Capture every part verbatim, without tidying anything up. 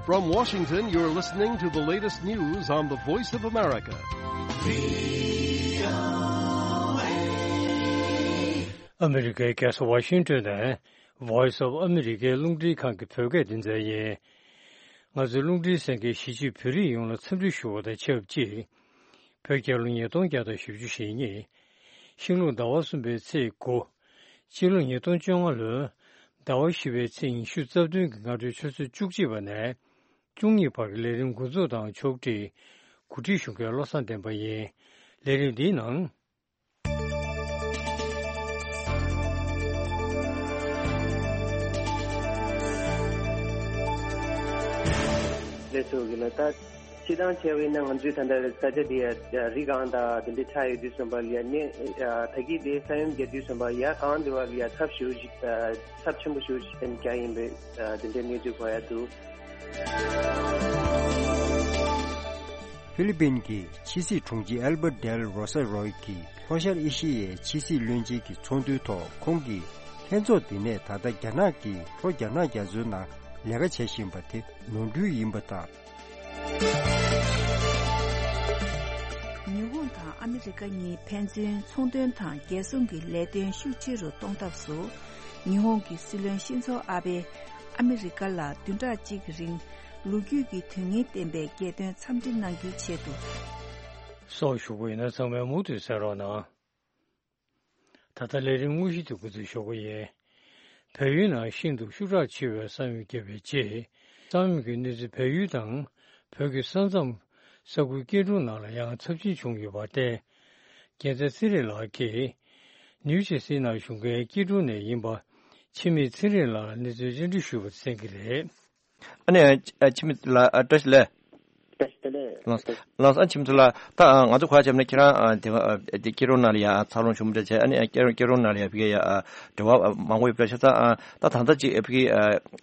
From Washington, you're listening to the latest news on the Voice of America. ཨ་མི་རི་ཀའི་རྒྱལ་ས་ཝ་ཤིང་ཏོན་ནས་Voice of America རླུང་འཕྲིན་ཁང་གི་བོད་སྐད་སྡེ་ཚན་ཡིན། ང་ཚོའི་རླུང་འཕྲིན་གསན་མཁན་གཞིས་བྱེས་བོད་རིགས་ཡོངས་ལ་འཚམས་འདྲི་ཞུ་བ་དང་ཆབས་ཅིག་བོད་རྒྱལ་ལོ་ཉིས་སྟོང་བརྒྱ་དང་བཞི་བཅུ་ཞེ་གཉིས། ཤིང་ལུག་ཟླ་བ་གསུམ་པའི་ཚེས་དགུ། སྤྱི་ལོ་ཉིས་སྟོང་བཅོ་ལྔ་ལོའི་ཟླ་བ་བཞི་པའི་ཚེས་ཉི་ཤུ་རྩ་བདུན་གྱི་སྔ་དྲོའི་ཆུ་ཚོད་བཅུ་གཅིག་པ་ནས་བཅུ་གཉིས་བར་གྱི་ལས་རིམ་འགོ་འཛུགས་དང་ཕྱོགས་སྒྲིག་གོ་སྒྲིག་ཞུ་མཁན་བློ་བཟང་བསྟན་པ་ཡིན། ལས་རིམ་འདིའི་ནང་། ལས་ཚོགས་ཀྱི་ལ་ད། སྤྱི་བཏང་བྱས་པ་ཡིན་ན་ང་ཚོའི་ད་ལྟ་ས་ཆ་འདི་ཡ་རི་སྒང་དང་དེ་འདྲའི་ཆགས་ཡོད་དུས་ཙམ་པ་ལ་ཡ་ནི་ད་གིན་དེ་ས་ཡོམ་བརྒྱབ་དུས་ཙམ་པ་ཡ་གང་དེ་བ་ལ་ཡ་ཚབས་ཞེ་པོ་ཞིག་ཚབས་ཆེན་པོ་ཞེ་པོ་ཞིག་བརྒྱབ་ཡིན་པའི་དེ་འདྲའི་གནས་ཚུལ་གོ་ཡ་འདུག་ཧྥི་ལི་པིན་གྱི་ཕྱི་སྲིད་དྲུང་ཆེ་ཨལ་བྷར་ཌེལ་རོ་ས་རོ་ཡི་གིས་ལྷོ་ཤར་ཨེ་ཤི་ཡའི་ཕྱི་སྲིད་བློན་ཆེན་གྱི་ཚོགས་འདུའི་ཐོག་ཁོང་གིས་ལྷན་ཚོགས་འདི་ནས་ད་ལྟ་རྒྱ་ནག་གིས་ལྷོ་རྒྱ་ནག་རྒྱ་མཚོའི་ནང་ལས་ཀ་བྱེད་བཞིན་པ་དེ་ནོར་འཁྲུལ་ཡིན་པ་དང་། ཉི་ཧོང་དང་ཨ་མི་རི་ཀ་གཉིས་ཕན་ཚུན་ཚོང་དོན་དང་རྒྱལ་སྲུང་གི་ལས་དོན་ཤུགས་ཆེ་རུ་གཏོང་ཐབས་སུ། ཉི་ཧོང་གི་སྲིད་བློན་ཤིན་ཚོ་ཨ་བྷེ་ཨ་མི་རི་ཀ་ལ་བདུན་ཕྲག་གཅིག་གི་རིང་ལོ་རྒྱུས་ཀྱི་དོན་སྙིང་ལྡན་པའི་རྒྱལ་དོན་འཚམས་འདྲི་གནང་རྒྱུའི་ཆེད་དུ། སྲོག་ཞུགས་པ་ཡིན་ན་ཚང་མས་མུ་མཐུད་གསན་རོགས་གནང་། ད་ལྟ་ལས་རིམ་དངོས་གཞི་དེ་འགོ་འཛུགས་ཞུ་གི་ཡིན། བལ་ཡུལ་ནང་ཤིན་ཏུ་ཤུགས་དྲག་ཆེ་བའི་ས་ཡོམ་བརྒྱབ་པའི་རྗེས། ས་ཡོམ་གྱི་གནས་ཚུལ་བལ་ཡུལ་དང་བོད་ཀྱི་ས་མཚམས་ས་ཁུལ་སྐྱེ་འགྲོ་ནང་ལ་ཡང་ཚབས་ཆེན་བྱུང་ཡོད་པར་བརྟེན། རྒྱལ་མཚན་ཚེ་རིང་ལགས་ཀྱིས་ནིའུ་ཇེར་སི་ནང་བཞུགས་མཁན་སྐྱེ་འགྲོ་ནས་ཡིན་པ་འཆི་མེད་ཚེ་རིང་ལགས་ལ་གནས་ཚུལ་བཅར་འདྲི་ཞུས་པ་གསན་གྱི་རེད། ཨ་ནི་ཨ་འཆི་མེད་ལགས་ཨ་བཀྲ་ཤིས་བདེ་ལེགས། བཀྲ་ཤིས་བདེ་ལེགས། ལགས་ལགས་ཨ་འཆི་མེད་ལགས་ད་ང་ཚོ་གོ་ཡ་བྱས་ན་ཁྱེད་རང་དེ་དེ་སྐྱེ་འགྲོ་ནང་ལ་ཡ་འཚར་ལོངས་བྱུང་མི་འདྲ་བྱས་ཨ་ནི་སྐྱེ་སྐྱེ་འགྲོ་ནང་ལ་ཡ་ཕ་གི་ཡ་འབྲེལ་བ་མང་པོ་ཡོད་པ་ཆ་ཚང་ད་ད་ལྟ་ཅིག་ཕ་གི་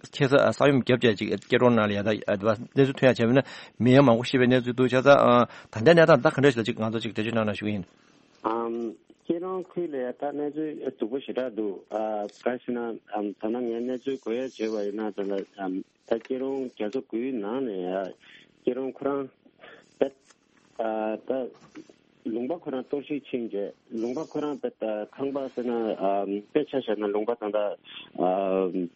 ཁྱེད་ས་ས་ཡོམ་བརྒྱབ་བྱས་ཅིག་སྐྱེ་འགྲོ་ནང་ལ་ཡ་ད་གནས་ཚུལ་ཐོན་ཡ་བྱས་པ་ན་མི་ཡང་མང་པོ་ཤི་བའི་གནས་ཚུལ་འདུག་ཆ་ཚང་ད་ལྟའི་གནས་སྟངས་ད་ག་འདྲ་ཞིག་ལ་ཅིག་ང་ཚོ་ཅིག་འགྲེལ་བརྗོད་གནང་ན་ཞུ་གི་ཡིན། ཨམ། སྐྱིད་རོང་ཁུལ་ལ་ཡ་ད་གནས་ཚུལ་སྡུག་པོ་ཞེ་དྲག་འདུག་ཨ་ག་ཟེར་ན་ཨམ་ད་ལྟ་ངས་གནས་ཚུལ་གོ་ཡ་བྱས་པ་ཡིན་ན་ད་ལྟ་ཨམ་ད་སྐྱིད་རོང་རྒྱ་མཚོ་དགུའི་ནང་ནས་ཡ་སྐྱིད་རོང་ཁོ་རང་ད་ཨ་ད་ལུང་པ་ཁོ་རང་གཏོར་བཤིག་ཕྱིན་རྗེས་ལུང་པ་ཁོ་རང་ད་ད་ཁང་པ་ཟེར་ན་ཨམ་དཔེ་ཆ་བཞག་ན་ལུང་པ་ད་ད་ཨམ།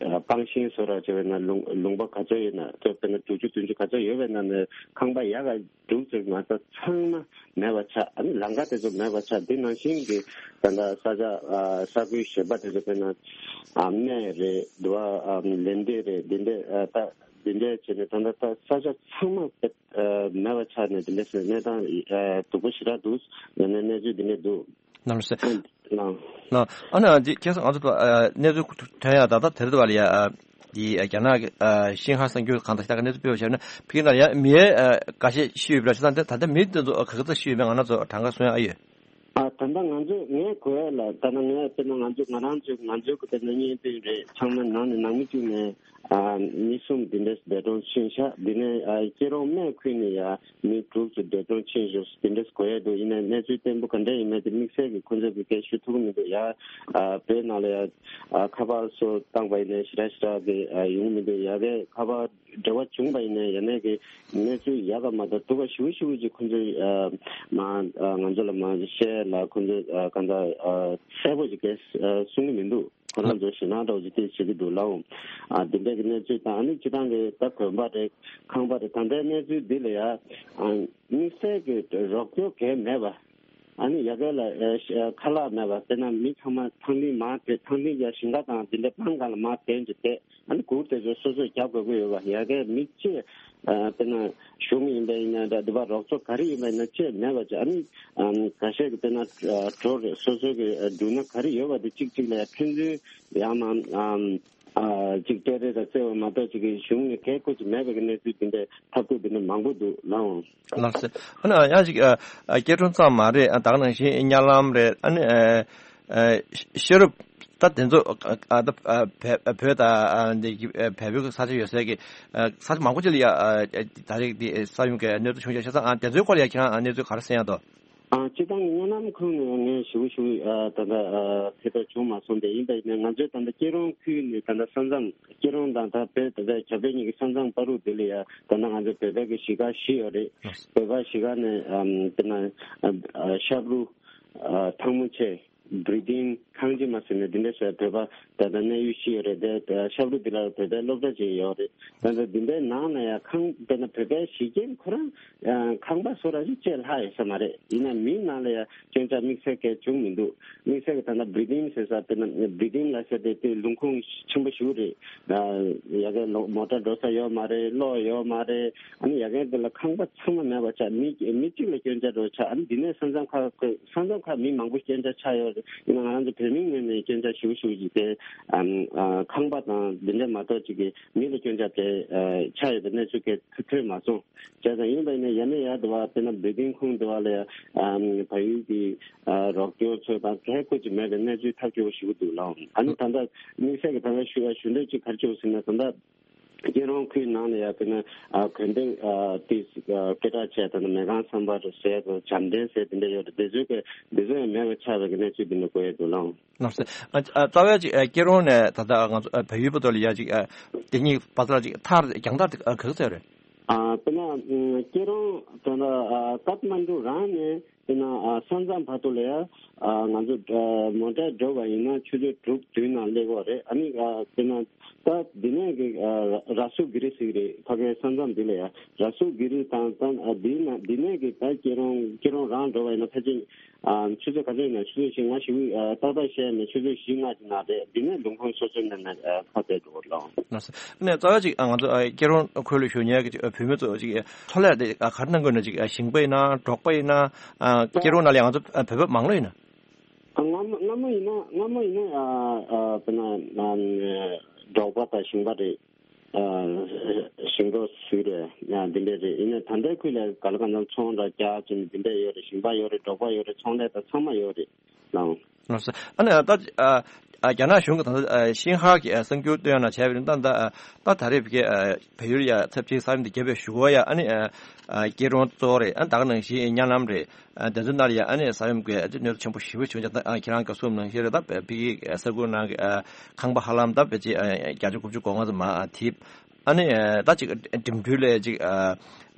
སྤང་ཤིང་བཟོ་ར་བྱས་པའི་ནང་ལུང་ལུང་པ་ག་ཚོད་ཡོད་ན་ཚོད་དཔེར་ན་དྲུག་ཅུ་བདུན་ཅུ་ག་ཚོད་ཡོད་པའི་ནང་ནས་ཁང་པ་ཡག་ག་དྲུག་ཙམ་མ་གཏོགས་ཚང་མ་མེད་པ་ཆགས། ཨ་ནི་ལམ་ཁ་དེ་ཚོ་མེད་པ་ཆགས། འདི་ནང་བཞིན་གྱི་ད་ལྟ་ས་ཆ་ས་ཁུལ་གཞན་པ་དེ་ཚོ་དཔེར་ན་སྨད་རེད་འདུག་ཨ་ལན་ཏེ་རེད་འདི་འདྲས་ད་འདི་འདྲས་བྱས་ནས་ད་ལྟ་ད་ས་ཆ་ཚང་མ་མེད་པ་ཆགས་ནས་འདི་འདྲས་གནས་སྟངས་སྡུག་པོ་ཞེ་དྲག་འདུག་ངས་ནས་གནས་ཚུལ་འདི་འདྲས་འདུག་ནམ་སེ། ལགས། ལགས། ཨ་ནི་འདི་ཁྱེད་ཚོ་ང་ཚོ་ཨ་གནས་ཚུལ་ཐོན་ཡ་ད་ལྟ་དེ་རེད་བ་ལ་ཡ་ཨ་འདི་ཨ་རྒྱ་ནག་གི་ཨ་ཤིན་ཧྭ་གསར་འགྱུར་གང་དང་ཞིག་ད་ག་གནས་ཚུལ་སྤེལ་བ་བྱས་ན་ཕ་གི་ནང་ཡ་མི་ཨ་འགའ་ཤས་ཤི་ཡོད་པ་ལ་ད་ལྟ་ད་ལྟ་མི་དེ་ཚོ་ག་ག་ཚོད་ཤི་ཡོད་མེད་ང་རང་ཚོ་གྲངས་ཀ་གསུང་ཡ་ཨ་ཡོད། ཨ་ད་ལྟ་ང་ཚོ་ངས་གོ་ཡ་ལ་ད་ལྟ་ངས་དཔེར་ན་ང་ཚོ་ང་རང་ཚོ་ང་ཚོའི་གི་དཔེར་ན་གཉེན་སྟོན་རེད་ཚང་མ་ནང་ནས་ནང་མི་གཅིག་ནས། ཨ་མི་གསུམ་འདི་འདྲས་འདས་གྲོངས་ཕྱིན་ཤག་འདི་ནས་ཨ་སྐྱིད་རོང་སྨད་ཁུལ་ནས་ཡ་མི་དྲུག་ཙམ་འདས་གྲོངས་ཕྱིན་ཤག་འདི་འདྲས་གོ་ཡ་འདུག་ཡིན་ནའི་གནས་ཚུལ་བརྟན་པོ་ག་འདྲས་ཡིན་མིན་དེ་དམིགས་བསལ་གྱི་ཁོང་ཚོས་ཀྱི་སྐད་ཞུ་ཐུབ་ཀྱི་མི་འདུག་ཡ་ཨ་བོད་ནང་ལ་ཡ་ཨ་ཁ་པར་སོགས་བཏང་པ་ཡིན་ནའི་ཞེ་དྲག་ཞེ་དྲག་གི་ཨ་ཡོང་མི་འདུག་ཡ་གའི་ཁ་པར་འབྲེལ་བ་བྱུང་པ་ཡིན་ནའི་ཡ་ནས་ཀྱི་གནས་ཚུལ་ཡག་ག་མ་གཏོགས་སྡུག་ག་ཞེ་པོ་ཞེ་པོ་ཅིག་ཁོང་ཚོས་ཨ་མ་ཨ་ང་ཚོ་ལ་མ་བཤད་ལ་ཁོང་ཚོས་ཨ་གང་ལྟར་ཨ་གསལ་པོ་ཅིག་གས་ཨ་གསུང་གི་མི་འདུག་ཁོ་རང་ཚོ་ཞེད་སྣང་འདྲ་བོ་ཅིག་དེ་བྱེད་ཀྱི་འདུག་ལའོ། ཨ་འདི་འདྲའི་གི་གནས་ཚུལ་དང་ཨ་ནི་སྤྱི་བཏང་གི་ད་གོན་པ་རེད་ཁང་པ་རེད་ད་ལྟའི་གནས་ཚུལ་འདི་ལ་ཡ་ཨ་དམིགས་བསལ་གྱི་རོགས་སྐྱོར་གས་མེད་པ། ཨ་ནི་ཡ་གའི་ལ་ཨ་ཤ་ཁ་ལག་མེད་པ་དཔེར་ན་མི་ཚང་མ་ཐང་ཐིང་མར་བསྡད་ཐང་ཐིང་ཡ་ཞིང་ཁ་དང་འདི་འདྲ་སྤང་གང་ལ་མར་བསྡད་འཇུ་བསྡད། ཨ་ནི་གུར་དེ་ཚོ་སོ་སོས་རྒྱག་དགོས་ཀྱི་ཡོད་པ་ཡ་གའི་མི་གཅིག་ཨ་དཔེར་ན་གཞུང་ཡིན་པ་ཡིན་ན་འདྲ་འདི་པ་རོགས་ཚོ་ག་རེ་ཡིན་པ་ཡིན་ན་ཅེས་མེད་པ་ཅིག་ཨ་ནི་ཨམ་འགའ་ཤས་ཀྱི་དཔེར་ན་ཨ་གྲོ་རེད་སོ་སོའི་གི་ཨ་འབྲུ་སྣ་ག་རེ་ཡོད་པ་དེ་གཅིག་གཅིག་ལ་ཡ་ཕན་ཚུན་ཡང་ན་ཨམ་ཨ་ཅིག་སྤྲད་རེས་དང་བརྩེ་བ་མ་གཏོགས་ཅིག་གི་གཞུང་ནས་གལ་ཁོ་ཅིག་མེད་པའི་གི་གནས་ཚུལ་འདི་འདྲའི་ཐབས་བཀོད་འདི་འདྲ་མང་པོ་འདུག་ལའོ། ལགས་སེ། ཨ་ནི་ཡང་ཅིག་ཨ་ཨ་སྐྱེ་ཕྲེང་ཙམ་མ་རེད་ཨ་ད་ག་ནང་བཞིན་གཉའ་ལམ་རེད་ཨ་ནི་ཨ་ཨ་ཤེས་རབ། ད་དེ་ཚོ་ཨ་ཨ་ད་ཨ་བལ་བོད་དང་ཨ་འདི་ཨ་བལ་པོའི་ས་ཆ་ཡོད་སའི་གི་ཨ་ས་ཆ་མང་པོ་ཅིག་ལ་ཡ་ཨ་ཨ་ད་རེས་འདི་ས་ཡོམ་གི་གནོད་འཚེ་བྱུང་ཡོད་ཤག་ས་ཨ་དེ་ཚོའི་སྐོར་ལ་ཡ་ཁྱེད་རང་ཨ་གནས་ཚུལ་ག་རེ་གསན་ཡ་འདུག་ཨ། སྤྱིར་བཏང་གི་སྨོན་ལམ་ཁུལ་ནས་ངས་ཞུ་ཞུ་ཨ་ད་ལྟ་ཨ་ཕེབས་པ་བྱུང་མ་སོང་སྟེ། ཡིན་པ་ཡིན་ན་ང་ཚོའི་ད་ལྟ་སྐྱིད་རོང་ཁུལ་ནས་ད་ལྟ་ས་མཚམས་སྐྱིད་རོང་དང་ད་བོད་ད་ལྟ་བྱ་བོད་གཉིས་ཀྱི་ས་མཚམས་བར་དུ་དེ་ལ་ཡ་ད་ལྟ་ང་ཚོ་བོད་པའི་གི་གཞིས་ཀ་བཞི་ཡོད་རེད། བོད་པ་གཞིས་ཀ་ནས་ཨམ་དེ་ན་ཨ་ཤབ་རུ། ཨ་ཐང་མོ་ཆེ། བྷི་རི་ཏིན། ཁང་ཆེན་མ་ཟེར་ནས་འདི་འདྲ་ཟེར་བོད་པ་ད་ལྟ་གནས་ཡུལ་བཞི་ཡོད་རེད་དེ། ཤབ་རུ་འདི་ལ་བོད་པའི་སློབ་གྲྭ་ཅིག་ཡོད་རེད། ད་ལྟ་འདི་འདྲའི་ནང་ན་ཡང་ཁང་དཔེར་ན་བོད་པའི་གཞིས་ཁྱིམ་ཁོ་རང་ཁང་པ་བཟོ་ར་ཅིག་བཅས་ལྷག་ཡོད་ས་མ་རེད། ཡིན་ན་མིའི་ནང་ལ་ཡང་སྐྱོན་ཆ་དམིགས་བསལ་གང་བྱུང་མི་འདུག། དམིགས་བསལ་གྱི་ད་ལྟ་བྷི་རི་ཏིན་ཟེར་ས་དཔེར་ན་བྷི་རི་ཏིན་ལ་ཟེར་དེ་དེ་ལུང་ཁུངས་ཆེན་པོ་ཞིག་རེད། ཡ་གི་ལོ་མོ་ཊ་འགྲོ་ས་ཡོད་མ་རེད། གློག་ཡོད་མ་རེད། ཨ་ནི་ཡ་གི་དེ་ལ་ཁང་པ་ཚང་མ་མེད་པ་ཆགས། མི་མི་གཅིག་ལ་སྐྱོན་ཆ་འགྲོ་ཆགས། ཨ་ནི་འདི་ནས་ས་མཚམས་ཁག་ས་མཚམས་ཁག་མི་མང་པོ་སྐྱོན་ཆ་ཆགས་ཡོད་རེད། ཡིན་ན་ང་རང་ཚོ་བོད་མིའི་ངོས་ནས་སྐྱོན་ཆ་ཞེ་པོ་ཞེ་པོ་ཅིག་དེ་ཨམ་ཨ་ཁང་པ་དང་འདི་འདྲ་མ་གཏོགས་ཅིག་གི་མི་ལ་སྐྱོན་ཆ་དེ་ཨ་ཆགས་ཡོད་པའི་གནས་ཚུལ་གང་ཐོན་མ་སོང་། བྱས་ཙང་ཡིན་པ་ཡིན་ན་ཡ་ནས་ཡར་འགྲོ་བ་དཔེར་ན་བྷི་རི་ཏིན་ཁོངས་འགྲོ་བ་ལ་ཨམ་བལ་ཡུལ་གྱི་ཨ་རོགས་སྐྱོར་ཚོ་དང་གལ་ཁོ་ཅིག་མེད་པའི་གནས་ཚུལ་ཐག་གཅོད་པོ་ཞེ་པོ་འདུག་ལགས། ཨ་ནི་ད་ལྟ་དམིགས་བསལ་གྱི་ད་ལྟ་ཞུ་ཡ་ཞུ་འདོད་ཅིག་ག་རེ་བྱུང་ཟེར་ན། ད་ལྟ་སྐྱིད་རོང་ཁུལ་ནང་ལ་ཡ་དཔེར་ན་ཨ་དགོན་སྡེ་ཨ་དེ་ཨ་སྐད་གྲགས་ཆེ་ད་ནི་མེ་ཁང་བསམ་འཕེལ་ཟེར་དང་བྱམས་ལྡན་ཟེར་དེ་འདྲ་ཡོད་རེད། དེ་ཚོའི་གི་དེ་ཚོ་ཡང་མེད་པ་ཆགས་པའི་གི་གནས་ཚུལ་འདི་འདྲ་གོ་ཡ་འདུག་ལགས། ལགས་སོ། ཨ་ཨ་རྩ་བའི་ཅིག་ཨ་སྐྱིད་རོང་ནས་ད་ལྟ་ང་ཚོ་ཨ་བལ་ཡུལ་བར་དུ་ལ་ཡ་ཅིག་ཨ་དེ་གཉིས་བར་དུ་ལ་ཅིག་མཐར་རྒྱང་མཐར་དེ་ཨ་ག་ཚོད་རེད། ཨ་དཔེར་ན་ཨ་སྐྱིད་རོང་ད་ལྟ་ཨ་ཀཏ་མན་ཌུ་རང་ནས་དཔེར་ན་ཨ་ས་མཚམས་བར་དུ་ལ་ཡ་ཨ་ང་ཚོ་ཨ་མོ་ཊས་འགྲོ་བ་ཡིན་ན་ཆུ་ཚོད་དྲུག་བདུན་ནང་སླེབས་ཡོད་རེད། ཨ་ནི་ཨ་དཔེར་ན་ད་འདི་ནས་གི་ཨ་ར་སུ་གྷི་རི་ཟེར་གི་རེད། ཕ་གའི་ས་མཚམས་འདི་ལ་ཡ་ར་སུ་གྷི་རི་དང་ད་ཨ་འདི་ན་འདི་ནས་གི་ད་སྐྱིད་རོང་སྐྱིད་རོང་རང་འགྲོ་བ་ཡིན་ན་ཕལ་ཆེར་ཨ་ཆུ་ཚོད་ག་ཚོད་ཡིན་ན་ཆུ་ཚོད་བཞི་ལྔ་ཞིག་ཨ་ཏག་ཏག་བཤད་ནས་ཆུ་ཚོད་བཞི་ལྔ་ཅིག་ནང་རེད། འདི་ནས་ལུང་ཁུངས་སོ་སོའི་ནང་ནས་ཨ་ཁ་གཏད་འགྲོ་གི་རེད་ལགས། ལགས་སོ། ཨ་ནི་རྩ་བ་ཅིག་ཨ་ང་ཚོ་ཨ་སྐྱིད་རོང་ཁུལ་ལ་བཞུགས་མཁན་གྱི་བུད་མེད་ཚོ་ཅིག་འཚོ་ལས་དེ་ཨ་ག་རེ་གནང་དགོས་ན། ཅིག་ཨ་ཞིང་པ་ཡིན་ན་འབྲོག་པ་ཡིན་ན་ཨ་སྐྱིད་རོང་ནང་ལ་ང་ཚོ་ཨ་བོད་པ་མང་ལོས་ཡིན་ན། ཨ་སྔ་མ་སྔ་མ་ཡིན་ན་སྔ་མ་ཡིན་ན་ཨ་ཨ་དཔེར་ན་ཨ་འབྲོག་པ་དང་ཞིང་པ་རེད། ཨ་ཞིང་འབྲོག་ཟེར་རེད། ཨ་འདི་འདྲ་རེད། ཡིན་ན་ད་ལྟའི་ཁུལ་ལ་ག་ལ་གང་འཚམ་ཚོང་ར་རྒྱག་བྱས་ནས་འདི་འདྲ་ཡོད་རེད། ཞིང་པ་ཡོད་རེད། འབྲོག་པ་ཡོད་རེད། ཚོང་ལས་དང་ཚང་མ་ཡོད་རེད་ལགས། ལགས་སོ། ཨ་ནི་ད་ཨ་ཨ་རྒྱ་ནག་གཞུང་གིས་ད་ལྟ་ཨ་ཤིན་ཧྭ་གི་ཨ་གསར་འགྱུར་སྟོན་ཡ་ནང་བྱས་པ་ཡིན་ན། ད་ད་ད་ད་རེས་བོད་སྐད་ཨ་བལ་ཡུལ་ཡ་ཚབ་ཆེའི་ས་ཡོམ་དེ་བརྒྱབ་པའི་གཞུག་གུ་ཡ་ཨ་ནི་ཨ་ཨ་སྐྱིད་རོང་གཙོ་བོ་རེད། ཨ་ནི་ད་ག་ནང་བཞིན་གཉའ་ལམ་རེད། ཨ་དེ་ཚོ་ནང་ལ་ཡ་ཨ་ནི་ས་ཡོམ་གྱི་ཨ་ཅེ་གནོད་འཚེ་ཆེན་པོ་ཞེ་པོ་བྱུང་ཅིང་། ད་ཨ་ཁྱེད་རང་ག་གསུངས་ནང་བཞིན་རེད། ད་བོད་ཀྱི་ས་ཁུལ་ནང་གི་ཨ་ཁང་པ་ཧ་ལམ་ད་ཕལ་ཆེར་ཨ་བརྒྱ་ཆ་དགུ་བཅུ་གོ་ལྔ་ཙམ་མར་ཨ་ཐིབས། ཨ་ནི་ཨ་ད་ཅིག་འགྲིམ་འགྲུལ་ལ་ཅིག་ཨ་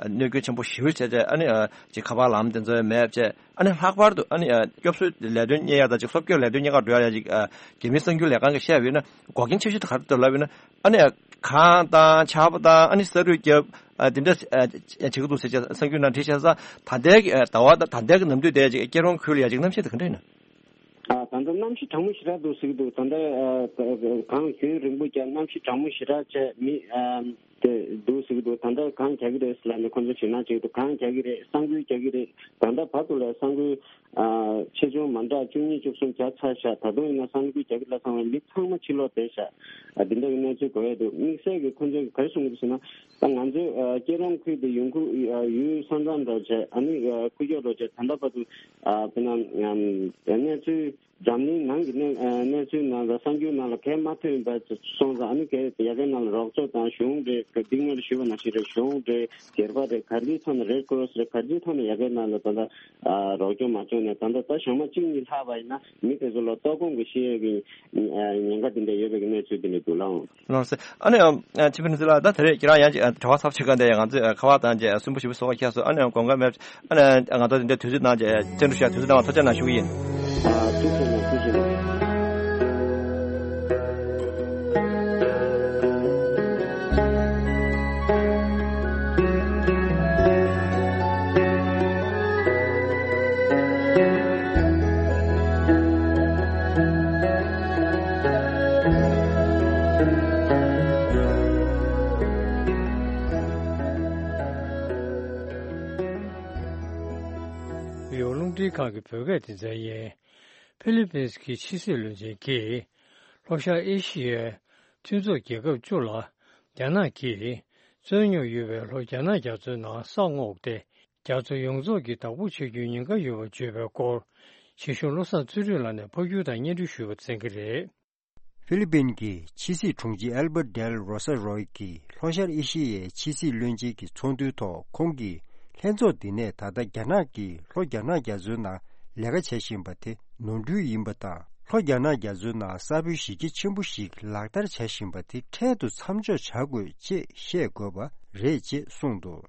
གནོད་སྐྱོན་ཆེན་པོ་ཞེ་པོ་བྱས་བྱས། ཨ་ནི་ཨ་ཅིག་ཁ་པར་ལམ་དེ་ཚོ་མེད་བྱས། ཨ་ནི་ལྷག་པར་དུ་ཨ་ནི་ཨ་སྐྱོབ་གསོའི་ལས་དོན་གཉེར་ཡ་དང་ཅིག་སློབ་སྐྱོར་ལས་དོན་གཉེར་ག་འགྲོ་ཡ་ཅིག་ཨ་རྒྱ་མིའི་གསར་འགྱུར་ལས་ཁང་གིས་བཤད་པ་ཡིན་ན་འགོག་རྐྱེན་ཆེ་ཤོས་དེ་ག་རེ་འདུག་ལབ་ཡིན་ན། ཨ་ནི་ཨ་གངས་དང་ཆར་པ་དང་ཨ་ནི་ས་རུད་རྒྱབ་ཨ་དེ་འདྲ་ཨ་བྱེད་ཀྱི་འདུག་ཟེར་བྱས་གསར་འགྱུར་ནང་བྲིས་བྱས་ཙང་། ད་ལྟའི་གི་ཨ་ཟླ་བ་དང་ད་ལྟའི་གི་ནམ་དུས་དེ་ཅིག་སྐྱིད་རོང་ཁུལ་ལ་ཡ་ཅིག་གནམ་གཤིས་དེ་ག་འདྲ་ཡིན་ན། ཨ་ད་ལྟ་གནམ་གཤིས་གྲང་མོ་ཞེ་དྲག་འདུག་ཟེར་གྱི་འདུག། ད་ལྟ་ཨ་གངས་ཞུན་རིང་པོ་བརྒྱབ། གནམ་གཤིས་གྲང་མོ་ཞེ་དྲག་བྱས། མི་ཨ་དེ་འདུག་ཟེར་གྱི་འདུག། ད་ལྟ་གངས་རྒྱག་གི་རེད་ཟེར་ལབ་ནས་ཁོང་ཚོ་ཞེད་སྣང་བྱེད་ཀྱི་འདུག། གངས་རྒྱག་གི་རེད། ས་འགུལ་རྒྱག་གི་རེད། ད་ལྟ་བར་དུ་ལ་ས་འགུལ་ཨ་ཆེ་ཆུང་མ་འདྲ་བཅུ་གཉིས་བཅུ་གསུམ་བརྒྱབ་ཚར་ཤག། ད་དུང་ཡིན་ན་ས་འགུལ་རྒྱག་གི་ལབ་སོང་བས་མི་ཚང་མ་ཕྱིར་ལོག་བསྡད་ཤག། ཨ་དེ་འདྲ་གི་གནས་ཚུལ་གོ་ཡ་འདུག། དམིགས་བསལ་གྱི་ཁོང་ཚོས་ག་རེ་གསུང་གི་འདུག་ཟེར་ན། ད་ང་ཚོའི་ཨ་སྐྱིད་རོང་ཁུལ་དེ་ཡོང་ཁུལ་ཨ་ཡུལ་ས་མཚམས་འདྲ་བྱས། ཨ་ནི་ཨ་ཁུག་ཀྱོག་འདྲ་བྱས། ད་ལྟ་བར་དུ་ཨ་དཔེར་ན་ཨམ་གནས་ཚུལ་འཛམ་གླིང་ནང་གི་གནས་ཨ་གནས་ཚུལ་ནང་ལ་གསར་འགྱུར་ནང་ལ་གང་ཡང་མ་ཐོན་པ་སོང་ཙང་། ཨ་ནི་ག་ཡ་གའི་ནང་ལ་རོགས་ཚོགས་དང་གཞུང་རེད། ག་འདི་སྔོན་ལ་ཞུས་པ་ནང་བཞིན་རེད། གཞུང་རེད། སྒེར་པ་རེད། ག་རེའི་ཐོག་ནས་རེད་ཀོ་རོ་སི་རེད། ག་རེའི་ཐོག་ནས་ཡ་གའི་ནང་ལ་ད་ལྟ་ཨ་རོགས་སྐྱོར་མ་བྱུང་ནས། ད་ལྟ་ད་ཞག་མ་གཅིག་གཉིས་ལྷག་པ་ཡིན་ན་མི་དེ་ཚོ་ལ་ལྟོགས་སྐོམ་གྱི་ཤི་ཡས་ཀྱི་ཉེན་ཁ་དེ་འདྲ་ཡོད་པའི་གནས་ཚུལ་དེ་འདྲ་འདུག་ལགས། ལགས་སོ། ཨ་ནི་ཨ་ཆིབས་ནི་ཟི་ལགས། ད་དེ་རེད། ཁྱེད་རང་ཡང་ཅིག་ཨ་གྲྭ་པ་ཚབ་བྱེད་མཁན་དེ་ཡང་ང་ཚོས་ཨ་ཁ་པར་བཏང་རྗེས་ཨ་སུན་པོ་ཞེ་པོ་བཟོ་ག་ཁྱེར་སོང་། ཨ་ནི་ཨ་དགོངས་འགལ་མེད། ཨ་ནི་ཨ་ང་ཚོ་དེ་འདྲ་དུས་ཚོད་གནང་རྗེས་བཅར་འདྲི་ཞུ་ཡ་དུས་ཚོད་གནང་བ་ཐུགས་རྗེ་གནང་ཞུ་གི་ཡིན། ཨ་ཐུགས་རྗེ་གནང་། ཐུགས་རྗེ་གནང་། ཡོ་རླུང་འཕྲིན་ཁང་གི་བོད་སྐད་སྡེ་ཚན་ཡིན། ཧྥི་ལི་པིན་གྱི་ཕྱི་སྲིད་བློན་ཆེན་གྱིས་ལྷོ་ཤར་ཨེ་ཤི་ཡའི་མཐུན་ཚོགས་རྒྱལ་ཁབ་བཅུ་ལ་རྒྱ་ནག་གིས་རྩོད་རྙོག་ཡོད་པའི་ལྷོ་རྒྱ་ནག་རྒྱ་མཚོའི་ནང་ས་སྔོག་སྟེ། རྒྱ་མཚོ་ཡོངས་རྫོགས་ཀྱི་བདག་པོ་བྱེད་རྒྱུའི་ཉེན་ཁ་ཡོད་པར་བརྗོད་པའི་སྐོར། ཞིང་གཤེགས་བློ་བཟང་ཚུལ་ཁྲིམས་ལགས་ནས་ཕབ་སྒྱུར་དང་སྙན་སྒྲོན་ཞུས་པ་གསན་གྱི་རེད། ཧྥི་ལི་པིན་གྱི་ཕྱི་སྲིད་དྲུང་ཆེ་ཨལ་བྷར་ཏ་ཌེལ་རོ་ས་རོའི་གིས་ལྷོ་ཤར་ཨེ་ཤི་ཡའི་ཕྱི་སྲིད་བློན་ཆེན་གྱི་ཚོགས་འདུའི་ཐོག་ཁོང་གིས་ ལྷན་ཚོགས་འདི་ནས་ད་ལྟ་རྒྱ་ནག་གིས་ལྷོ་རྒྱ་ནག་རྒྱ་མཚོའི་ནང་ལས་ཀ་བྱེད་བཞིན་པ་དེ་ནོར་འཁྲུལ་ཡིན་པ་དང་། ལྷོ་རྒྱ་ནག་རྒྱ་མཚོའི་ནང་ས་བོན་གཞི་རྒྱ་ཆེན་པོ་ཞིག་ལག་བསྟར་བྱེད་བཞིན་པ་དེ་འཕྲལ་དུ་མཚམས་འཇོག་བྱ་དགོས་ཅེས་བཤད་དགོས་པ་རེད་ཅེས་གསུངས་འདུག་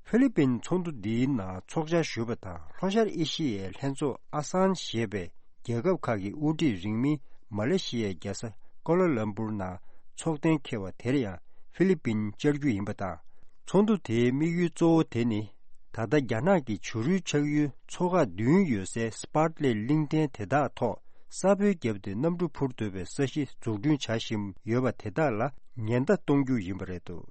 ཧྥི་ལི་པིན་ཚོགས་འདུ་འདིའི་ནང་ཚོགས་བཅར་ཞུས་པ་དང་། ལྷོ་ཤར་ཨེ་ཤི་ཡའི་ལྷན་ཚོགས་ཨ་སན་ཞེས་པའི་རྒྱལ་ཁབ་ཁག་གི་དབུ་ཁྲིད་རིང་མིན་མ་ལེ་ཤི་ཡའི་རྒྱལ་ས་ཀོ་ལ་ལམ་པུར་ནང་ཚོགས་གཏན་འཁེལ་བ་དེར་ཡང་ཧྥི་ལི་པིན་བཅར་རྒྱུ་ཡིན་པ་དང་། ཚོགས་འདུ་དེའི་དམིགས་ཡུལ་གཙོ་བོ་དེ་ནི། ད་ལྟ་རྒྱ་ནག་གི་བྱུ་རུའི་ཆགས་ཡུལ་མཚོ་འགག་བདུན་ཡོད་སའི་སི་པཱར་ཏ་ལེ་གླིང་ཕྲན་དེ་དག་ཐོག་ས་བོན་བརྒྱབ་སྟེ་གནམ་གྲུ་འཕུར་ཐུབ་པའི་ས་གཞི་འཛུགས་སྐྲུན་བྱ་བཞིན་ཡོད་པ་དེ་དག་ལ་ཉེན་བརྡ་གཏོང་རྒྱུ་ཡིན་པ་རེད་འདུག་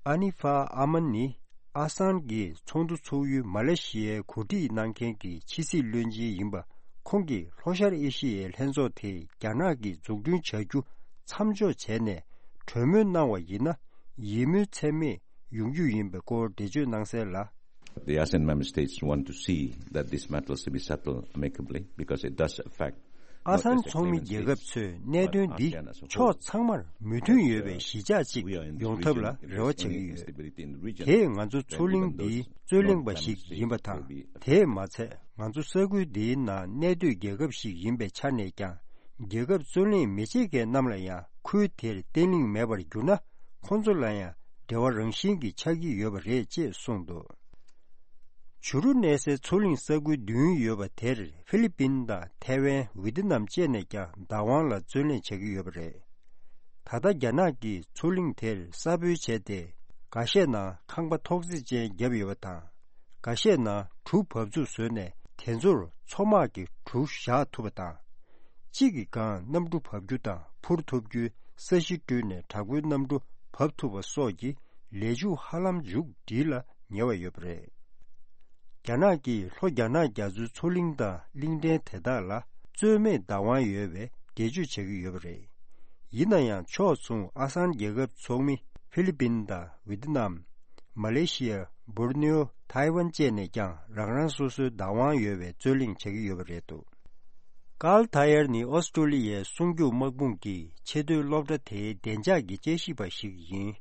ཨ་ནི་ཧྥ་ཨ་མན་ནི་ཨ་སན་གྱི་ཚོགས་འདུ་ཚོགས་ཡུལ་མ་ལེ་ཤི་ཡའི་གོ་སྒྲིག་གནང་མཁན་གྱི་ཕྱི་སྲིད་བློན་ཆེན་ཡིན་པ། ཁོང་གིས་ལྷོ་ཤར་ཨེ་ཤི་ཡའི་ལྷན་ཚོགས་དེ་རྒྱ་ནག་གིས་འཛུགས་སྐྲུན་བྱ་རྒྱུ་མཚམས་འཇོག་བྱས་ནས་གྲོས་མོལ་གནང་བ་ཡིན་ན། ཡིད་སྨོན་ཚད་མེད་ཡོང་རྒྱུ་ཡིན་པའི་སྐོར་འགྲེལ་བརྗོད་གནང་གསལ་ལ། The ASEAN member states want to see that this matters to be settled amicably because it does affect ཨ་སན་ཚོགས་མི་རྒྱལ་ཁབ་ཚོས་གནད་དོན་འདི་ཕྱོགས་ཚང་མར་མོས་མཐུན་ཡོད་པའི་གཞིས་ཆགས་ཅིག་ཡོང་ཐབས་ལ་རེ་བ་བྱེད་ཀྱི་ཡོད། དེས་ང་ཚོ་མཚོ་གླིང་འདིའི་རྩོད་གླེང་པ་ཞིག་ཡིན་པ་དང་། དེས་མ་ཚད་ང་ཚོ་ས་ཁུལ་འདིའི་ནང་གནས་སྡོད་རྒྱལ་ཁབ་ཞིག་ཡིན་པའི་ཆ་ནས་ཀྱང་། རྒྱལ་ཁབ་རྩོད་གླེང་མི་བྱེད་མཁན་རྣམས་ལ་ཡང་ཁུལ་དེར་བརྟན་ལྷིང་མེད་པར་གྱུར་ན། ཁོང་ཚོ་ལ་ཡང་འབྲེལ་བ་རང་བཞིན་གྱིས་ཆགས་ཀྱི་ཡོད་པ་རེད་ཅེས་གསུངས་འདུག་བྱུ་རུ་གནས་སའི་མཚོ་གླིང་ས་ཁུལ་བདུན་ཡོད་པ་དེར་ཧྥི་ལི་པིན་དང་ཐའེ་ཝན། ཝི་ཏི་ནམ་བཅས་ནས་ཀྱང་བདག་དབང་ལ་རྩོད་གླེང་བྱེད་ཀྱི་ཡོད་པ་རེད། ད་ལྟ་རྒྱ་ནག་གིས་མཚོ་གླིང་དེར་ས་སྦོལ་བྱས་ཏེ། འགའ་ཤས་ནང་ཁང་པ་ཐོག་བརྩེགས་ཅན་བརྒྱབ་ཡོད་པ་དང་། འགའ་ཤས་ནང་གྲུ་བབས་ཚུགས་བཟོས་ནས་དེ་ཚོར་མཚོ་དམག་གི་གྲུ་བཞག་ཐུབ་པ་དང་། གཅིག་གི་སྒང་གནམ་གྲུ་འབབ་རྒྱུ་དང་། འཕུར་ཐུབ་རྒྱུའི་ས་གཞི་བསྐྲུན་ནས་དྲག་པོའི་གནམ་གྲུ་བབས་ཐུབ་པ་སོགས་ཀྱི་ལས་འཇུག་ཧ་ལམ་མཇུག་སྒྲིལ་ལ་ཉེ་བ་ཡོད་པ་རེད། རྒྱ་ནག་གིས་ལྷོ་རྒྱ་ནག་རྒྱ་མཚོའི་མཚོ་གླིང་དང་གླིང་ཕྲན་དེ་དག་ལ་རྩོད་མེད་བདག་དབང་ཡོད་པའི་འགྲེལ་བརྗོད་བྱེད་ཀྱི་ཡོད་པ་རེད། ཡིན་ན་ཡང་ཕྱོགས་མཚུངས་ཨ་སན་རྒྱལ་ཁབ་ཚོགས་མི་ཧྥི་ལི་པིན་དང་ཝི་ཏི་ནམ། མ་ལེ་ཤི་ཡ། སྦོར་ནེའོ། ཐའེ་ཝན་བཅས་ནས་ཀྱང་རང་རང་སོ་སོའི་བདག་དབང་ཡོད་པའི་རྩོད་གླེང་བྱེད་ཀྱི་ཡོད་པ་རེད་འདུག་ཀཱལ་ཐ་ཡར་ནི་ཨོ་སི་ཀྲོ་ལི་ཡའི་སྲུང་སྐྱོབ་དམག་དཔུང་གི་ཆེས་མཐོའི་སློབ་གྲྭ་དེའི་བདེ་འཇགས་ཀྱི་དཔྱད་ཞིབ་པ་ཞིག་ཡིན།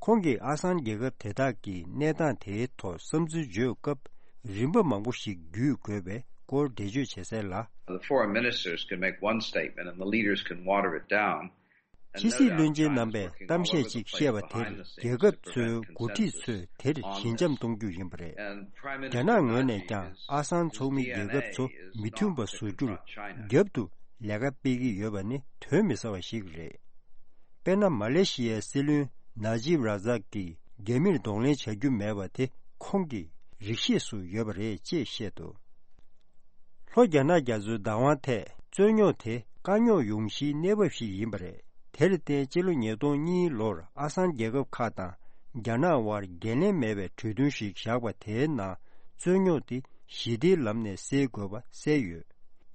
ཁོང་གིས་ཨ་སན་རྒྱལ་ཁབ་དེ་དག་གི་གནས་སྟངས་དེའི་ཐོག་བསམ་ཚུལ་བརྗོད་སྐབས། རིམ་པ་མང་པོ་ཞིག་བརྒྱུད་དགོས་པའི་སྐོར་འགྲེལ་བརྗོད་བྱེད་གསལ་ལ། The foreign ministers can make one statement and the leaders can water it down. ཕྱི་སྲིད་བློན་ཆེན་རྣམ་པས་གཏམ་བཤད་ཅིག་བཤད་པ་དེར། རྒྱལ་ཁབ་ཚོའི་འགོ་ཁྲིད་ཚོས་དེར་ཞི་འཇམ་གཏོང་རྒྱུ་ཡིན་པ་རེད། རྒྱ་ནག་ངོས་ནས་ཀྱང་ཨ་སན་ཚོགས་མི་རྒྱལ་ཁབ་ཚོ་མི་མཐུན་པ་བཟོ་རྒྱུར་རྒྱབ་ཏུ་ལས་ཀ་སྤེལ་གྱི་ཡོད་པ་ནི་དོན་མི་གསལ་བ་ཞིག་རེད། དཔེར་ན། མ་ལེ་ཤི་ཡའི་སྲིད་བློན་ན་ཇིབ་ར་ཛག་གིས་རྒྱ་མིར་གདོང་ལེན་བྱ་རྒྱུ་མེད་པ་དེ་ཁོང་གི་རིགས་ཤེས་སུ་ཡོད་པ་རེད་ཅེས་བཤད་འདུག་ལྷོ་རྒྱ་ནག་རྒྱ་མཚོའི་བདག་དབང་ཐད་རྩོད་རྙོག་དེ་དཀའ་རྙོག་ཡོང་གཞིའི་གནས་བབ་ཞིག་ཡིན་པ་རེད། དེར་བརྟེན་ཕྱི་ལོ་ཉིས་སྟོང་གཉིས་ལོར་ཨ་སན་རྒྱལ་ཁབ་ཁག་དང་རྒྱ་ནག་དབར་འགན་ལེན་མེད་པའི་གྲོས་མཐུན་ཞིག་བཞག་པ་དེའི་ནང་རྩོད་རྙོག་དེ་ཞི་བདེའི་ལམ་ནས་སེལ་དགོས་པ་གསལ་ཡོད།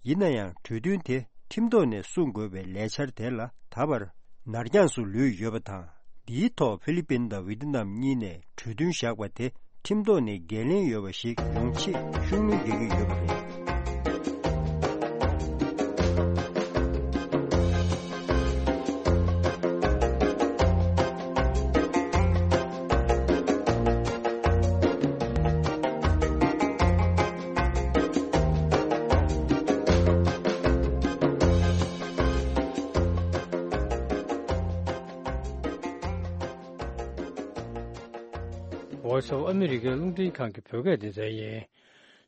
ཡིན་ན་ཡང་གྲོས་མཐུན་དེ་ཁྲིམས་ཐོག་ནས་སྲུང་དགོས་པའི་ལས་འཆར་དེ་ལ་ད་བར་ནར་འགྱངས་སུ་ལུས་ཡོད་པ་དང་། འདིའི་ཐོག་ཧྥི་ལི་པིན་དང་ཝི་ཏི་ནམ་གཉིས་ནས་གྲོས་མཐུན་བཞག་པ་དེ་ཁྲིམས་ཐོག་ནས་འགན་ལེན་ཡོད་པ་ཞིག་ཡོང་ཆེད་ཤུགས་སྣོན་རྒྱག་གི་ཡོད་པ་རེད། Voice of America རླུང་འཕྲིན་ཁང་གི་བོད་སྐད་སྡེ་ཚན་ཡིན།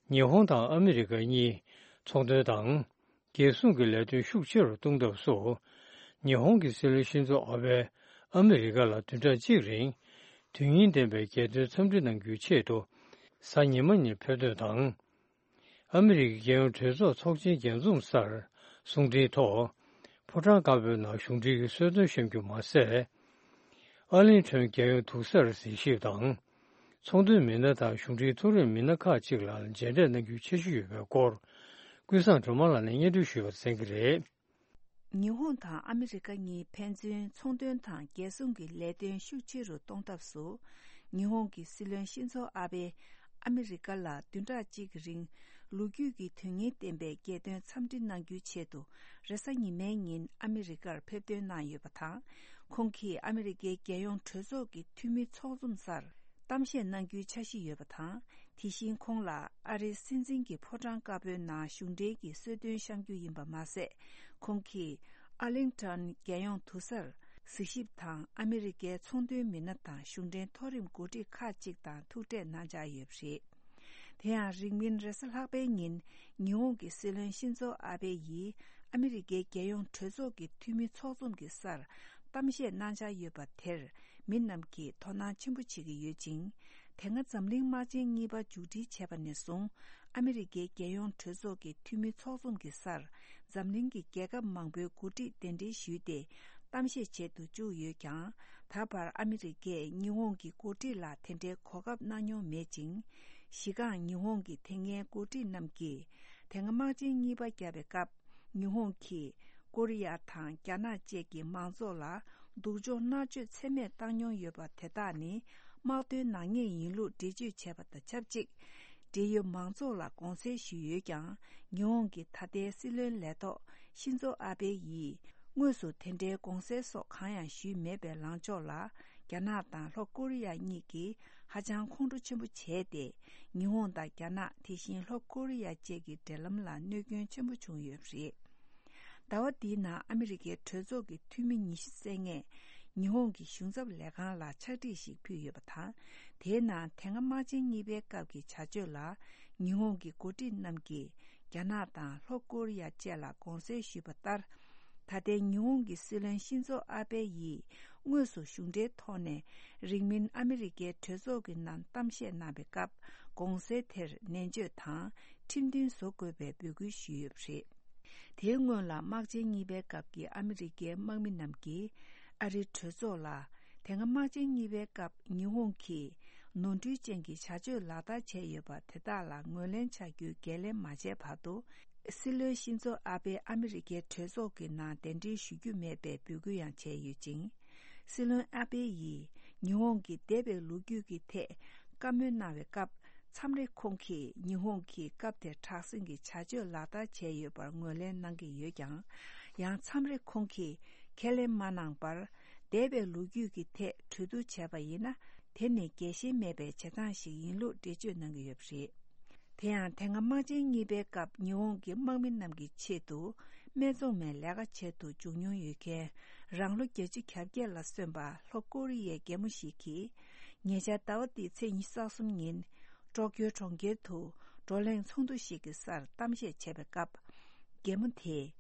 ཉི་ཧོང་དང་ཨ་མི་རི་ཀ་གཉིས་ཚོང་དོན་དང་། རྒྱལ་སྲུང་གི་ལས་དོན་ཤུགས་ཆེ་རུ་གཏོང་ཐབས་སུ། ཉི་ཧོང་གི་སྲིད་བློན་ཤིན་ཛོ་ཨ་བྷེ་ཨ་མི་རི་ཀ་ལ་བདུན་ཕྲག་གཅིག་རིང་དོན་སྙིང་ལྡན་པའི་རྒྱལ་དོན་འཚམས་འདྲི་གནང་རྒྱུའི་ཆེད་དུ་གཟའ་ཉི་མ་ཉིན་ཕེབས་ཐོན་དང་། ཨ་མི་རི་ཀའི་རྒྱལ་ཡོངས་གྲོས་ཚོགས་ཚོགས་ཆེན་རྒྱས་འཛོམས་སར་གསུང་འཕྲིན་ཐོག་ཕོ་བྲང་དཀར་པོའི་ནང་གཞུང་འབྲེལ་གྱི་གསོལ་སྟོན་བཤམས་རྒྱུ་མ་ཟད། ཨར་ལིང་ཊོན་རྒྱལ་ཡོངས་དུག་གསར་གཟིགས་ཞིབ་དང་། ཚོང་དོན་མི་སྣ་དང་གཞུང་འབྲེལ་ཐོ་རེངས་མི་སྣ་ཁག་ཅིག་ལ་མཇལ་འཕྲད་གནང་རྒྱུའི་འཆར་གཞི་ཡོད་པའི་སྐོར། ཀུན་བཟང་སྒྲོལ་མ་ལགས་ནས་སྙན་སྒྲོན་ཞུས་པར་གསན་གྱི་རེད། ཉི་ཧོང་དང་ཨ་མི་རི་ཀ་གཉིས་ཕན་ཚུན་ཚོང་དོན་དང་རྒྱལ་སྲུང་གི་ལས་དོན་ཤུགས་ཆེ་རུ་གཏོང་ཐབས་སུ། ཉི་ཧོང་གི་སྲིད་བློན་ཤིན་ཛོ་ཨ་བྷེ་ཨ་མི་རི་ཀ་ལ་བདུན་ཕྲག་གཅིག་གི་རིང་ལོ་རྒྱུས་ཀྱི་དོན་སྙིང་ལྡན་པའི་རྒྱལ་དོན་འཚམས་འདྲི་གནང་རྒྱུའི་ཆེད་དུ། རེས་གཟའ་ཉི་མའི་ཉིན་ཨ་མི་རི་ཀར་ཕེབས་ཐོན་གནང་ཡོད་པ་དང་། ཁོང་གིས་ཨ་མི་རི་ཀའི་རྒྱལ་ཡོངས་གྲོས་ཚོགས་ཀྱི་འཐུས་མི་ཚོགས་འཛོམས་སར། གཏམ་བཤད་གནང་རྒྱུའི་འཆར་གཞི་ཡོད་པ་དང་། དེ་བཞིན་ཁོང་ལ་ཨ་རིའི་སྲིད་འཛིན་གྱི་ཕོ་བྲང་དཀར་པོའི་ནང་གཞུང་འབྲེལ་གྱི་གསོལ་སྟོན་བཤམས་རྒྱུ་ཡིན་པ་མ་ཟད། ཁོང་གིས་ཨར་ལིང་ཊོན་རྒྱལ་ཡོངས་དུར་སར་གཟིགས་ཞིབ་དང་། ཨ་མི་རི་ཀའི་ཚོང་དོན་མི་སྣ་དང་གཞུང་འབྲེལ་མཐོ་རིམ་འགོ་ཁྲིད་ཁག་ཅིག་དང་ཐུག་འཕྲད་གནང་འཆར་ཡོད་པ་རེད། དེ་ཡང་རིང་མིན་རེས་གཟའ་ལྷག་པའི་ཉིན། ཉི་ཧོང་གི་སྲིད་བློན་ཤིན་ཛོ་ཨ་བྷེ་ཡིས་ཨ་མི་རི་ཀའི་རྒྱལ་ཡོངས་གྲོས་ཚོགས་ཀྱི་འཐུས་མི་ཚོགས་འཛོམས་ཀྱི་སར་གཏམ་བཤད་གནང་འཆར་ཡོད་པ་དེར། མི་རྣམས་ཀྱིས་དོ་སྣང་ཆེན་པོ་བྱེད་ཀྱི་ཡོད་ཅིང་། དེ་སྔ་འཛམ་གླིང་དམག་ཆེན་གཉིས་པ་མཇུག་སྒྲིལ་བྱས་པ་ནས་བཟུང་། ཨ་མི་རི་ཀའི་རྒྱལ་ཡོངས་གྲོས་ཚོགས་ཀྱི་འཐུས་མི་ཚོགས་འཛོམས་ཀྱི་སར་འཛམ་གླིང་གི་རྒྱལ་ཁབ་མང་པོའི་འགོ་ཁྲིད་གདན་འདྲེན་ཞུས་ཏེ་གཏམ་བཤད་བྱེད་དུ་བཅུག་ཡོད་ཀྱང་། ད་བར་ཨ་མི་རི་ཀས་ཉི་ཧོང་གི་འགོ་ཁྲིད་ལ་དེ་འདྲའི་གོ་སྐབས་གནང་མྱོང་མེད་ཅིང་། གཞི་རྐང་ཉི་ཧོང་གི་དེ་སྔའི་འགོ་ཁྲིད་རྣམས་ཀྱིས་དེ་སྔ་དམག་ཆེན་གཉིས་པ་བརྒྱབ་པའི་སྐབས། ཉི་ཧོང་གིས་ཀོ་རི་ཡ་དང་རྒྱ་ནག་བཅས་ཀྱི་མང་ཚོགས་ལ་སྡུག་སྦྱོང་མནར་གཅོད་ཚད་མེད་བཏང་མྱོང་ཡོད་པ་དེ་དག་ནི་དམག་དོན་ནག་ཉེས་ཡིན་ལུགས་འགྲེལ་བརྗོད་བྱས་པ་དང་ཆབས་ཅིག་འབྲེལ་ཡོད་མང་ཚོགས་ལ་དགོངས་སེལ་ཞུས་ཡོད་ཀྱང་། ཉི་ཧོང་གི་ད་ལྟའི་སྲིད་བློན་ལས་ཐོག་ཤིན་ཛོ་ཨ་བྷེ་ཡིས་དངོས་སུ་དེ་འདྲའི་དགོངས་སེལ་སོགས་གང་ཡང་ཞུས་མེད་པའི་ལངས་ཕྱོགས་ལ། རྒྱ་ནག་དང་ལྷོ་ཀོ་རི་ཡ་གཉིས་ཀྱིས་ཧ་ཅང་ཁོང་ཁྲོ་ཆེན་པོ་བྱས་ཏེ། ཉི་ཧོང་དང་རྒྱ་ནག་དེ་བཞིན་ལྷོ་ཀོ་རི་ཡ་བཅས་ཀྱི་འབྲེལ་ལམ་ལ་གནོད་སྐྱོན་ཆེན་པོ་བྱུང་ཡོད་པ་རེད། ཟླ་བ་འདིའི་ནང་ཨ་མི་རི་ཀའི་གྲོས་ཚོགས་ཀྱི་འཐུས་མི་ཉི་ཤུ་རྩ་ལྔས་ཉི་ཧོང་གི་གཞུང་ཚབ་ལས་ཁང་ལ་ཕྱག་བྲིས་ཤིག་ཕུལ་ཡོད་པ་དང་། དེའི་ནང་དེ་སྔ་དམག་ཆེན་གཉིས་པའི་སྐབས་ཀྱི་བྱ་སྤྱོད་ལ་ཉི་ཧོང་གི་འགོ་ཁྲིད་རྣམས་ཀྱིས་རྒྱ་ནག་དང་ལྷོ་ཀོ་རི་ཡ་བཅས་ལ་དགོངས་སེལ་ཞུས་པ་ལྟར། ད་ལྟའི་ཉི་ཧོང་གི་སྲིད་བློན་ཤིན་ཛོ་ཨ་བྷེ་ཡིས་དངོས་སུ་གཞུང་འབྲེལ་ཐོག་ནས་རིང་མིན་ཨ་མི་རི་ཀའི་གྲོས་ཚོགས་ཀྱི་ནང་གཏམ་བཤད་གནང་བའི་སྐབས། དགོངས་སེལ་དེར་ནན་བརྗོད་དང་ཁྲིམས་མཐུན་བཟོ་དགོས་པའི་འབོད་སྐུལ་ཞུས་ཡོད་པ་རེད། དེའི་སྔོན་ལ་དམག་ཆེན་གཉིས་པའི་སྐབས་ཀྱི་ཨ་མི་རི་ཀའི་དམག་མི་རྣམས་ཀྱིས་ཨ་རིའི་གྲོས་ཚོགས་ལ། དེ་སྔ་དམག་ཆེན་གཉིས་པའི་སྐབས་ཉི་ཧོང་གིས་ནོར་འཁྲུལ་ཅན་གྱི་བྱ་སྤྱོད་ལག་བསྟར་བྱས་ཡོད་པ་དེ་དག་ལ་ངོས་ལེན་བྱ་རྒྱུའི་འགན་ལེན་མ་བྱས་བར་དུ། སྲིད་བློན་ཤིན་ཛོ་ཨ་བྷེ་ཨ་མི་རི་ཀའི་གྲོས་ཚོགས་ཀྱི་ནང་གདན་འདྲེན་ཞུ་རྒྱུ་མེད་པའི་འབོད་སྐུལ་ཡང་བྱས་ཡོད་ཅིང་། སྲིད་བློན་ཨ་བྷེ་ཡིས་ཉི་ཧོང་གི་འདས་པའི་ལོ་རྒྱུས་ཀྱི་ཐད་བཀའ་མོལ་གནང་བའི་སྐབས། མཚམས་རེ་ཁོང་གིས་ཉི་ཧོང་གིས་སྐབས་དེར་དྲག་ཟིང་གི་བྱ་སྤྱོད་ལག་བསྟར་བྱས་ཡོད་པར་ངོས་ལེན་གནང་གི་ཡོད་ཀྱང་། ཡང་མཚམས་རེ་ཁོང་གིས་ཁས་ལེན་མ་གནང་བར། འདས་པའི་ལོ་རྒྱུས་ཀྱི་ཐད་གྲོས་བསྡུར་བྱས་པ་ཡིན་ན། དེ་ནི་རྒྱལ་ཞེན་མེད་པའི་བྱེད་སྟངས་ཤིག་ཡིན་ལུགས་འགྲེལ་བརྗོད་གནང་གི་ཡོད་པ་རེད། དེ་ཡང་དེ་སྔ་དམག་ཆེན་གཉིས་པའི་སྐབས་ཉི་ཧོང་གི་དམག་མི་རྣམས་ཀྱི་ཆེད་དུ་སྨད་འཚོང་མའི་ལས་ཀ་བྱེད་དུ་འཇུག་མྱོང་ཡོད་མཁན་རང་ལོ་བརྒྱད་ཅུ་གྱ་བརྒྱད་ལ་སོན་པ་ལྷོ་ཀོ་རི་ཡའི་རྒན་མོ་ཞིག་གིས། ཉེ་ཆར་ཟླ་བ་འདིའི་ཚེས་ཉི་ཤུ་རྩ་གསུམ་ཉིན། ཀྲོ་ཀྱོ་གྲོང་ཁྱེར་དུ་བགྲོ་གླེང་ཚོགས་འདུ་ཞིག་གི་སར་གཏམ་བཤད་བྱས་པའི་སྐབས། རྒན་མོ་དེས།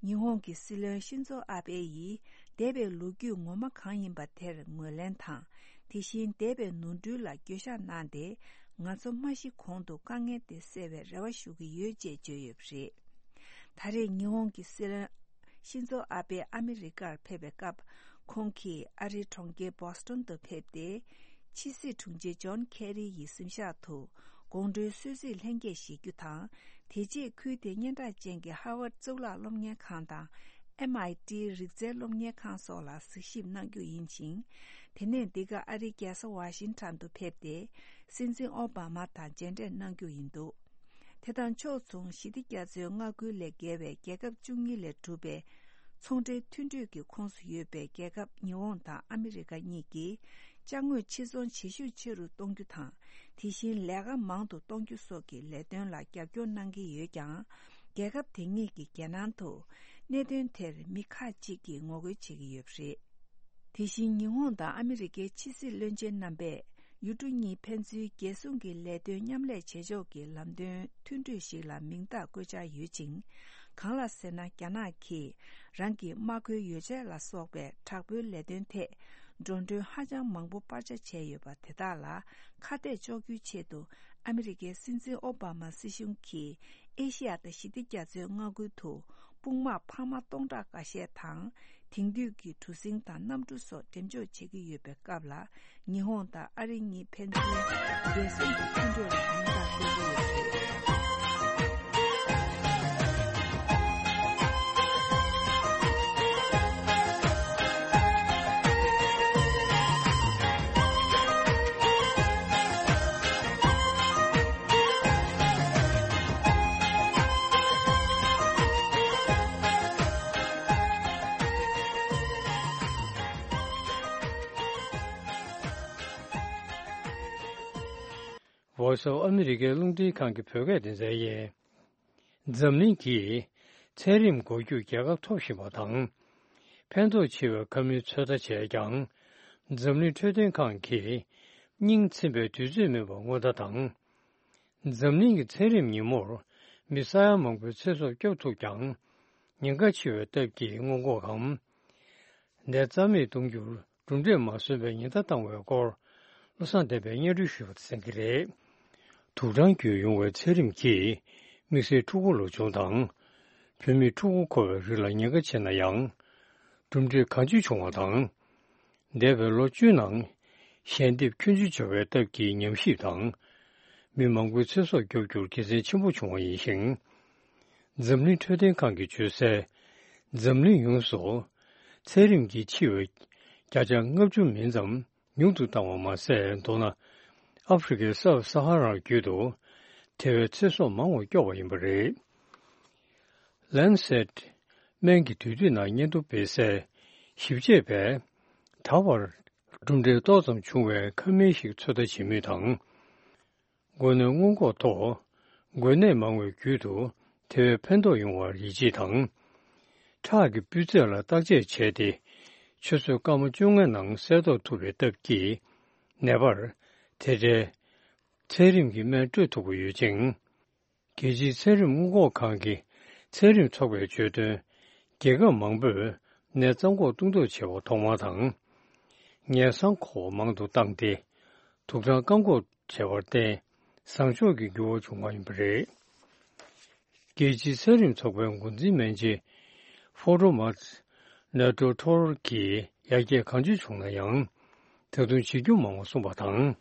ཉི་ཧོང་གི་སྲིད་བློན་ཤིན་ཛོ་ཨ་བྷེ་ཡིས་འདས་པའི་ལོ་རྒྱུས་ངོ་མ་གང་ཡིན་པ་དེར་ངོས་ལེན་དང་། དེ་བཞིན་འདས་པའི་ནོར་འཁྲུལ་ལ་འགྱོད་བཤགས་གནང་སྟེ། ང་ཚོ་མ་ཤི་གོང་དུ་དཀའ་ངལ་དེ་སེལ་བའི་རེ་བ་ཞུ་གི་ཡོད་ཅེས་བརྗོད་ཡོད་པ་རེད། ད་རེས་ཉི་ཧོང་གི་སྲིད་བློན་ཤིན་ཛོ་ཨ་བྷེ་ཨ་མི་རི་ཀར་ཕེབས་པའི་སྐབས། ཁོང་གིས་ཨ་རིའི་གྲོང་ཁྱེར་བོ་སི་ཊོན་དུ་ཕེབས་ཏེ། ཕྱི་སྲིད་དྲུང་ཆེ་ཇོན་ཁེ་རི་ཡི་གཟིམ་ཤག་ཏུ་དགོང་དྲོའི་གསོལ་ཚིགས་ལྷན་རྒྱས་བཞེས་རྒྱུ་དང་། དེ་རྗེས་ཁུལ་དེའི་སྙན་གྲགས་ཅན་གྱི་ཧར་ཝརཌ་གཙུག་ལག་སློབ་གཉེར་ཁང་དང་། ཨེམ་ཨའི་ཊི་རིག་རྩལ་སློབ་གཉེར་ཁང་སོགས་ལ་གཟིགས་ཞིབ་གནང་རྒྱུ་ཡིན་ཞིང་། དེ་ནས་འདི་ག་ཨ་རིའི་རྒྱལ་ས་ཝ་ཤིང་ཊོན་དུ་ཕེབས་ཏེ། སྲིད་འཛིན་ཨོ་བྷ་མ་དང་མཇལ་འཕྲད་གནང་རྒྱུ་ཡིན་འདུག་དེ་དང་ཕྱོགས་མཚུངས་ཞི་བདེ་རྒྱ་མཚོའི་མངའ་ཁུལ་ལས་བརྒལ་བའི་རྒྱལ་ཁབ་བཅུ་གཉིས་ལས་གྲུབ་པའི་ཚོང་འབྲེལ་མཐུན་གྲོས་ཀྱི་ཁོངས་སུ་ཡོད་པའི་རྒྱལ་ཁབ་ཉི་ཧོང་དང་ཨ་མི་རི་ཀ་གཉིས་ཀྱིས་ཅ་དངོས་ཕྱིར་ཚོང་བྱེད་ཤུགས་ཆེ་རུ་གཏོང་རྒྱུ་དང་། དེ་བཞིན་ལས་ཀ་མང་དུ་གཏོང་རྒྱུ་སོགས་ཀྱི་ལས་དོན་ལ་རྒྱབ་སྐྱོར་གནང་གི་ཡོད་ཀྱང་། རྒྱལ་ཁབ་དེ་གཉིས་ཀྱི་རྒྱལ་ནང་དུ་གནད་དོན་དེར་མི་ཁག་ཅིག་གིས་ངོ་རྒོལ་བྱེད་ཀྱི་ཡོད་པ་རེད། དེ་བཞིན་ཉི་ཧོང་དང་ཨ་མི་རི་ཀའི་ཕྱི་སྲིད་བློན་ཆེན་རྣམ་པས་ཡུལ་གྲུ་གཉིས་ཕན་ཚུན་རྒྱལ་སྲུང་གི་ལས་དོན་མཉམ་ལས་བྱེད་ཕྱོགས་ཀྱི་ལམ་སྟོན་མཐུན་གྲོས་ཤིག་ལ་མིང་རྟགས་བཀོད་འཆར་ཡོད་ཅིང་། གང་ལགས་ཟེར་ན། རྒྱ་ནག་གིས་རང་གི་དམག་མཁོའི་ཡོ་བྱད་ལ་སོགས་པའི་དྲག་པོའི་ལས་དོན་ཐད་འགྲོ་གྲོན་ཧ་ཅང་མང་པོ་སྤར་ཆ་བྱས་ཡོད་པ་དེ་དག་ལ་ཁ་གཏད་གཅོག་རྒྱུའི་ཆེད་དུ། ཨ་མི་རི་ཀའི་སྲིད་འཛིན་ཨོ་བྷ་མ་སྲིད་གཞུང་གིས་ཨེ་ཤི་ཡ་དང་ཞི་བདེ་རྒྱ་མཚོའི་མངའ་ཁུལ་དུ་དཔུང་དམག་འཕར་མ་སྟོང་ཕྲག་འགའ་ཤས་དང་། དེང་དུས་ཀྱི་གྲུ་གཟིངས་དང་གནམ་གྲུ་སོགས་འགྲེམས་འཇོག་བྱེད་ཀྱི་ཡོད་པའི་སྐབས་ལ། ཉི་ཧོང་དང་ཨ་རི་གཉིས་ཕན་ཚུན་རྒྱལ་སྲུང་གི་མཐུན་གྲོས་ལ་མིང་རྟགས་བཀོད་ཀྱི་ཡོད་པ་རེད། Voice of America རླུང་འཕྲིན་ཁང་གི་བོད་སྐད་སྡེ་ཚན་ཡིན། འཛམ་གླིང་གིས་ཚན་རིག་འགོག་རྒྱུར་རྒྱལ་ཁ་ཐོབ་བཞིན་པ་དང་། ཕན་ཐོགས་ཆེ་བའི་ཁ་མིན་ཚོད་ལྟ་བྱས་ཀྱང་། འཛམ་གླིང་འཕྲོད་བསྟེན་ཁང་གིས་སྙིང་ཚིམ་པའི་དུས་ཚོད་མེད་པར་སྔོན་བརྡ་དང་། འཛམ་གླིང་གི་ཚན་རིག་ཉིན་མོར་མི་ས་ཡ་མང་པོའི་ཚེ་སྲོག་སྐྱོབ་ཐུབ་ཀྱང་། ཉེན་ཁ་ཆེ་བའི་སྟབས་ཀྱིས་སྔོན་འགོག་གམ། ནད་རྩ་མེད་གཏོང་རྒྱུར་གྲུབ་འབྲས་མ་སོན་པའི་ཉེན་བརྡ་བཏང་བའི་སྐོར། བློ་བཟང་བསྟན་པས་སྙན་སྒྲོན་ཞུས་པ་དེ་གསན་གྱི་རེད། དུག་སྦྲང་བརྒྱུད་ཡོང་བའི་ཚད་རིམས་ཀྱིས་དམིགས་བསལ་ཕྲུ་གུ་ལོ་ཆུང་དང་། བུད་མེད་ཕྲུ་གུ་འཁོར་བའི་རིགས་ལ་ཉེན་ཁ་ཆེ་ན་ཡང་། གྲུབ་འབྲས་གང་ཆེ་བྱུང་བ་དང་། འདས་པའི་ལོ་བཅུ་ནང་ཞལ་འདེབས་ཁྱོན་ཆེ་བྱུང་བའི་སྟབས་ཀྱིས་ཉམས་ཞིབ་དང་། མི་མང་པོའི་ཚེ་སྲོག་སྐྱོབ་རྒྱུར་དགེ་མཚན་ཆེན་པོ་བྱུང་བ་ཡིན་ཞིང་། འཛམ་གླིང་འཕྲོད་བསྟེན་ཁང་གིས་བརྗོད་གསལ། འཛམ་གླིང་ཡོངས་སུ་ཚད་རིམས་ཀྱིས་འཆི་བའི་བརྒྱ་ཆ་ལྔ་བཅུ་མིན་ཙམ་ཉུང་དུ་བཏང་བ་མ་ཟད། མདོར་ན། ཨ་ཧྥེ་རི་ཁའི་སབ་ས་ཧ་ར་རྒྱུད་དུ་དེ་བས་ཚེ་སྲོག་མང་བ་སྐྱོབ་པ་ཡིན་པ་རེད། Lancet སྨན་གྱི་དུས་དུས་ནང་སྙན་ཐོ་སྤེལ་སའི་ཞིབ་དཔྱད་པས། ད་བར་གྲུབ་འབྲས་ཏོག་ཙམ་བྱུང་བའི་ཁ་མིན་ཞིག་ཚོད་ལྟ་བྱེད་མུས་དང་། འགོས་ནད་སྔོན་འགོག་ཐོག་འགོས་ནད་མང་བའི་རྒྱུད་དུ་དེ་བས་ཕན་ཐོགས་ཡོང་བར་ཡིད་ཆེས་དང་། ཁྲག་གི་སྤུས་ཚད་ལ་བརྟག་དཔྱད་བྱས་ཏེ། ཆུ་ཚོད་སྐར་མ་བཅོ་ལྔའི་ནང་གསལ་རྟོགས་ཐུབ་པའི་སྟབས་ཀྱིས། ནད་པར་དེ་འདྲའི་ཚད་རིམས་ཀྱི་སྨན་སྤྲོད་ཐུབ་ཀྱི་ཡོད་ཅིང་། རྒྱལ་སྤྱིའི་ཚད་རིམས་སྔོན་འགོག་ཁང་གི་ཚད་རིམས་ཚོགས་པས་བརྗོད་དོན། རྒྱལ་ཁབ་མང་པོས་ནད་རྩ་འགོག་གཏོང་ཐབས་བྱས་པ་ཐོག་མ་དང་། ངན་སང་ཁོག་མང་དུ་བཏང་སྟེ། དུག་སྦྲང་བཀག་འགོག་བྱས་པར་བརྟེན། བཟང་ཕྱོགས་ཀྱི་འགྱུར་བ་བྱུང་བ་ཡིན་པ་རེད། རྒྱལ་སྤྱིའི་ཚད་རིམས་ཚོགས་པའི་འགོ་འཛིན་སྨན་སྦྱིན་ཕོ་ཏོ་མཱ་ནེ་ཏོ་ཐོར་གྱིས་ཡར་རྒྱས་གང་ཅི་བྱུང་ན་ཡང་། ད་དུང་བྱེད་རྒྱུ་མང་བ་གསུངས་པ་དང་།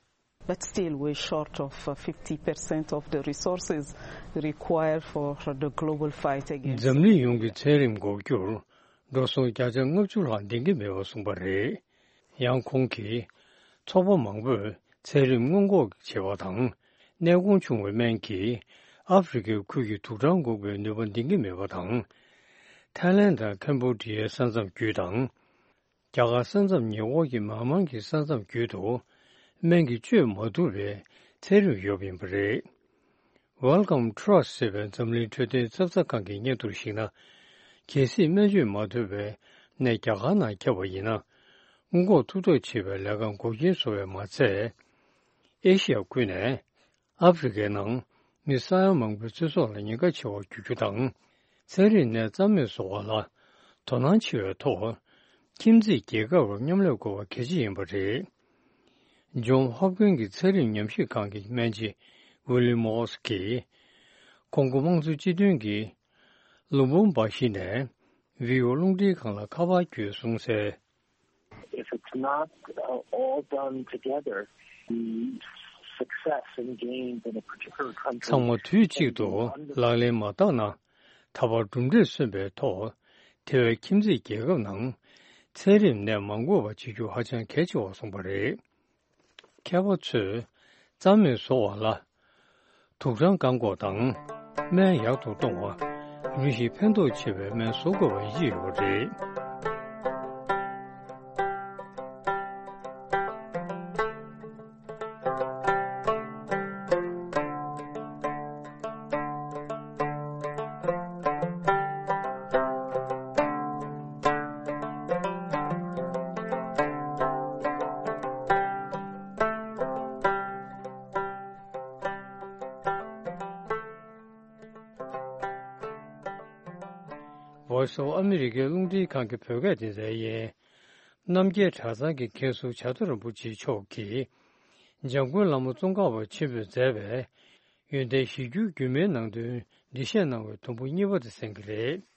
But still, we're short of fifty percent of the resources required for the global fight against འཛམ་གླིང་ཡོངས་ཀྱི་ཚད་རིམས་འགོག་རྒྱུར་འགྲོ་སོང་བརྒྱ་ཆ་ལྔ་བཅུ་ལྷག་ལྡན་གྱི་མེད་པ་གསུངས་པ་རེད། ཡང་ཁོང་གིས། ཚོགས་པ་མང་པོས་ཚད་རིམས་སྔོན་འགོག་བྱེད་པ་དང་། གནས་གོང་ཆུང་བའི་སྨན་གྱིས་ཨ་ཧྥེ་རི་ཁའི་ཁུལ་གྱི་དུག་སྦྲང་འགོག་པའི་ནུས་པ་ལྡན་གྱི་མེད་པ་དང་། ཐའི་ལན་དང་ཁེམ་བྷོ་ཌི་ཡའི་ས་མཚམས་བརྒྱུད་དང་། རྒྱ་གར་ས་མཚམས་ཉེ་འཁོར་གྱི་མཱ་མཱན་གྱི་ས་མཚམས་བརྒྱུད་དུ་སྨན་གྱིས་བཅོས་མ་ཐུབ་པའི་ཚད་རིམས་ཡོད་པ་ཡིན་པ་རེད། Wellcome Trust ཟེར་བའི་འཛམ་གླིང་འཕྲོད་བསྟེན་ཚབ་ཚ་ཁང་གི་སྙན་ཐོར་ཞིག་ན། གལ་སྲིད་སྨན་བཅོས་མ་ཐུབ་པའི་ནད་རྒྱ་གར་ནང་ཁྱབ་པ་ཡིན་ན། སྔོན་འགོག་ཐུབ་ཐབས་བྱེད་པའི་ལས་ཀར་འགོག་རྐྱེན་བཟོ་བས་མ་ཚད། ཨེ་ཤི་ཡ་ཁུལ་ནས་ཨ་ཧྥེ་རི་ཁའི་ནང་མི་ས་ཡ་མང་པོའི་ཚེ་སྲོག་ལ་ཉེན་ཁ་ཆེ་བར་འགྱུར་རྒྱུ་དང་། ཚན་རིག་ནས་རྩ་མེད་བཟོ་བ་ལ་དོ་སྣང་ཆེ་བའི་ཐོག་ཁྱིམ་མཚེས་རྒྱལ་ཁབ་རུ་མཉམ་ལས་དགོས་པ་གལ་ཆེ་ཡིན་པ་རེད། ཇོན་ཧོབ་ཀིན་གྱི་ཚན་རིག་ཉམས་ཞིབ་ཁང་གི་སྨན་སྦྱིན་ཝི་ལི་མོ་སི་གིས། ཀོང་གོ་དམངས་གཙོ་སྤྱི་མཐུན་གྱི་ལུམ་བུམ་བ་ཞི་ནས་ཝི་ཨོ་རླུང་འཕྲིན་ཁང་ལ་ཁ་པར་བརྒྱུད་གསུངས་གསལ། If it's not, uh, all done together, the success in gains in a particular country ཚང་མ་དུས་གཅིག་ཏུ་ལག་ལེན་མ་བསྟར་ན། ད་བར་གྲུབ་འབྲས་སོན་པའི་ཐོག་དེ་བས་ཁྱིམ་མཚེས་རྒྱལ་ཁབ་ནང་ཚན་རིག་ནད་མ་འགོས་པ་བྱེད་རྒྱུ་ཧ་ཅང་གལ་ཆེ་བར་གསུངས་པ་རེད། མཁས་པ་ཚོས་རྩ་མེད་བཟོ་བ་ལ། དུག་སྦྲང་བཀག་འགོག་དང་སྨན་ཡག་ཏུ་གཏོང་བ། རིམ་བཞིན་ཕན་ཐོགས་ཆེ་བའི་སྨན་བཟོ་དགོས་པ་ཡིད་ཆེས་ཡོད་པ་རེད། Voice of America རླུང་འཕྲིན་ཁང་གི་བོད་སྐད་སྡེ་ཚན་ཡིན། རྣམ་རྒྱལ་གྲྭ་ཚང་གི་མཁན་ཟུར་བྱ་དོར་རིན་པོ་ཆེ་མཆོག་གིས། འཇམ་མགོན་བླ་མ་ཙོང་ཁ་པ་ཆེན་པོས་མཛད་པའི་ཡོན་ཏན་གཞིར་གྱུར་རྒྱུད་སྨད་ནང་དོན་འགྲེལ་བཤད་གནང་བའི་དུམ་བུ་གཉིས་པ་དེ་གསན་གྱི་རེད།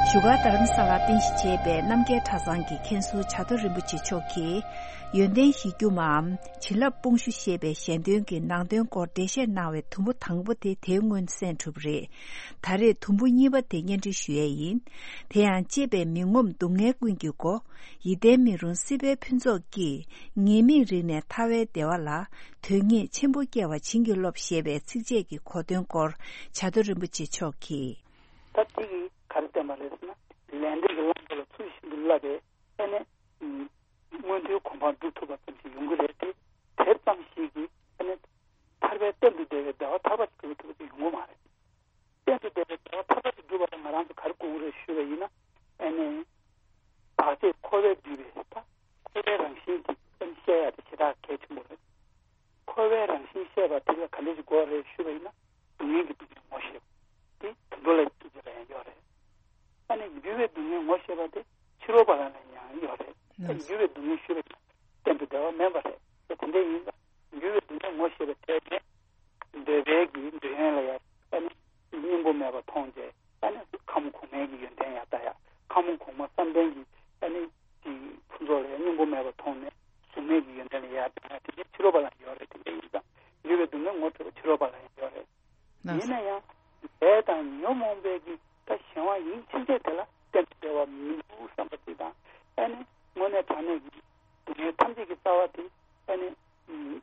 བཞུགས་སྒར་རྡ་རམ་ས་ལར་རྟེན་གཞི་བྱས་པའི་རྣམ་རྒྱལ་གྲྭ་ཚང་གི་མཁན་ཟུར་བྱ་དོར་རིན་པོ་ཆེ་མཆོག་གིས། ཡོན་ཏན་གཞིར་གྱུར་མའམ་བྱིན་རླབས་སྤོང་ཞུ་ཞེས་པའི་ཞལ་འདོན་གྱི་ནང་དོན་སྐོར་འགྲེལ་བཤད་གནང་བའི་དུམ་བུ་དང་པོ་དེ་དེའི་སྔོན་གསན་གྲུབ་པ་རེད། ད་རེས་དུམ་བུ་གཉིས་པ་དེ་སྙན་སྒྲོན་ཞུ་ཡས་ཡིན། དེ་ཡང་གཅེས་པའི་མི་ངོམས་སྡུག་བསྔལ་ཀུན་གྱི་སྒོ། ཡིད་བརྟན་མི་རུང་སྲིད་པའི་ཕུན་ཚོགས་ཀྱིས། ཉེས་དམིགས་རིག་ནས་ཐར་བའི་བདེ་བ་ལ། དོན་གཉེར་ཆེན་པོ་སྐྱེ་བ་བྱིན་གྱིས་རློབས་ཞེས་པའི་ཚིགས་བཅད་ཀྱི་གོ་དོན་སྐོར་བྱ་དོར་རིན་པོ་ཆེ་མཆོག་གིས། ད་དེ་གིས་ག་རེ་བསྟན་པ་རེད་ཟེར་ན། ལས་འབྲས་ཀྱི་ལམ་དེ་ལ་ཚུལ་བཞིན་དུ་བསླབ་པའི་ ཨ་ནི་མངོན་མཐོའི་གོ་འཕང་སྒྲུབ་ཐུབ་པ་ཙམ་ཞིག་ཡོང་གི་རེད་དེ། དེ་ཙམ་ཞིག་གིས་ཨ་ནི་ཐར་པའི་གཏན་དུ་བདེ་བའི་བདེ་བ་ཐར་པ་ཞིག་སྒྲུབ་ཐུབ་པ་ཅིག་ཡོང་གི་མ་རེད། གཏན་དུ་བདེ་བའི་བདེ་བ་ཐར་པ་ཞིག་སྒྲུབ་པ་ལ་ང་རང་ཚོ་ག་རེ་དགོས་ཀྱི་རེད་ཞུས་པ་ཡིན་ན། ཨ་ནི་བར་ཆད་འཁོར་བས་བསྡུས་པའི་ད་འཁོར་བའི་རང་བཞིན་དེ་ཨ་ནི་ཤེས་ཡ་དེ་ཞེ་དྲག་གལ་ཆེན་པོ་རེད། འཁོར་བའི་རང་བཞིན་ཤེས་པ་དེ་ལ་ག་འདྲ་ཞིག་དགོས་རེད་ཞུས་པ་ཡིན་ན། སྡུག་བསྔལ་གྱི་སྡུག་བསྔལ་ངོ་ཤེས་པ་དེ་དུད་འགྲོ་ལ་ཐུག་ཅེས་ལ་ཡང་ཡོད་རེད། ཨ་ནི་འགྱུར་བའི་སྡུག་བསྔལ་ངོ་ཤེས་པ་དེ་ཕྱི་རོལ་པ་ལ་ཡང་ཡོད་རེད། ཨ་ནི་འགྱུར་བའི་སྡུག་བསྔལ་ཞུས་པ་ཡིན་ན་གཏན་དུ་བདེ་བ་མིན་པ་རེད། དེ་དེ་འདྲ་ཡིན་ཙང་འགྱུར་བའི་སྡུག་བསྔལ་ངོ་ཤེས་པའི་ཐད་ནས་འདོད་པའི་གི་འདོད་ཡོན་ལ་ཡང་ཨ་ནི་སྙིང་པོ་མེད་པ་མཐོང་རྗེས་ཨ་ནི་ཁམས་གོང་མའི་གི་ཡོན་ཏན་ཡང་ལྟ་ཡ། ཁམས་གོང་མ་བསམ་གཏན་གྱི་ཨ་ནི་གི་ཕུན་ཚོགས་ལ་ཡང་སྙིང་པོ་མེད་པ་མཐོང་ནས་གཟུགས་མེད་ཀྱི་ཡོན་ཏན་ལ་ཡང་ལྟ་ཡ། དེ་འདྲའི་ཕྱི་རོལ་པ་ལ་ཡོད་རེད། དེ་འདྲ་ཡིན་ཙང་འགྱུར་བའི་སྡུག་བསྔལ་ངོ་འཕྲོད་པ་ཕྱི་རོལ་པ་ལ་ཡང་ཡོད་རེད། ལགས་ཡིན་ན་ཡང་ལས་དང་ཉོན་མོངས་པའི་གི་ད་གཞན་དབང་ཡིན་ཕྱིན་ཆད་དེ་ལ་གཏན་དུ་བདེ་བ་མི་འདུག་བསམ་པ་ཅིག་དང་། ཨ་ནི་དངོས་གནས་དྲང་གནས་ཀྱི་སྡུག་བསྔལ་ཐམས་ཅད་ཀྱི་རྩ་བ་དེ་ཨ་ནི་ཨུམ།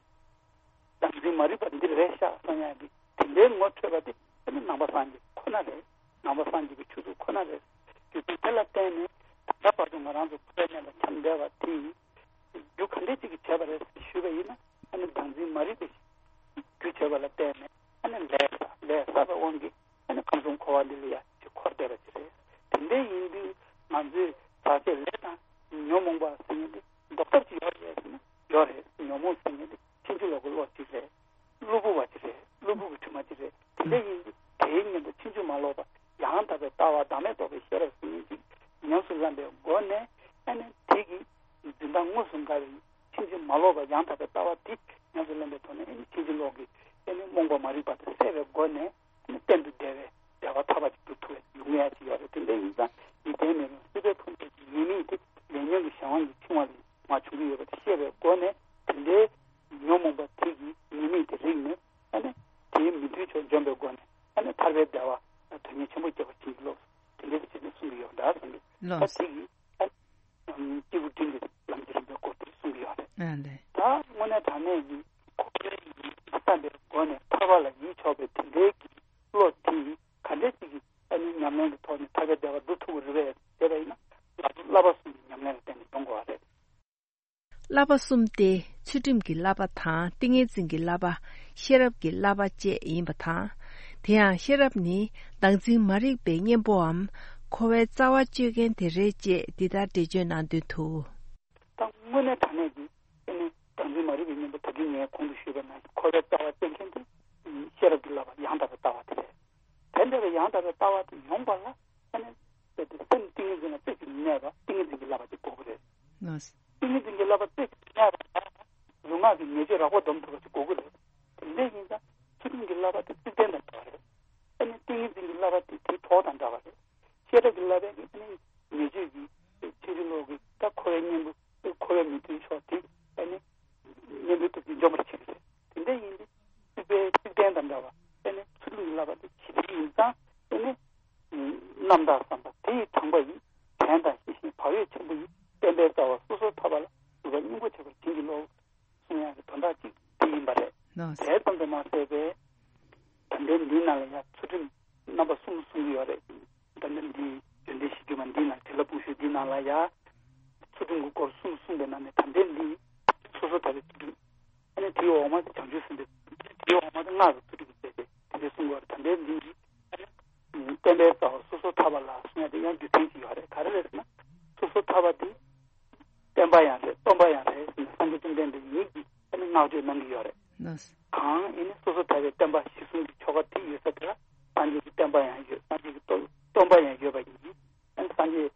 བདག་འཛིན་མ་རིག་པ་འདི་རེད་ཤག་བསམ་ཡག་གི་དེ་འདྲའི་ངོ་འཕྲོད་པ་དེ་ཨ་ནི་ནང་པ་སངས་རྒྱས་ཁོ་ན་རེད། ནང་པ་སངས་རྒྱས་ཀྱི་ཆོས་ཚུལ་ཁོ་ན་རེད། རྒྱུ་མཚན་དེ་ལ་བརྟེན་ནས་ད་ལྟ་བར་དུ་ང་རང་ཚོ་འཁོར་བའི་གནས་ལ་འཁྱམས་བསྡད་པ་དེ་རྒྱུ་ག་འདྲས་ཅིག་གིས་བྱས་པ་རེད་ཞུས་པ་ཡིན་ན། ཨ་ནི་བདག་འཛིན་མ་རིག་པའི་རྒྱུ་བྱས་པ་ལ་བརྟེན་ནས་ཨ་ནི་ལས་བསགས། ལས་བསགས་པའི་དབང་གིས་ཨ་ནི་ཁམས་གསུམ་འཁོར་བ་འདི་ལ་ཡ་ཅིག་འཁོར་བསྡད་པ་ཅིག་རེད། དེ་འདྲ་ཡིན་དུས་ང་ཚོས་བར་ཆད་ལས་དང་ཉོན་མོངས་པ་ཟེར་མཁན་དེ་ཟློག་ཐབས་ཅིག་ཡོད་རེད་ཟེར་ན་ཡོད་རེད། ཉོན་མོངས་ཟེར་མཁན་དེ་ཕྱིན་ཅི་ལོག་གི་བློ་ཅིག་རེད། གློ་བུར་བ་ཅིག་རེད། གློ་བུར་གྱི་དྲི་མ་ཅིག་རེད། དེ་འདྲ་ཡིན་དུས་དེའི་སྔོན་དུ་ཕྱིན་ཅི་མ་ལོག་པ་ཡང་དག་པའི་ལྟ་བ་བདག་མེད་རྟོགས་པའི་ཤེས་རབ་ཟེར་མཁན་ཅིག་ཉམས་སུ་ལེན་པའི་སྒོ་ནས་ཨ་ནི་དེ་གི་འཛིན་སྟངས་དངོས་སུ་འགལ་བའི་ཕྱིན་ཅི་མ་ལོག་པ་ཡང་དག་པའི་ལྟ་བ་དེ་ཉམས་སུ་ལེན་པའི་ཐོག་ནས་ཨ་ནི་ཕྱིན་ཅི་ལོག་གི་ཨ་ནི་རྨོངས་པ་མ་རིག་པ་དེ་སད་པའི་སྒོ་ནས་ཨ་ནི་གཏན་དུ་བདེ་བའི་བདེ་བ་ཐར་པ་ཅིག་ཏུ་ཐུག་པའི་ཡོང་ཡ་ཅིག་ཡོད་རེད། དེ་འདྲ་ཡིན་ཙང་འཇིག་རྟེན་མི་མང་སྲིད་པའི་ཕུང་པོའི་ཉེས་དམིགས་དེ་ལས་ཉོན་གྱི་གཞན་དབང་གིས་འཆིང་བ་ལས་མར་བྱུང་གི་ཡོད་པ་དེ་ཤེས་པའི་སྒོ་ནས། དེ་འདྲའི་ཉོན་མོངས་པ་དེ་གི་ཉེས་དམིགས་དེ་རིག་ནས་ཨ་ནི་དེའི་མི་མཐུན་ཕྱོགས་འཇོམས་པའི་སྒོ་ནས་ཨ་ནི་ཐར་པའི་བདེ་བ་དོན་གཉེར་ཆེན་པོ་སྐྱེ་བར་བྱིན་གྱིས་རློབས། དེ་འདྲའི་ཅིག་ནས་གསུང་གི་ཡོད་འདྲ་བསམ་གི། ད་ལགས། དེ་གི་ཨ་ནི་སྐྱེས་བུ་འབྲིང་གི་ལམ་གྱི་རིམ་པའི་སྐོར་དེ་གསུང་གི་ཡོད་རེད། ཨ་ལས། ད་དངོས་གནས་དྲང་གནས་ཀྱི་འཁོར་བའི་ཡིད་བསམ་པའི་སྒོ་ནས་ཐར་པ་ལ་ཡིད་ཕྱོགས་པའི་དེ་འདྲའི་གི་བློ་དེ་ག་འདྲ་ཅིག་གི་ཨ་ནི་ཉམས་ལེན་གྱི་ཐོག་ནས་ཐར་པའི་བདེ་བ་སྒྲུབ་ཐུབ་ཀྱི་རེད་པས་ཟེར་བ་ཡིན་ན། བསླབ་པ་གསུམ་གྱི་ཉམས་ལེན་ལ་བརྟེན་ནས་འདོན་དགོས་པ་རེད། བསླབ་པ་གསུམ་སྟེ་ཚུལ་ཁྲིམས་ཀྱི་བསླབ་པ་དང་ཏིང་ངེ་འཛིན་གྱི་བསླབ་པ། ཤེས་རབ་ཀྱི་བསླབ་པ་བཅས་ཡིན་པ་དང་། དེ་ཡང་ཤེས་རབ་ནི་བདག་འཛིན་མ་རིག་པའི་གཉེན་པོའམ་འཁོར་བའི་རྩ་བ་གཅོད་མཁན་དེ་རེད་ཅེས་འདི་ལྟར་འགྲེལ་བརྗོད་གནང་དོན་དུ། ད་དངོས་གནས་དྲང་གནས་ཀྱི་ཨ་ནི་བདག་འཛིན་མ་རིག་པའི་གཉེན་པོ་ད་གིན་ངས་གོང་དུ་ཞུས་པ་ནང་བཞིན་འཁོར་བའི་རྩ་བ་གཅོད་མཁན་དེ་ཤེས་རབ་ཀྱི་བསླབ་པ་ཡང་དག་པའི་ལྟ་བ་དེ་རེད། དེ་འདྲ་བའི་ཡང་དག་པའི་ལྟ་བ་དེ་ཡོང་བ་ལ་ཨ་ནི་དཔེ་དེ་སེམས་ཏིང་ངེ་འཛིན་ལ་རྩེ་གཅིག་གནས་པ་ཏིང་ངེ་འཛིན་གྱི་བསླབ་པ་དེ་དགོས་ཀྱི་རེད། ལགས། ཏིང་ངེ་འཛིན་གྱི་བསླབ་པ་རྩེ་གཅིག་གནས་པ་ལ་ལུས་ངག་གི་ཉེས་སྤྱོད་རགས་པ་སྡོམ་ཐུབ་པ་ཞིག་དགོས་ཀྱི་རེད། དེ་འདྲ་ཡིན་ཙང་ཚུལ་ཁྲིམས་ཀྱི་བསླབ་པ་དེ་བསིལ་ལྡན་དང་འདྲ་བ་རེད། ཨ་ནི་ཏིང་ངེ་འཛིན་གྱི་བསླབ་པ་དེ་དེའི་གྲོགས་དང་འདྲ་བ་རེད། ཤེས་རབ་ཀྱི་བསླབ་པའི་ཨ་ནི་ཉེས་སྤྱོད་ཀྱི་ཕྱིན་ཅི་ལོག་གི་ད་འཁོར་བའི་གཉེན་པོ་འཁོར་བའི་མི་མཐུན་ཕྱོགས་དེ་ཨ་ནི་གཉེན་པོའི་སྟོབས་ཀྱིས་འཇོམས་པར་བྱེད་ཀྱི་རེད། དེ་འདྲ་ཡིན་དུས་སྲིད་པའི་སྲིད་དོན་དང་འདྲ་བ་ཨ་ནི་ཚུལ་ཁྲིམས་ཀྱི་བསླབ་པ་དེ་ཇི་ལྟར་ཡིན་ཙང་ཨ་ནི་རྣམ་དག་བསམ་པ་དེ་ཡི་དྲངས་པ་ཡིས་དྲན་དང་ཤེས་བཞིན་བག་ཡོད་ཆེན་པོ་ཡིས་བསྟན་པའི་རྩ་བ་སོ་སོར་ཐར་པ་ལ་ནུས་པ་སྙིང་པོ་བྱེད་པར་བྱིན་གྱིས་རློབས། གསུང་ཡག་གི་དོན་དག་ཅིག་དེ་ཡིན་པ་རེད། ལགས། དེ་ཙམ་དུ་མ་ཟད་པའི་ད་ལྟའི་འདིའི་ནང་ལ་ཡང་ཚུལ་ཁྲིམས་རྣམ་པ་གསུམ་གསུང་གི་ཡོད་རེད། ད་ལྟ་འདི་ཡོན་ཏན་གཞི་བསྒྱུར་མ་འདིའི་ནང་བྱིན་རླབས་དཔུང་ཤོག་འདིའི་ནང་ལ་ཡང་ཚུལ་ཁྲིམས་ཀྱི་སྐོར་གསུམ་གསུངས་པའི་ནང་ནས་ད་ལྟའི་འདི་སོ་སོར་ཐར་པའི་ཚུལ་ཁྲིམས། ཨ་ནི་དེའི་འོག་མ་དེ་བྱང་ཆུབ་སེམས་དཔའི། དེའི་འོག་མ་དེ་སྔགས་ཀྱི་ཚུལ་ཁྲིམས་ཀྱི་རྩལ་ཏེ་དེ་འདྲ་གསུང་གི་ཡོད་རེད། ད་ལྟའི་འདི་ཨ་ནི་བསྟན་པའི་རྩ་བ་སོ་སོར་ཐར་པ་ལ་གསུང་ཡག་དེ་ཡང་རྒྱུ་མཚན་ཅིག་ཡོད་རེད། ག་རེ་རེད་ཟེར་ན་སོ་སོར་ཐར་པ་དེ་བསྟན་པ་ཡང་རེད། སྟོན་པ་ཡང་རེད་ཟེར་ནས་སངས་རྒྱས་བཅོམ་ལྡན་འདས་ཉིད་ཀྱིས་ཨ་ནི་བསྔགས་བརྗོད་གནང་གི་ཡོད་རེད། ལགས། གང་ཨེ་ནི་སོ་སོར་ཐར་པའི་བསྟན་པ་གཞི་བཟུང་གི་ཆོ་ག་དེ་ཡོད་ས་དེ་ལ་སངས་རྒྱས་ཀྱི་བསྟན་པ་ཡང་ཡོད། སངས་རྒྱས་ཀྱི་སྟོན་སྟོན་པ་ཡང་ཡོད་པ་ཡིན། ཨ་ནི་སངས་རྒྱས་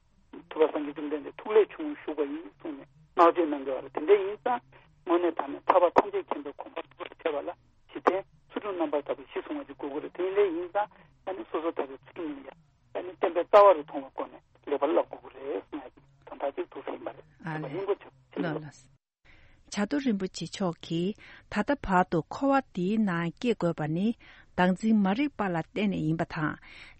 ཐུབ་པ་སངས་རྒྱས་བཅོམ་ལྡན་འདས་ཐུགས་ལས་བྱུང་བཞུགས་པ་ཡིན་གསུངས་ནས་བསྔགས་བརྗོད་གནང་གི་ཡོད་རེད། དེ་འདྲ་ཡིན་ཙང་དངོས་གནས་དྲང་གནས་ཐར་པ་ཐམས་ཅད་མཁྱེན་པའི་གོ་འཕང་ཐོབ་པར་བྱེད་པ་ལ་གཞི་རྟེན་ཚུལ་ཁྲིམས་རྣམ་པར་དག་པའི་གཞི་བཟུང་བ་ཅིག་དགོས་ཀྱི་རེད། དེ་འདྲ་ཡིན་ཙང་ཨ་ནི་སོ་སོར་ཐར་པའི་ཚུལ་ཁྲིམས་ལ་ཡང་། ཨ་ནི་བསྟན་པའི་རྩ་བ་རུ་མཐོང་བའི་སྒོ་ནས་ལེགས་པར་བསླབ་དགོས་ཀྱི་རེད་གསུང་ཡག་གི་དོན་དག་ཅིག་འདུག་ཟེར་ཡིན་པ་རེད། ཨ་ལས། ལགས་ལགས། བྱ་རྡོ་རིན་པོ་ཆེ་མཆོག་གིས་ད་ལྟ་བར་དུ་འཁོར་བ་འདིའི་ནང་སྐྱེ་དགོས་པ་ནི་བདག་འཛིན་མ་རིག་པ་ལ་བརྟེན་ནས་ཡིན་པ་དང་།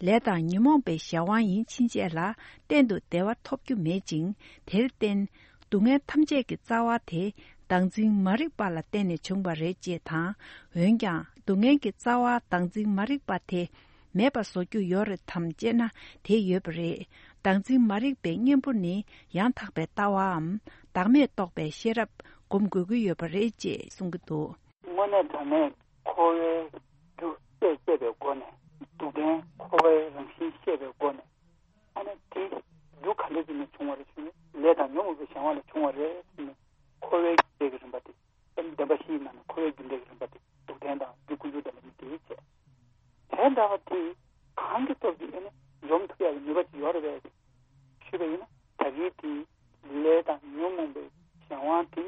ལས་དང་ཉོན་མོངས་པའི་གཞན་དབང་ཡིན་ཕྱིན་ཆད་ལ་གཏན་དུ་བདེ་བ་ཐོབ་རྒྱུ་མེད་ཅིང་། དེར་བརྟེན། སྡུག་བསྔལ་ཐམས་ཅད་ཀྱི་རྩ་བ་དེ་བདག་འཛིན་མ་རིག་པ་ལ་བརྟེན་ནས་བྱུང་བ་རེད་ཅེས་དང་། འོན་ཀྱང་སྡུག་བསྔལ་གྱི་རྩ་བ་བདག་འཛིན་མ་རིག་པ་དེ་མེད་པ་བཟོ་རྒྱུ་ཡོད་རེད་དམ་ཅེ་ན་དེ་ཡོད་པ་རེད། བདག་འཛིན་མ་རིག་པའི་གཉེན་པོ་ནི་ཡང་དག་པའི་ལྟ་བའམ་བདག་མེད་རྟོགས་པའི་ཤེས་རབ་སྒོམ་དགོས་ཀྱི་ཡོད་པ་རེད་ཅེས་གསུང་གི་འདུག། དངོས་གནས་དྲང་གནས་འཁོར་བའི་རྒྱུ་ཤེས་ཤེས་པའི་སྒོ་ནས། སྡུག་བདེན་འཁོར་བའི་རང་བཞིན་ཤེས་པའི་སྒོ་ནས། ཨ་ནི་དེ་རྒྱུ་ག་འདྲ་ཅིག་ནས་བྱུང་བ་རེད་ཟེར་ན། ལས་དང་ཉོན་མོངས་པའི་གཞན་དབང་ལས་བྱུང་བ་རེད་ཟེར་ནས་འཁོར་བའི་རྒྱུ་འབྲས་ཀྱི་རིམ་པ་དེ། ཨ་ནི་བདེན་པ་བཞིའི་ནང་ནས་འཁོར་བའི་རྒྱུ་འབྲས་ཀྱི་རིམ་པ་དེ། སྡུག་བདེན་དང་རྒྱུ་ཀུན་འབྱུང་བདེན་པ་གཉིས་དེ་བྱས། དེ་འདྲ་བ་དེ་གང་གི་སྟོབས་ཀྱིས་ཨ་ནི་འཇོམས་ཐུབ་ཡག་གི་ནུས་པ་ཅིག་ཡོད་རེད་པས་ཞུས་པ་ཡིན་ན། ད་གིན་དེ་ལས་དང་ཉོན་མོངས་པའི་གཞན་དབང་དེ་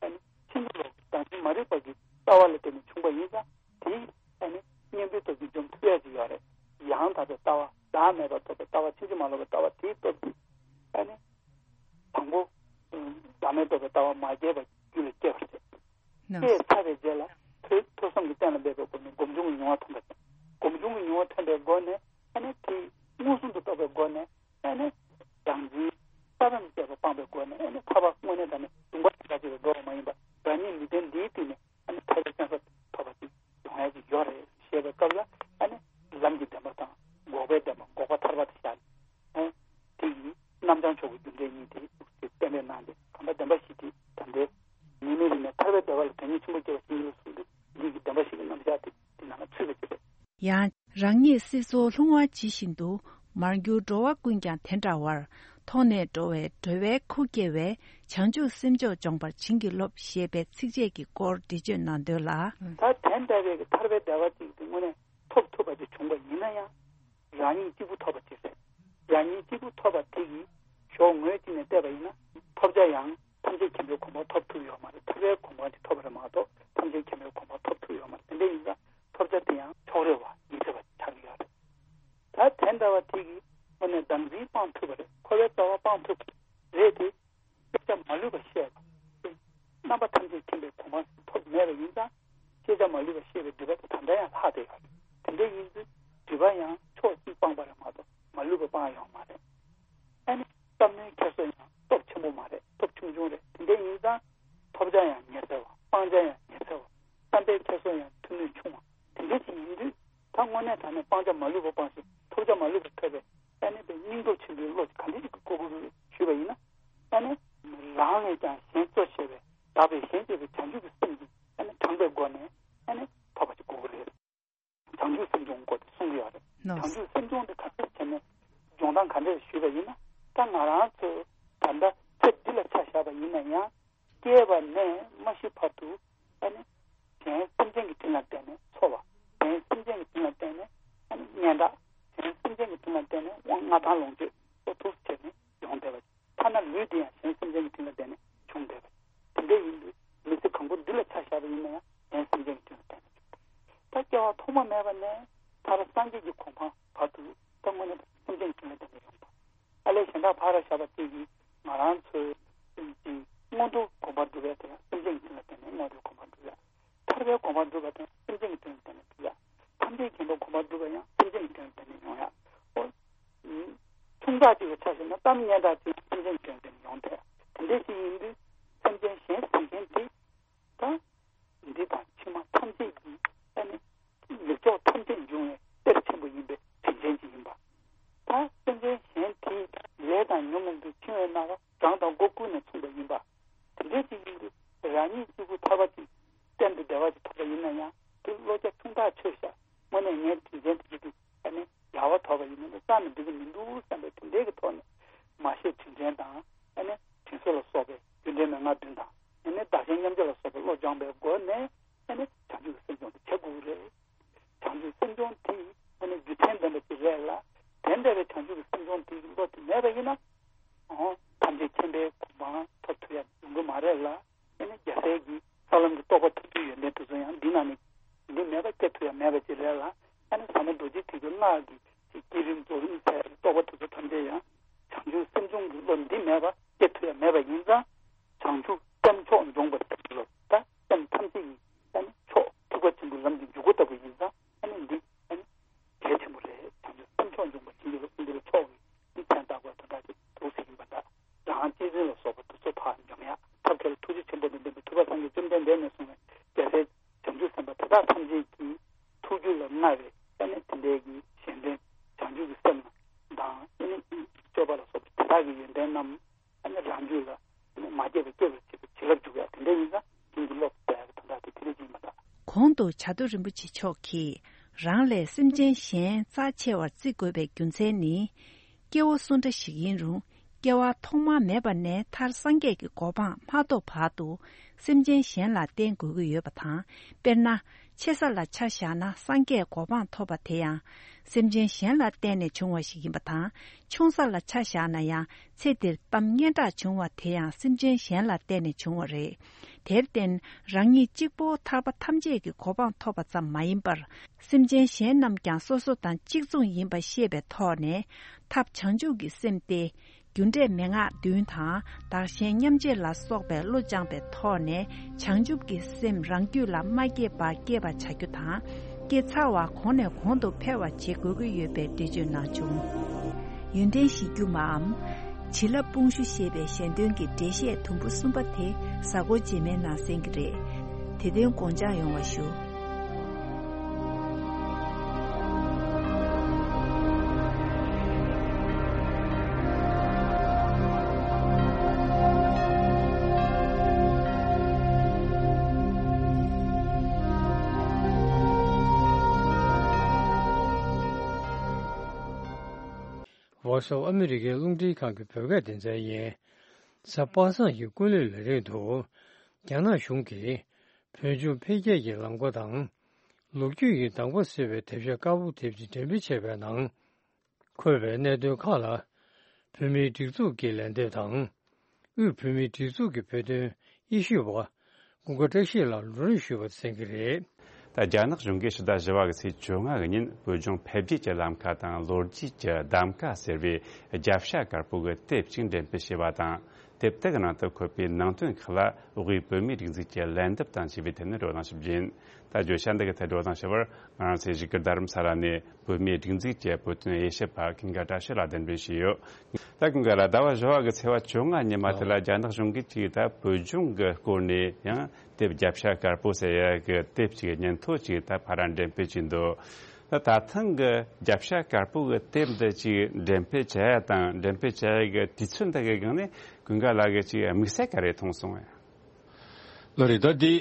ཨ་ནི་ཕྱིན་ཅི་ལོག་གི་བདག་འཛིན་མ་རིག་པ་གི་ལྟ་བ་ལ་བརྟེན་ནས་བྱུང་བ་ཡིན་ཙང་། དེ་ཨ་ནི་གཉེན་པོའི་སྟོབས་ཀྱིས་འཇོམས་ཐུབ་ཡག་ཅིག་ཡོད་རེད། ཡང་དག་པའི་ལྟ་བ། བདག་མེད་པར་རྟོགས་པའི་ལྟ་བ། ཕྱིན་ཅི་མ་ལོག་པའི་ལྟ་བ་དེའི་སྟོབས་ཀྱིས་ཨ་ནི་དང་པོ་བདག་མེད་རྟོགས་པའི་ལྟ་བ་མ་སྐྱེས་པ་རྒྱུད་ལ་སྐྱེས་པ་རེད། ནོ། སྐྱེས་ཚར་བའི་རྗེས་ལ་ཐོས་ཐོས་བསམ་གྱི་སྟེང་ལ་འབད་པའི་སྒོ་ནས་སྒོམ་བྱུང་གི་མྱོང་བ་ཐོན་པ་དང་། སྒོམ་བྱུང་གི་མྱོང་བ་ཐོན་པའི་སྒོ་ནས་ཨ་ནི་དེ་མངོན་སུམ་དུ་རྟོགས་པའི་སྒོ་ནས། ཨ་ནི་བདག་འཛིན་ས་བོན་བཅས་པ་སྤངས་པའི་སྒོ་ནས། ཨ་ནི་ཐར་པ་དངོས་གནས་དྲང་གནས་སྡུག་བསྔལ་གྱི་དགྲ་བཅས་པའི་འགྲོ་བ་མ་ཡིན་པ། རང་ཉིད་ལུས་རྟེན་འདིའི་སྟེང་ནས་ཨ་ནི་ཐར་པའི་བཙན་ས་ཐོབ་པ་ཅིག་ཡོང་ཡ་ཅིག་ཡོད་རེད་ཞེས་པའི་སྐབས་ལ། ཨ་ནི་ལམ་གྱི་བདེན་པ་དང་འགོག་པའི་བདེན་པ། འགོག་པ་ཐར་པ་དེ་བཞག་ནས། ཨ་དེ་ཡི་རྣམ་བྱང་མཆོག་གི་རྒྱུ་འབྲས་གཉིས་དེ་གཏན་འབེབས་གནང་སྟེ། གང་ལྟར་བདེན་པ་བཞི་དེ་ད་ལྟའི་ཉེས་དམིགས་རིགས་ནས་ཐར་པའི་བདེ་བ་ལ་དོན་གཉིས་ཆེན་པོ་སྐྱེ་བ་ཕྱིན་ཅི་ལོག་གསུངས་ཏེ། འདི་གི་བདེན་པ་བཞི་གི་རྣམ་གཞག་དེ་དེ་ནང་ལ་ཚུད་པ་ཅིག་རེད། ཡང་། རང་ཉིད་སྲིད་མཚོར་ལྷུང་བ་ཇི་བཞིན་དུ། མར་གྱུར་འགྲོ་བ་ཀུན་ཀྱང་དེ་འདྲ་བར། མཐོང་ནས་འགྲོ་བའི་འགྲོ་བའི་ཁུར་བསྐྱེལ་བས། བྱང་ཆུབ་སེམས་མཆོག་འབྱོངས་པར་བྱིན་གྱིས་རློབས། ཞེས་པའི་ཚིགས་བཅད་ཀྱི་སྐོར་འགྲེལ་བརྗོད་གནང་དོན་ལ། ད་དེ་འདྲ་བའི་གི་ཐར་པའི་བདེ་བ་ཅིག་དེ་དངོས་གནས་ཐོབ་ཐུབ་པ་ཅིག་བྱུང་བ་ཡིན་ན་ཡང་། རང་ཉིད་གཅིག་པུ་ཐོབ་པ་ཅིག་རེད། རང་ཉིད་གཅིག་པུ་ཐོབ་པ་དེ་གི་ཕྱོགས་ངོས་གཅིག་ནས་བལྟས་པ་ཡིན་ན། ཐོབ་བྱ་ཡང་ཐམས་ཅད་མཁྱེན་པའི་གོ་འཕང་ཐོབ་ཐུབ་ཡོད་མ་རེད། ཐར་པའི་གོ་འཕང་ཅིག་ཐོབ་པ་རེད་མ་གཏོགས་ཐམས་ཅད་མཁྱེན་པའི་གོ་འཕང་ཐོབ་ཐུབ་ཡོད་མ་རེད། དེ་འདྲ་ཡིན་ཙང་ཐོབ་བྱ་དེ་ཡང་ཕྱོགས་རེ་བ་ཡིན་ཟེར་བ་ཆགས་ཀྱི་ཡོད་རེད། ད་དེ་འདྲ་བ་དེ་གི་དངོས་གནས་བདག་འཛིན་སྤང་ཐུབ་པ་རེད། འཁོར་བའི་རྩ་བ་སྤང་ཐུབ་པ་རེད་དེ། ཤེས་བྱ་མ་ལུས་པ་ཤེས་པ། རྣམ་པ་ཐམས་ཅད་མཁྱེན་པའི་གོ་འཕང་ཐོབ་མེད་པ་ཡིན་ཙང་། ཤེས་བྱ་མ་ལུས་པ་ཤེས་པའི་སྒྲིབ་པ་དེ་ད་ལྟ་ཡང་ལྷག་བསྡད་ཡོད་རེད། དེ་འདྲ་ཡིན་ཙང་སྒྲིབ་པ་ཡང་ཕྱོགས་གཅིག་སྤངས་པ་རེད་མ་གཏོགས་མ་ལུས་པ་སྤངས་ཡོད་མ་རེད། ཨ་ནི་བསམ་བློའི་འཁྱེར་སོ་ཡང་སྟོབས་ཆེན་པོ་མ་རེད། སྟོབས་ཆུང་ཆུང་རེད། དེ་འདྲ་ཡིན་ཙང་ཐོབ་བྱ་ཡང་ཉེ་ཚར་བ། སྤང་བྱ་ཡང་ཉེ་ཚར་བ། བསམ་པའི་འཁྱེར་སོ་ཡང་མཐུ་ནུས་ཆུང་བ། དེ་འདྲ་ཅིག་ཡིན་དུས། ད་དངོས་གནས་དྲང་གནས་སྤང་བྱ་མ་ལུས་པ་སྤངས་ཤིང་ཐོབ་བྱ་མ་ལུས་པ་ཐོབ་པའི་ཨ་ནི་པའི་སྙིང་སྟོབས་ཆེན་པོའི་བློ་ག་འདྲ་ཞིག་གི་དགོས་ཀྱི་རེད་ཞུས་པ་ཡིན་ན། ཨ་ནི་རང་ལས་ཀྱང་གཞན་གཙོ་ཆེ་བའི་དག་པའི་གཞན་གཅེས་པའི་བྱང་ཆུབ་ཀྱི་སེམས་ཀྱིས་ཨ་ནི་དྲངས་པའི་སྒོ་ནས་ཨ་ནི་ཐོབ་པ་ཅིག་དགོས་ཀྱི་རེད། བྱང་ཆུབ་སེམས་སྦྱོང་དགོས་ཏེ་གསུང་གི་ཡོད་རེད། ནོ། བྱང་ཆུབ་སེམས་སྦྱོང་དེ་ག་འདྲ་བྱས་ནས་སྦྱོང་སྟངས་ག་འདྲ་ཞུས་པ་ཡིན་ན། ད་ང་རང་ཚོས་ད་ལྟ་ཚེ་འདི་ལ་ཆ་བཞག་པ་ཡིན་ན་ཡང་། སྐྱེས་པ་ནས་མ་ཤི་བར་དུ་ཨ་ནི་གཞན་སེམས་ཅན་གྱི་དྲིན་ལ་བརྟེན་ནས་འཚོ་བ། གཞན་སེམས་ཅན་གྱི་དྲིན་ལ་བརྟེན་ནས་ཨ་ནི་སྙན་གྲགས། གཞན་སེམས་ཅན་གྱི་དྲིན་ལ་བརྟེན་ནས་དབང་མངའ་ཐང་ལོངས་སྤྱོད་སོགས་ཐུགས་བྱས་ནས་ཡོང་བསྡད་པ། ཐ་ན་ལུས་འདི་ཡང་གཞན་སེམས་ཅན་གྱི་དྲིན་ལ་བརྟེན་ནས་བྱུང་བསྡད་པ། དེ་འདྲ་ཡིན་དུས་མི་ཚེ་གང་པོ་འདི་ལ་ཆ་བཞག་པ་ཡིན་ན་ཡང་གཞན་སེམས་ཅན་གྱི་དྲིན་ལ་བརྟེན་ནས་བྱུང་། ད་སྐྱེ་བ་ཐོག་མ་མེད་པ་ནས་ཐར་པ་སངས་རྒྱས་ཀྱི་གོ་འཕང་བར་དུ་ད་དངོས་གནས་སེམས་ཅན་གྱི་དྲིན་ལ་བརྟེན་ནས་ཡོང་བ། ཨ་ལས་གཞན་དག་ཕར་བཞག་པ་དེ་གིས་ང་རང་ཚོའི་སེམས་ཀྱི་མངོན་མཐོ་གོ་འཕང་སྒྲུབ་པའི་དེ་ཡང་སེམས་ཅན་གྱི་དྲིན་ལ་བརྟེན་ནས་མངོན་མཐོའི་གོ་འཕང་སྒྲུབ་ཡ། ཐར་པའི་གོ་འཕང་སྒྲུབ་པ་དེ་ཡང་སེམས་ཅན་གྱི་དྲིན་ལ་བརྟེན་ནས་སྒྲུབ་ཡ། ཐམས་ཅད་མཁྱེན་པའི་གོ་འཕང་སྒྲུབ་པ་ཡང་སེམས་ཅན་གྱི་དྲིན་ལ་བརྟེན་ནས་ཡོང་ཡ། ཨོ། ཆུང་ཙག་ཅིག་ལ་ཆ་བཞག་ན་གཏམ་སྙན་གྲགས་ཅིག་སེམས་ཅན་གྱི་དྲིན་ལ་བརྟེན་ནས་ཡོང་ཐལ། དེ་འདྲ་ཞིག་ཡིན་དུས་སེམས་ཅན་གཞན་ཟེར་མཁན་དེ། ད། འདི་དང་ཕྱི་མ་ཐམས་ཅད་ཀྱི་ཨ་ནི་ལེགས་ཕྱོགས་ཐམས་ཅད་འབྱུང་བའི་གཏེར་ཆེན་པོ་ཡིན་པའི་དྲིན་ཅན་ཅིག་ཡིན་པ། ད་སེམས་ཅན་གཞན་དེའི་ལས་དང་ཉོན་མོངས་པའི་འཆིང་བའི་སྣང་བ་གྲངས་དང་སྒོ་ཀུན་ནས་མཚུངས་པ་ཡིན་པ། དེ་འདྲ་ཅིག་ཡིན་དུས་རང་ཉིད་གཅིག་པུ་ཐར་པ་ཅིག་གཏན་དུ་བདེ་བ་ཅིག་ཐོབ་པ་ཡིན་ན་ཡང་དེ་བློ་རྒྱ་ཆུང་ཐག་ཆོད་ཤག་དངོས་གནས་ངའི་དྲིན་ཅན་དེ་ཚོ་དེ་ཨ་ནི་ཡག་པོ་ཐོབ་པ་ཡིན་ན་ནི་རྩ་ནས་འགྲིག་གི་མི་འདུག་བསམ་པའི་དེ་འདྲའི་གི་ཐོག་ནས་མ་ཤེས་དྲིན་དྲན་དང་ཨ་ནི་དྲིན་གཟོ་ལ་སོགས་པའི་རྒྱུ་འབྲས་མན་ངག་བདུན་དང་ཨ་ནི་བདག་གཞན་མཉམ་བརྗེ་ལ་སོགས་པའི་བློ་སྦྱངས་པའི་སྒོ་ནས་ཨ་ནི་བྱང་ཆུབ་ཀྱི་སེམས་སྦྱོང་དེ་བྱེད་དགོས་ཀྱི་རེད། བྱང་ཆུབ་སེམས་སྦྱོང་དེ་ཨ་ནི་རྒྱུ་མཚན་ལྡན་པ་ཅིག་རེད་ལ། དེ་འདྲ་བའི་བྱང་ཆུབ་ཀྱི་སེམས་སྦྱོང་དེ་བློ་དེ་མེད་པ་ཡིན་ན། འོ། ཐམས་ཅད་མཁྱེན་པའི་གོ་འཕང་ཐོབ་ཐུབ་ཡ་ཡོང་གི་མ་རེད་ལ། ཨ་ནི་རྒྱལ་སྲས་ཀྱི་ས་ལམ་གྱི་རྟོགས་པ་ཐོབ་རྒྱུའི་ཡོན་ཏན་དེ་ཚོ་ཡང་འདི་ནང་ནས་འདི་མེད་པ་སྐྱེ་ཐུབ་ཡ་མེད་པ་ཅིག་རེད་ལ། ཨ་ནི་ཟབ་མོ་རྡོ་རྗེ་ཐེག་པའི་སྔགས་ཀྱི་ཅིག་བསྐྱེད་རིམ་རྫོགས་རིམ་ཟེར་ཡ་གི་རྟོགས་པ་དེ་ཚོ་ཐམས་ཅད་ཡང་བྱང་ཆུབ་སེམས་སྦྱོང་གི་བློ་འདི་མེད་པ་སྐྱེ་ཐུབ་ཡ་མེད་པ་ཡིན་ཙང་། བྱང་ཆུབ་སེམས་མཆོག་འབྱོངས་པར་བྱིན་གྱིས་རློབས། ད་སེམས་ཐམས་ཅད་ཀྱི་ཨ་ནི་མཆོག་ཐེག་པ་ཆེན་པོའི་ལམ་གྱི་འཇུག་སྒོ་ལྟ་བུ་ཡིན་ཙང་། ཨ་ནི་འདི་ཨ་ནི་གལ་ཆེན་པོ་རེད། བྱང་ཆུབ་སེམས་མཆོག་འབྱོངས་པར་བྱིན་གྱིས་རློབས། འདི་ལ་མཆོག་གི་ནི་མཚན་བཏགས་པ་དོན་དག་ཅིག་འདུག་ཟེར་གྱིན་པ་འདྲ། རང་གཅེས་འཛིན་ལ་སོགས་པ་དེ་ཚོ་ཕར་འཇོམས་ཡ། ཐབས་མཁས་ལ་ཐུགས་རྗེ་ཆེན་པོ་དང་ལྡན་པའི་ཐུབ་པ་སངས་རྒྱས་བཅོམ་ལྡན་འདས་ནས་གསུངས་པའི་རྒྱལ་སྲས་བྱང་ཆུབ་སེམས་དཔའ་དེ་དག་ཐམས་ཅད་ཀྱི་ཐུགས་རྒྱུད་ལ་མངའ་བའི་ཨ་ནི་དེ་འདྲའི་གི་གཞན་དོན་བྱང་ཆུབ་ཀྱི་སེམས་དང་ཨ་ནི་སྤྱོད་པ་ལ་ གོང་དུ་བྱ་རྡོ་རིན་པོ་ཆེ་མཆོག་གིས་རང་ལས་སེམས་ཅན་གཞན་རྩ་ཆེ་བར་བརྩི་དགོས་པའི་རྒྱུ་མཚན་ནི། སྐྱེ་བོ་སུ་འདྲ་ཞིག་ཡིན་རུང་། སྐྱེ་བ་ཐོག་མ་མེད་པ་ནས་མཐར་སངས་རྒྱས་ཀྱི་གོ་འཕང་མ་ཐོབ་བར་དུ། སེམས་ཅན་གཞན་ལ་བརྟེན་དགོས་ཀྱི་ཡོད་པ་དང་། དཔེར་ན། ཆེ་ས་ལ་ཆ་བཞག་ན་སངས་རྒྱས་གོ་འཕང་ཐོབ་པ་དེ་ཡང་། སེམས་ཅན་གཞན་ལ་བརྟེན་ནས་བྱུང་བ་ཞིག་ཡིན་པ་དང་། ཆུང་ས་ལ་ཆ་བཞག་ན་ཡང་། ཚེ་འདིར་གཏམ་སྙན་གྲགས་བྱུང་བ་དེ་ཡང་སེམས་ཅན་གཞན་ལ་བརྟེན་ནས་བྱུང་བ་རེད། དེར་བརྟེན། རང་ཉིད་གཅིག་པོ་ཐར་པ་ཐམས་ཅད་ཀྱི་གོ་འཕང་ཐོབ་པ་ཙམ་མ་ཡིན་པར། སེམས་ཅན་གཞན་རྣམས་ཀྱང་སོ་སོ་དང་གཅིག་མཚུངས་ཡིན་པ་ཤེས་པའི་ཐོག་ནས། ཐབས་བྱང་ཆུབ་ཀྱི་སེམས་ཏེ། རྒྱུ་འབྲས་མན་ངག་བདུན་དང་། བདག་གཞན་མཉམ་བརྗེ་ལ་སོགས་པའི་བློ་སྦྱངས་པའི་ཐོག་ནས། བྱང་ཆུབ་ཀྱི་སེམས་རང་རྒྱུད་ལ་མ་སྐྱེས་པ་སྐྱེས་པ་བྱ་རྒྱུ་དང་། སྐྱེས་ཚར་བ་གོང་ནས་གོང་དུ་འཕེལ་བ་བྱེད་དགོས་ཀྱི་ཡོད་པའི་འགྲེལ་བརྗོད་གནང་བྱུང་། ཡོན་ཏན་གཞི་རྒྱུ་མའམ། བྱིན་རླབས་དཔུང་ཤུགས་ཞེས་པའི་ཞལ་འདོན་གྱི་འགྲེལ་བཤད་དུམ་བུ་གསུམ་པ་དེ་གཟའ་འཁོར་རྗེས་མའི་ནང་གསན་གྱི་རེད། དེ་དོན་དགོངས་འཇགས་ཡོང་བ་ཞུ། Voice of America རླུང་འཕྲིན་ཁང་གི་བོད་སྐད་སྡེ་ཚན་ཡིན། གཟའ་པ་སངས་ཀྱི་སྐུ་ལུས་ལ་རིང་དུ། རྒྱ་ནག་གཞུང་གིས་བོད་ལྗོངས་འཕེལ་རྒྱས་ཀྱི་ལམ་ཁ་དང་། ལོ་རྒྱུས་ཀྱི་གདམ་ག་ཟེར་བའི་དེབ་ཤོག་དཀར་པོ་དེབ་ཅིག་འགྲེམས་སྤེལ་བྱས་པའི་ནང་། འཁོད་པའི་གནད་དོན་ཁག་ལ། བོད་མིའི་སྒྲིག་འཛུགས་ཀྱི་ལན་འདེབས་དང་། དབུས་བོད་མིའི་སྒྲིག་འཛུགས་ཀྱི་བོད་དོན་དབྱེ་ཞུ་བ། ཀུན་དགའ་བཀྲ་ཤིས་ལགས་ལམ་སྟོན་ཞུས་པ་གསན་གྱི་རེད། ད་རྒྱ་ནག་གཞུང་གིས་ཕྱི་ཟླ་བཞི་པ་གི་ཚེས་བཅོ་ལྔ་གི་ཉིན་བོད་ལྗོངས་འཕེལ་རྒྱས་ཀྱི་ལམ་ཁ་དང་ལོ་རྒྱུས་ཀྱི་གདམ་ག་ཟེར་བའི་རྒྱབ་ཤ་དཀར་པོ་གི་དེབ་ཅིག་འགྲེམས་སྤེལ་བྱས་པ་དང་། དེབ་དེ་གི་ནང་དུ་འཁོད་པའི་ནང་དོན་ཁག་ལ་དབུས་བོད་མིའི་སྒྲིག་འཛུགས་ཀྱི་ལན་འདེབས་དང་བཅས་པའི་ཐད་ནས་བགྲོ་གླེང་ཞིབ་རྒྱུ་ཡིན། ད་བརྗོད་བྱ་འདི་གི་ཐད་བགྲོ་གླེང་ཞུ་བར་ང་རང་ཚོའི་གཞིས་སྒར་རྡ་རམ་ས་ལ་ནས་བོད་མིའི་སྒྲིག་འཛུགས་ཀྱི་བོད་དོན་དབྱེ་ཞིབ་པ་ཀུན་དགའ་བཀྲ་ཤིས་ལགས་གདན་འདྲེན་ཞུས་ཡོད། ད་ཀུན་དགའ་ལགས། ཟླ་བ་བཞི་པ་གི་ཚེས་པ་བཅོ་ལྔ་ཉིན་མ་དེ་ལ་རྒྱ་ནག་གཞུང་གིས་ཅིག་ད་བོད་ལྗོངས་ཀྱི་སྐོར་ནས་ཡང་དེབ་རྒྱབ་ཤ་དཀར་པོ་ཟེར་ཡ་གི་དེབ་ཅིག་སྙན་ཐོ་ཅིག་ད་ཕར་འགྲེམས་སྤེལ་བྱས་འདུག་ད་ད་ཐེངས་ཀྱི་རྒྱབ་ཤ་དཀར་པོ་གི་དེབ་འདི་ཅིག་འགྲེམས་སྤེལ་བྱ་ཡ་དང་འགྲེམས་སྤེལ་བྱ་ཡ་གི་དུས་ཚོད་འདི་གི་སྒང་ནས་ཀུན་དགའ་ལགས་ཀྱིས་ཅིག་དམིགས་བསལ་ག་རེ་མཐོང་སོང་ངས། ལགས་རེད། ད་འདི་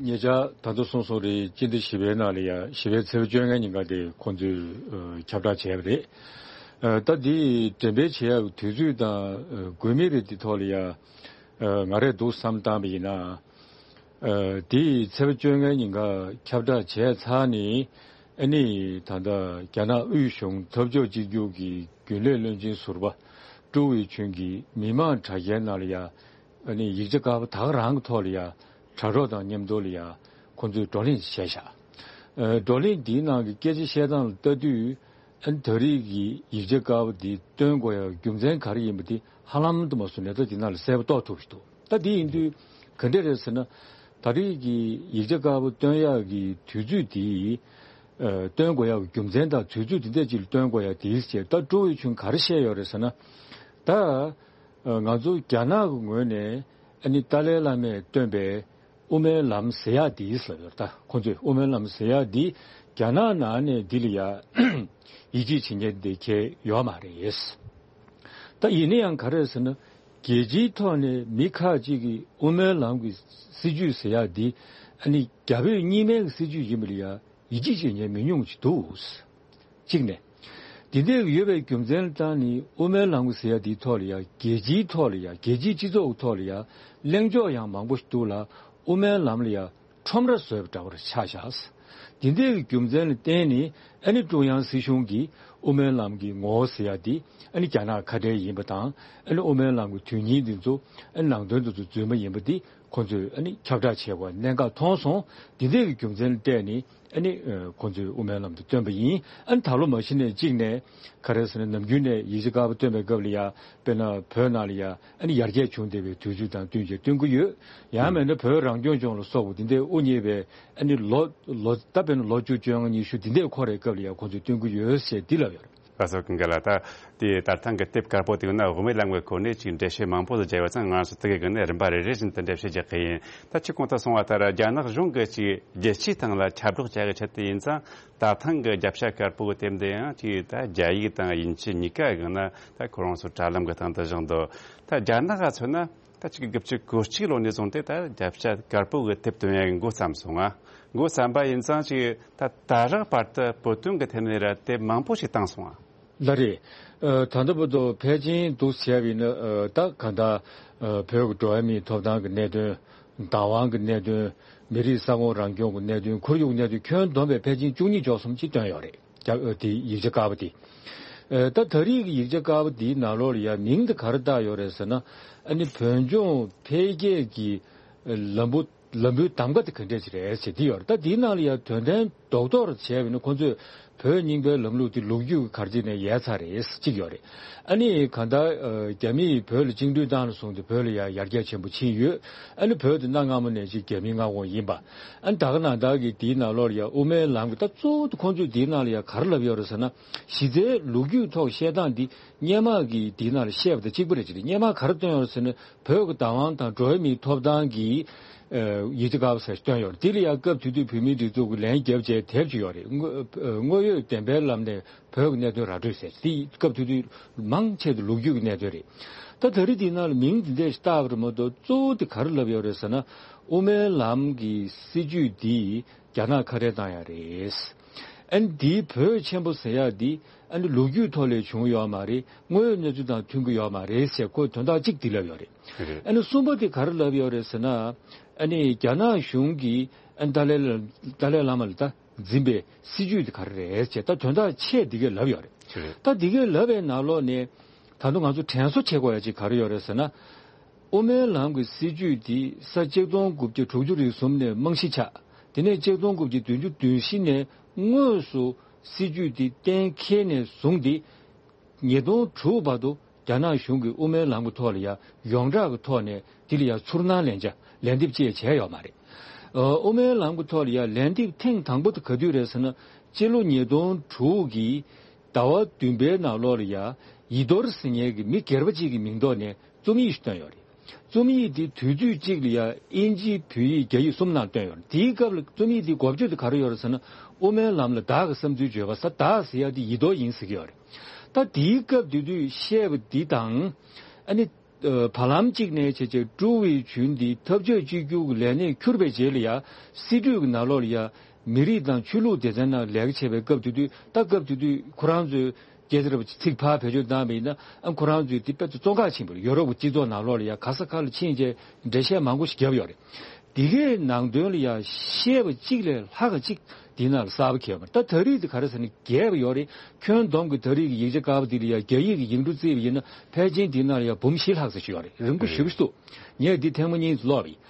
ཉེ་ཆར་ད་ལྟ་སོང་སོང་རེད། སྤྱི་ཟླ་བཞི་པའི་ནང་ལ་ཡ་བཞི་པའི་ཚེས་པ་བཅོ་ལྔ་ཉིན་ཀ་དེ་ཁོང་ཚོས་ཨ་ཁྱབ་བསྒྲགས་བྱས་པ་རེད། ཨ་ད་འདི་འགྲེམས་སྤེལ་བྱེད་ཡག་དུས་ཚོད་དང་ཨ་དགོས་དམིགས་རེད། འདི་ཐོག་ལ་ཡ་ཨ་ང་རས་འདུག་བསམ་བཏང་བ་ཡིན་ན། ཨ་འདི་ཚེས་པ་བཅོ་ལྔ་ཉིན་ཀ་ཁྱབ་བསྒྲགས་བྱས་ཚར་ནས། ཨ་ནི་ད་ལྟ་རྒྱ་ནག་དབུས་གཞུང་འཐབ་ཕྱོགས་གཅིག་གྱུར་གྱི་རྒྱུན་ལས་བློན་ཆེན་ཟུར་པ་ཀྲུའུ་ཝེ་ཆུན་གྱིས་མི་མང་དྲ་རྒྱའི་ནང་ལ་ཡ། ཨ་ནི་ཡིག་ཆ་དཀར་པོ་ད་ག་རང་གི་ཐོག་ལ་ཡ་དྲ་གྲོགས་དང་མཉམ་དུ་ལ་ཡ་ཁོང་ཚོས་བགྲོ་གླེང་བྱས་ཤག་ཨ་བགྲོ་གླེང་འདིའི་ནང་གི་སྐད་ཆ་བཤད་སྟངས་ལ་ལྟ་དུས། ཨ་ནི་ད་རེས་ཀྱི་ཡིག་ཆ་དཀར་པོ་འདི་བཏོན་དགོས་ཡ་རྒྱུ་མཚན་ག་རེ་ཡིན་པ་དེ་ཧ་ལམ་དུ་མ་སོང་ནས་ད་འདི་ནང་ལ་གསལ་པོ་རྟོགས་ཐུབ་ཀྱི་འདུག་ད་འདི་ཡིན་དུས་ག་འདྲ་རེད་ཟེར་ན། ད་རེས་ཀྱི་ཡིག་ཆ་དཀར་པོ་བཏོན་ཡག་གི་དུས་ཚོད་དེ། ཨ་བཏོན་དགོས་ཡག་གི་རྒྱུ་མཚན་དང་དུས་ཚོད་འདི་འདྲ་ཅིག་ལ་བཏོན་དགོས་ཡག་དེའི་ཕྱིར་ད་ཀྲུའུ་ཝེ་ཆུན་ག་རེ་བཤད་ཡོད་རེད་ཟེར་ན། ད་ཨ་ང་ཚོ་རྒྱ་ནག་གི་ངོས་ནས་ཨ་ནི་ཏཱ་ལའི་བླ་མས་བཏོན་པའི་དབུ་མའི་ལམ་ཟེར་ཡག་དེ་ལབ་ཡོད། ད་ཁོང་ཚོས་དབུ་མའི་ལམ་ཟེར་ཡག་འདི་རྒྱ་ནག་ནང་ནས་འདི་ལ་ཡ་ཡིད་ཆེས་བྱེད་མཁན་དེ་གལ་ཡོད་མ་རེད། ད་ཡིན་ན་ཡང་ག་རེ་ཟེར་ན། རྒྱལ་སྤྱིའི་ཐོག་ནས་མི་ཁག་ཅིག་གིས་དབུ་མའི་ལམ་གྱི་སྲིད་བྱུས་ཟེར་ཡག་འདི་ཨ་ནི་རྒྱ་བོད་གཉིས་སྨན་གྱི་སྲིད་བྱུས་ཡིན་པ་ལ་ཡ་ཡིད་ཆེས་བྱེད་མཁན་མི་ཉུང་ཅིག་འདུག་གཅིག་ནས། འདི་འདྲའི་ཡོད་པའི་རྒྱུ་མཚན་ལ་བརྟེན་ནས་དབུ་མའི་ལམ་གྱི་ཟེར་ཡག་འདིའི་ཐོག་ལ་ཡ་རྒྱལ་སྤྱིའི་ཐོག་ལ་ཡ་རྒྱལ་སྤྱིའི་སྤྱི་ཚོགས་ཀྱི་ཐོག་ལ་ཡ་གླེང་ཕྱོགས་ཡང་མང་པོ་ཞིག་འདུག་ལ། དབུ་མའི་ལམ་ལ་ཡ་ཁྲོམ་ར་བཟོས་པ་འདྲ་བོར་ཆགས་བཞག་འདི་འདྲའི་རྒྱུ་མཚན་ལ་བརྟེན་ནས་ཨ་ནི་ཀྲུང་དབྱང་སྲིད་གཞུང་གིས་དབུ་མའི་ལམ་གྱི་ངོ་བོ་ཟེར་ཡག་འདི་ཨ་ནི་རྒྱ་ནག་ཁ་བྲལ་ཡིན་པ་དང་། ཨ་ནི་དབུ་མའི་ལམ་གྱི་དོན་སྙིང་འདི་ཚོ་ཨ་ནི་ནང་དོན་འདི་ཚོ་རྫུན་མ་ཡིན་པ་འདི་ཁོང་ཚོས་ཨ་ནི་ཁྱབ་བསྒྲགས་བྱེད་དགོས་གནད་འགག་མཐོང་སོང་། འདི་འདྲའི་རྒྱུ་མཚན་ལ་བརྟེན་ནས་ཨ་ནི་ཁོང་ཚོས་དབུ་མའི་ལམ་དུ་བཏོན་པ་ཡིན། ཨ་ནི་ད་ལོ་མ་གཞི་ནས་གཅིག་ནས་ག་རེ་ཟེར་ན་ནམ་རྒྱུན་ནས་ཡིག་ཆ་དཀར་པོ་བཏོན་པའི་སྐབས་ལ་ཡ་དཔེར་ན་བོད་ནང་ལ་ཡ་ཨ་ནི་ཡར་རྒྱས་བྱུང་བསྡད་པའི་དུས་ཚོད་དང་བསྟུན་བྱས་བཏོན་གྱི་ཡོད། ཡང་མིན་ན་བོད་རང་སྐྱོང་ལྗོངས་ལ་སོགས་པ་འདི་འདྲའི་དབུ་བརྙེས་པའི་ཨ་ནི་ལོ་ལོ་ད་དཔེར་ན་ལོ་བཅུ་བཅོ་ལྔ་ཉི་ཤུ་འདི་འདྲའི་འཁོར་བའི་སྐབས་ལ་ཡ་ཁོང་ཚོས་བཏོན་གྱི་ཡོད་ཟེར་འདི་ལབ་ཡོད་རེད། ལགས་སོ། ཀུན་དགའ་ལགས། ད་དེ་ད་ཐེངས་ཀྱི་དེབ་དཀར་པོ་དེ་ནི་དབུ་མའི་ལམ་གྱི་སྐོར་ནས་ཅིག་འགྲེལ་བཤད་མང་པོ་ཞིག་བརྒྱབ་ཡོད་ཙང་། ང་རང་ཚོ་དེ་གའི་སྒང་ནས་རིམ་པ་རེ་རེ་བཞིན་དུ་འགྲེལ་བཤད་རྒྱག་གི་ཡིན། ད་ཁྱེད་གོང་དུ་གསུངས་པ་ལྟར་རྒྱ་ནག་གཞུང་གིས་ཅིག་རྒྱལ་སྤྱིའི་སྟེང་ལ་ཁྱབ་བསྒྲགས་བྱ་གི་ཆེད་དུ་ཡིན་ཙང་། ད་ཐེངས་ཀྱི་རྒྱབ་ཤ་དཀར་པོ་གི་དེབ་འདི་ཡང་ཅིག་ད་རྒྱ་ཡིག་དང་དབྱིན་ཇི་གཉིས་ཀ་གི་ནང་ད་ཁོ་རང་ཚོ་དྲ་ལམ་གྱི་སྟེང་དུ་བཞག་འདུག་ད་རྒྱ་ནག་ག་མཚོན་ན། ད་ཆིག་སྟོང་དགུ་བརྒྱ་དགུ་བཅུ་གཅིག་ལོ་ནས་བཟུང་སྟེ་ད་རྒྱབ་ཤ་དཀར་པོ་གི་དེབ་སྟོན་ཡག་གི་འགོ་བརྩམས་སོང་ང་། འགོ་བརྩམས་པ་ཡིན་ཙང་ཅིག་ད་ད་རག་བར་དུ་བོད་དོན་གི་ཐད་ནས་ར་དེབ་མང་པོ་ཞིག་བཏང་སོང་ང་། ལགས་རེད། ཨ། ད་ལྟ་བར་དུ་ཕལ་ཆེར་འདུག་བྱས་པ་ཡིན་ན། ཨ། ད་གང་ལྟར། ཨ། བོད་ཀྱི་འགྲོ་བ་མིའི་ཐོབ་ཐང་གི་གནད་དོན། བདག་དབང་གི་གནད་དོན། མི་རིགས་ས་ཁོངས་རང་སྐྱོང་གི་གནད་དོན། ཁོར་ཡུག་གནད་དོན། ཁྱོན་བསྡོམས་པའི་ཕལ་ཆེར་བཅུ་གཉིས་བཅུ་གསུམ་ཅིག་བཏོན་ཡོད་རེད། རྒྱ། ཨ། དེ་ཡིག་ཆ་དཀར་པོ་དེ། ཨ། ད་ད་རེས་ཀྱི་ཡིག་ཆ་དཀར་པོ་དེའི་ནང་ལོགས་ལ་ཡང་མིང་དེ་ག་རེ་བཏགས་ཡོད་རེད་ཟེར་ན། ཨ་ནི་བོད་ལྗོངས་འཕེལ་རྒྱས་ཀྱི་ལམ་བུ། ལམ་བུའི་གདམ་ག་དེ་ག་འདྲས་ཅིག་རེད་ཟེར་དེ་ཡོད་རེད། ད་དེའི་ནང་ལ་ཡང་དོན་ལྡན་རྡོག་རྡོག་བྱས་པ་ཡིན་ན། ཁོང་ཚོས་བོད་རྙིང་པའི་ལམ་ལུགས་དེ་ལོ་རྒྱུས་ཀྱི་གར་སྟེགས་ནས་ཡལ་ཚར་རེད་ཟེར་གཅིག་ཡོད་རེད། ཨ་ནི་གང་ལྟར། ཨ། རྒྱ་མིས་བོད་ལ་བཅིངས་འགྲོལ་བཏང་ནས་བཟུང་སྟེ་བོད་ལ་ཡང་ཡར་རྒྱས་ཆེན་པོ་ཕྱིན་ཡོད། ཨ་ནི་བོད་དེ་གནའ་སྔ་མོ་ནས་ཅིག་རྒྱ་མིའི་མངའ་ཁོངས་ཡིན་པ། ཨ་ནི་ད་ག་ནང་བཞིན་གྱི་དེའི་ནང་ལོགས་ལ་ཡང་དབུ་མའི་ལམ་གྱི། ད་གཙོ་བོ་དེ་ཁོང་ཚོས་དེའི་ནང་ལ་ཡང་ག་རེ་ལབ་ཡོད་རེད་ཟེར་ན། གཞི་རྩའི་ལོ་རྒྱུས་ཐོག་བཤད་སྟངས་འདི་སྔོན་མ་གི་དེའི་ནང་ལ་བཤད་པ་དང་གཅིག་པ་རེད། ཅེས་སྔོན་མ་ག་རེ་བཏོན་ཡོད་རེད་ཟེར་ན། བོད་ཀྱི་བདག་དབང་དང་འགྲོ་བ་མིའི་ཐོབ་ཐང་གི། ཨ། ཡིག་ཆ་དཀར་པོ་ཟེར་བཏོན་ཡོད་རེད། དེ་ལ་ཡང་སྐབས་དེ་དུས་བོད་མིའི་སྒྲིག་འཛུགས་ཀྱིས་ལན་བརྒྱབ་བྱས་དེབ་ཅིག་ཡོད་རེད། དངོས། ཨ། དངོས་ཡོད་བདེན་པའི་ལམ་ནས་བོད་ཀྱི་གནད་དོན་ར་སྤྲོད་ཟེར། དེ་སྐབས་དེ་དུས་མང་ཆེ་བ་ལོ་རྒྱུས་ཀྱི་གནད་དོན་རེད། ད་ད་རེས་དེའི་ནང་ལ་མིང་དེ་འདྲས་ཞིག་བཏགས་པ་རེད་མ་གཏོགས། གཙོ་བོ་དེ་ག་རེ་ལབ་ཡོད་རེད་ཟེར་ན། དབུ་མའི་ལམ་གྱི་སྲིད་བྱུས་འདི་རྒྱ་ནག་ཁ་བྲལ་བཏང་ཡག་རེད། ཨ་ནི་འདིའི་བོད་ཆེན་པོ་ཟེར་ཡག་འདི་ཨ་ནི་ལོ་རྒྱུས་ཐོག་ལ་བྱུང་ཡོད་མ་རེད། དངོས་ཡོད་གནས་ཚུལ་དང་མཐུན་གྱི་ཡོད་མ་རེད་ཟེར། ཁོས་དོན་དག་གཅིག་འདི་ལབ་ཡོད་རེད། རེད། ཨ་ནི་གསུམ་པ་དེ་ག་རེ་ལབ་ཡོད་རེད་ཟེར་ན། ཨ་ནི་རྒྱ་ནག་གཞུང་གིས་ཨ་ནི་ཏཱ་ལའི། ཏཱ་ལའི་བླ་མ་ལ་ད་འཛིན་པའི་སྲིད་བྱུས་དེ་ག་རེ་རེད་ཟེར། ད་དོན་དག་ཆེ་འདི་གས་ལབ་ཡོད་རེད། རེད། ད་འདི་གས་ལབ་པའི་ནང་ལོགས་ནས་ད་དུང་ང་ཚོ་དྲན་གསོ་བྱེད་དགོས་ཡ་ཅིག་ག་རེ་ཡོད་རེད་ཟེར་ན། དབུ་མའི་ལམ་གྱི་སྲིད་བྱུས་འདི་ས་ཆིག་སྟོང་དགུ་བརྒྱ་དྲུག་ཅུ་རེ་གསུམ་ནས་རྨང་གཞི་ཆགས། དེ་ནས་ཆིག་སྟོང་དགུ་བརྒྱ་བདུན་ཅུ་དོན་བཞི་ནས་དངོས་སུ་སྲིད་བྱུས་འདི་གཏན་འཁེལ་ནས་བཟུང་སྟེ། ཉིས་སྟོང་དྲུག་བར་དུ་རྒྱ་ནག་གཞུང་གིས་དབུ་མའི་ལམ་གྱི་ཐོག་ལ་ཡང་ཡོངས་གྲགས་ཀྱི་ཐོག་ནས་དེ་ལ་ཡང་ཚུར་སྣང་ལན་ཆ། ལན་འདེབས་ཅིག་བྱས་ཡོད་མ་རེད། ཨ། དབུ་མའི་ལམ་གྱི་ཐོག་ལ་ཡང་ལན་འདེབས་ཐེངས་དང་པོ་དེ་ག་དུས་རེད་ཟེར་ན། སྤྱི་ལོ་ཉིས་སྟོང་དྲུག་གི་ཟླ་བ་བདུན་པའི་ནང་ལོགས་ལ་ཡང་ཡི་དོར་ཟེར་མཁན་གྱི་མི་སྒེར་པ་གཅིག་གི་མིང་ཐོག་ནས་རྩོམ་ཡིག་ཞིག་བཏོན་ཡོད་རེད། རྩོམ་ཡིག་དེ་དུས་ཚོད་གཅིག་ལ་ཡང་དབྱིན་ཇི། བོད་ཡིག། རྒྱ་ཡིག་གསུམ་ནང་བཏོན་ཡོད་རེད། དེའི་སྐབས་ལ་རྩོམ་ཡིག་དེའི་འགོ་བརྗོད་དེ་ག་རེ་ཡོད་རེད་ཟེར་ན། དབུ་མའི་ལམ་ལ་བདག་གི་བསམ་ཚུལ་བརྗོད་པ། ས་བདག་ཟེར་ཡ་དེ་ཡི་དོར་ཡིན་ཟེར་གྱི་ཡོད་རེད། ད་དེའི་སྐབས་དེ་དུས་བཤད་པ་འདི་དང་། ཨ་ནི། ཨ། བར་ལམ་གཅིག་ནས་བྱས་བྱས་ཀྲུའུ་ཝེ་ཆུན་འདི་འཐབ་ཕྱོགས་གཅིག་གྱུར་གྱི་ལས་གནས་འཁྱུར་བའི་རྗེས་ལ་ཡང་སྲིད་གྲོས་ཀྱི་ནང་ལོགས་ལ་ཡང་མི་རིགས་དང་ཆོས་ལུགས་སྡེ་ཚན་ནང་ལས་ཀ་བྱེད་པའི་སྐབས་དེ་དུས། ད་སྐབས་དེ་དུས་ཁོ་རང་ཚོའི་སྐད་ཆ་རེ་བ་ཚིག་ཕར་བེད་སྤྱོད་བཏང་བ་ཡིན་ན། ཨ། ཁོ་རང་ཚོས་དེ་དཔེ་ཚོ་བཙོན་ཁང་ཕྱིན་པ་རེད། ཡོ་རོབ་ཀྱི་སྤྱི་ཚོགས་ནང་ལོགས་ལ་ཡང་ག་ས་ག་ལ་ཕྱིན་བྱས་འགྲེལ་བཤད་མང་པོ་ཞིག་བརྒྱབ་ཡོད་རེད། དེ་གའི་ནང་དོན་ལ་ཡང་བཤད་པ་གཅིག་ལས་ལྷག་ག་གཅིག་དེའི་ནང་ལ་གསར་པ་འཁྱེར་ཡོད་མ་རེད། ད་ད་རེས་དེ་ག་རེ་ཟེར་ན། རྒྱས་པ་ཡོད་རེད། ཁྱོན་བསྡོམས་ཀྱི་ད་རེས་ཀྱི་ཡིག་ཆ་དཀར་པོ་འདི་ལ་ཡང་རྒྱ་ཡིག་གི་ཡིག་འབྲུ་བརྩིས་པ་ཡིན་ན། ཕལ་ཆེར་འདིའི་ནང་ལ་ཡང་འབུམ་བཞི་ལྷག་ཙམ་ཞིག་ཡོད་རེད། རིང་པོ་ཞེ་པོ་ཞིག་འདུག་ངས་འདི་ཐེངས་མ་གཉིས་ཀློག་པ་ཡིན།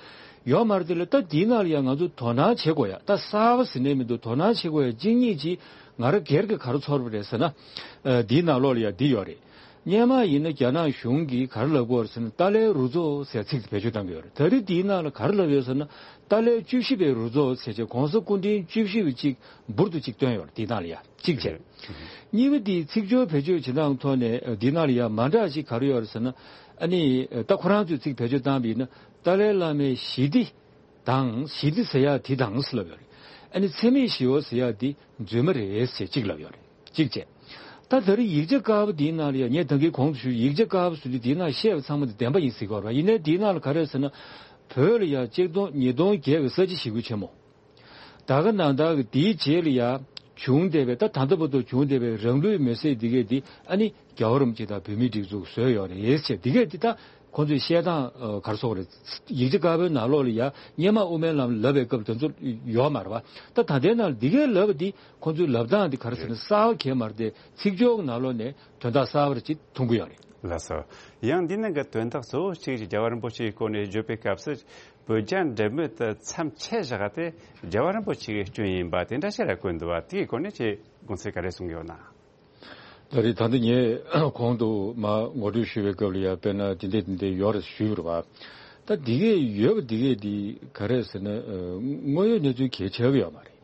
ཡོད་མ་རེད། དེ་ལ་ད་འདིའི་ནང་ལ་ཡང་ང་ཚོ་དོ་སྣང་བྱེད་དགོས་ཡ། ད་གསར་པ་ཟེར་ནས་མི་འདུག་དོ་སྣང་བྱེད་དགོས་ཡ་གཅིག་གཉིས་ཅིག་ང་རང་སྒེར་གྱི་ག་རེ་ཚོར་བ་རེད་ཟེར་ན། ཨ། འདིའི་ནང་ལོགས་ལ་ཡང་འདི་ཡོད་རེད། སྔོན་མ་ཡིན་ན་རྒྱ་ནག་གཞུང་གིས་ག་རེ་ལབ་ཀྱི་ཡོད་རེད་ཟེར་ན། ཏཱ་ལའི་རུ་ཚོགས་ཟེར་ཚིག་དེ་བེད་སྤྱོད་གཏང་གི་ཡོད་རེད། ད་རེས་འདིའི་ནང་ལ་ག་རེ་ལབ་ཡོད་ཟེར་ན། ཏཱ་ལའི་བཅུ་བཞི་པའི་རུ་ཚོགས་ཟེར་བྱས་གོང་ས་སྐུ་ཕྲེང་བཅུ་བཞི་པ་གཅིག་འབུར་དུ་གཅིག་བཏོན་ཡོད་རེད། འདིའི་ནང་ལ་ཡ་གཅིག་བྱས། རེད། གཉིས་པ་འདི་ཚིག་སྦྱོར་བེད་སྤྱོད་བྱེད་སྟངས་ཐོག་ནས་འདིའི་ནང་ལ་ཡ་མ་འདྲ་ཞིག་ག་རེ་ཡོད་རེད་ཟེར་ན། ཨ་ནི་ད་ཁོ་རང་ཚོས་ཚིག་བེད་སྤྱོད་བཏང་བ་ཡིན་ན། ཏཱ་ལའི་བླ་མའི་ཞི་བདེ་དང་། ཞི་བདེ་ཟེར་ཡ་དེ་དང་ཟེར་ལབ་ཡོད་རེད། ཨ་ནི་འཚེ་མེད་ཞི་བ་ཟེར་ཡ་དེ་རྫུན་མ་རེད་ཟེར་གཅིག་ལབ་ཡོད་རེད། གཅིག་བྱས། ད་ད་རེས་ཡིག་ཆ་དཀར་པོ་འདིའི་ནང་ལ་ཡ། ངས་ད་གིན་གོང་དུ་ཞུས། ཡིག་ཆ་དཀར་པོ་ཟེར་དུས་འདིའི་ནང་བཤད་པ་ཚང་མ་འདི་བདེན་པ་ཡིན་ཟེར་གྱི་ཡོད་རེད་པ། ཡིན་ནའི་འདིའི་ནང་ལ་ག་རེ་ཟེར་ན། བོད་ལ་ཡ་ཆིག་སྟོང་། ཉིས་སྟོང་བརྒྱད་ཀྱི་ས་བྱི་ཞི་རྒོལ་ཆེན་མོ། ད་ག་ནང་ལྟར་གྱི་དེའི་རྗེས་ལ་ཡ་བྱུང་བསྡད་པའི། ད་ད་ལྟ་བར་དུ་བྱུང་བསྡད་པའི་རང་ལུས་མེར་སྲེག་འདི་གས་འདི། ཨ་ནི་རྒྱལ་བ་རིན་པོ་ཆེ་དང་བོད་མིའི་སྒྲིག་འཛུགས་བཟོས་ཡོད་རེད་ཟེར། འདི་གས་འདི་ད་ཁོང་ཚོས་བཤད་སྟངས། ཨ། ག་རེ་ཟེར་དགོས་རེད། ཡིག་ཆ་དཀར་པོའི་ནང་ལོགས་ལ་ཡ་སྔོན་མ་དབུ་མའི་ལམ་ལབ་པའི་སྐབས་དེ་ཚོ་ཡོད་མ་རེད་པ། ད་ད་ལྟའི་ནང་ལ་འདི་གས་ལབ་པ་འདི་ཁོང་ཚོའི་ལབ་སྟངས་འདི་ག་རེ་ཟེར་ན། གསར་པ་གང་ཡང་མ་རེད་དེ། ཚིག་སྦྱོར་གྱི་ནང་ལོགས་ནས་དོན་དག་གསར་པ་རེ་ཅིག་མཐོང་གི་ཡོད་རེད། ལགས་སོ། ཡང་འདི་ནང་གི་དོན་དག་གཙོ་བོ་གཅིག་ཅིག་རྒྱལ་བ་རིན་པོ་ཆེའི་སྐོར་ནས་བརྗོད་པའི་སྐབས་སུ། བོད་རྒྱ་འབྲེལ་མོལ་དེ་མཚམས་ཆད་བཞག་སྟེ། རྒྱལ་བ་རིན་པོ་ཆེ་གི་སྐྱོན་ཡིན་པ་དེ་འདྲ་ཞིག་ལ་བཀོད་འདུག་པ། དེའི་སྐོར་ནས་ཁྱེད་དགོངས་ཚུལ་ག་རེ་གསུང་གི་ཡོད་ན། ད་རེས་ད་ལྟ་ངས་གོང་དུ་མར་ངོ་སྤྲོད་ཞུ་བའི་སྐབས་ལ་ཡ། དཔེར་ན་དེ་འདྲས་དེ་འདྲས་ཡོད་རེད་ཞུས་པ་རེད་པ། ད་འདི་གས་ཡོད་པ་འདི་གས་འདི་ག་རེ་ཟེར་ན། ཨ། དངོས་ཡོད་གནས་ཚུལ་གལ་ཆེ་གི་ཡོད་མ་རེད།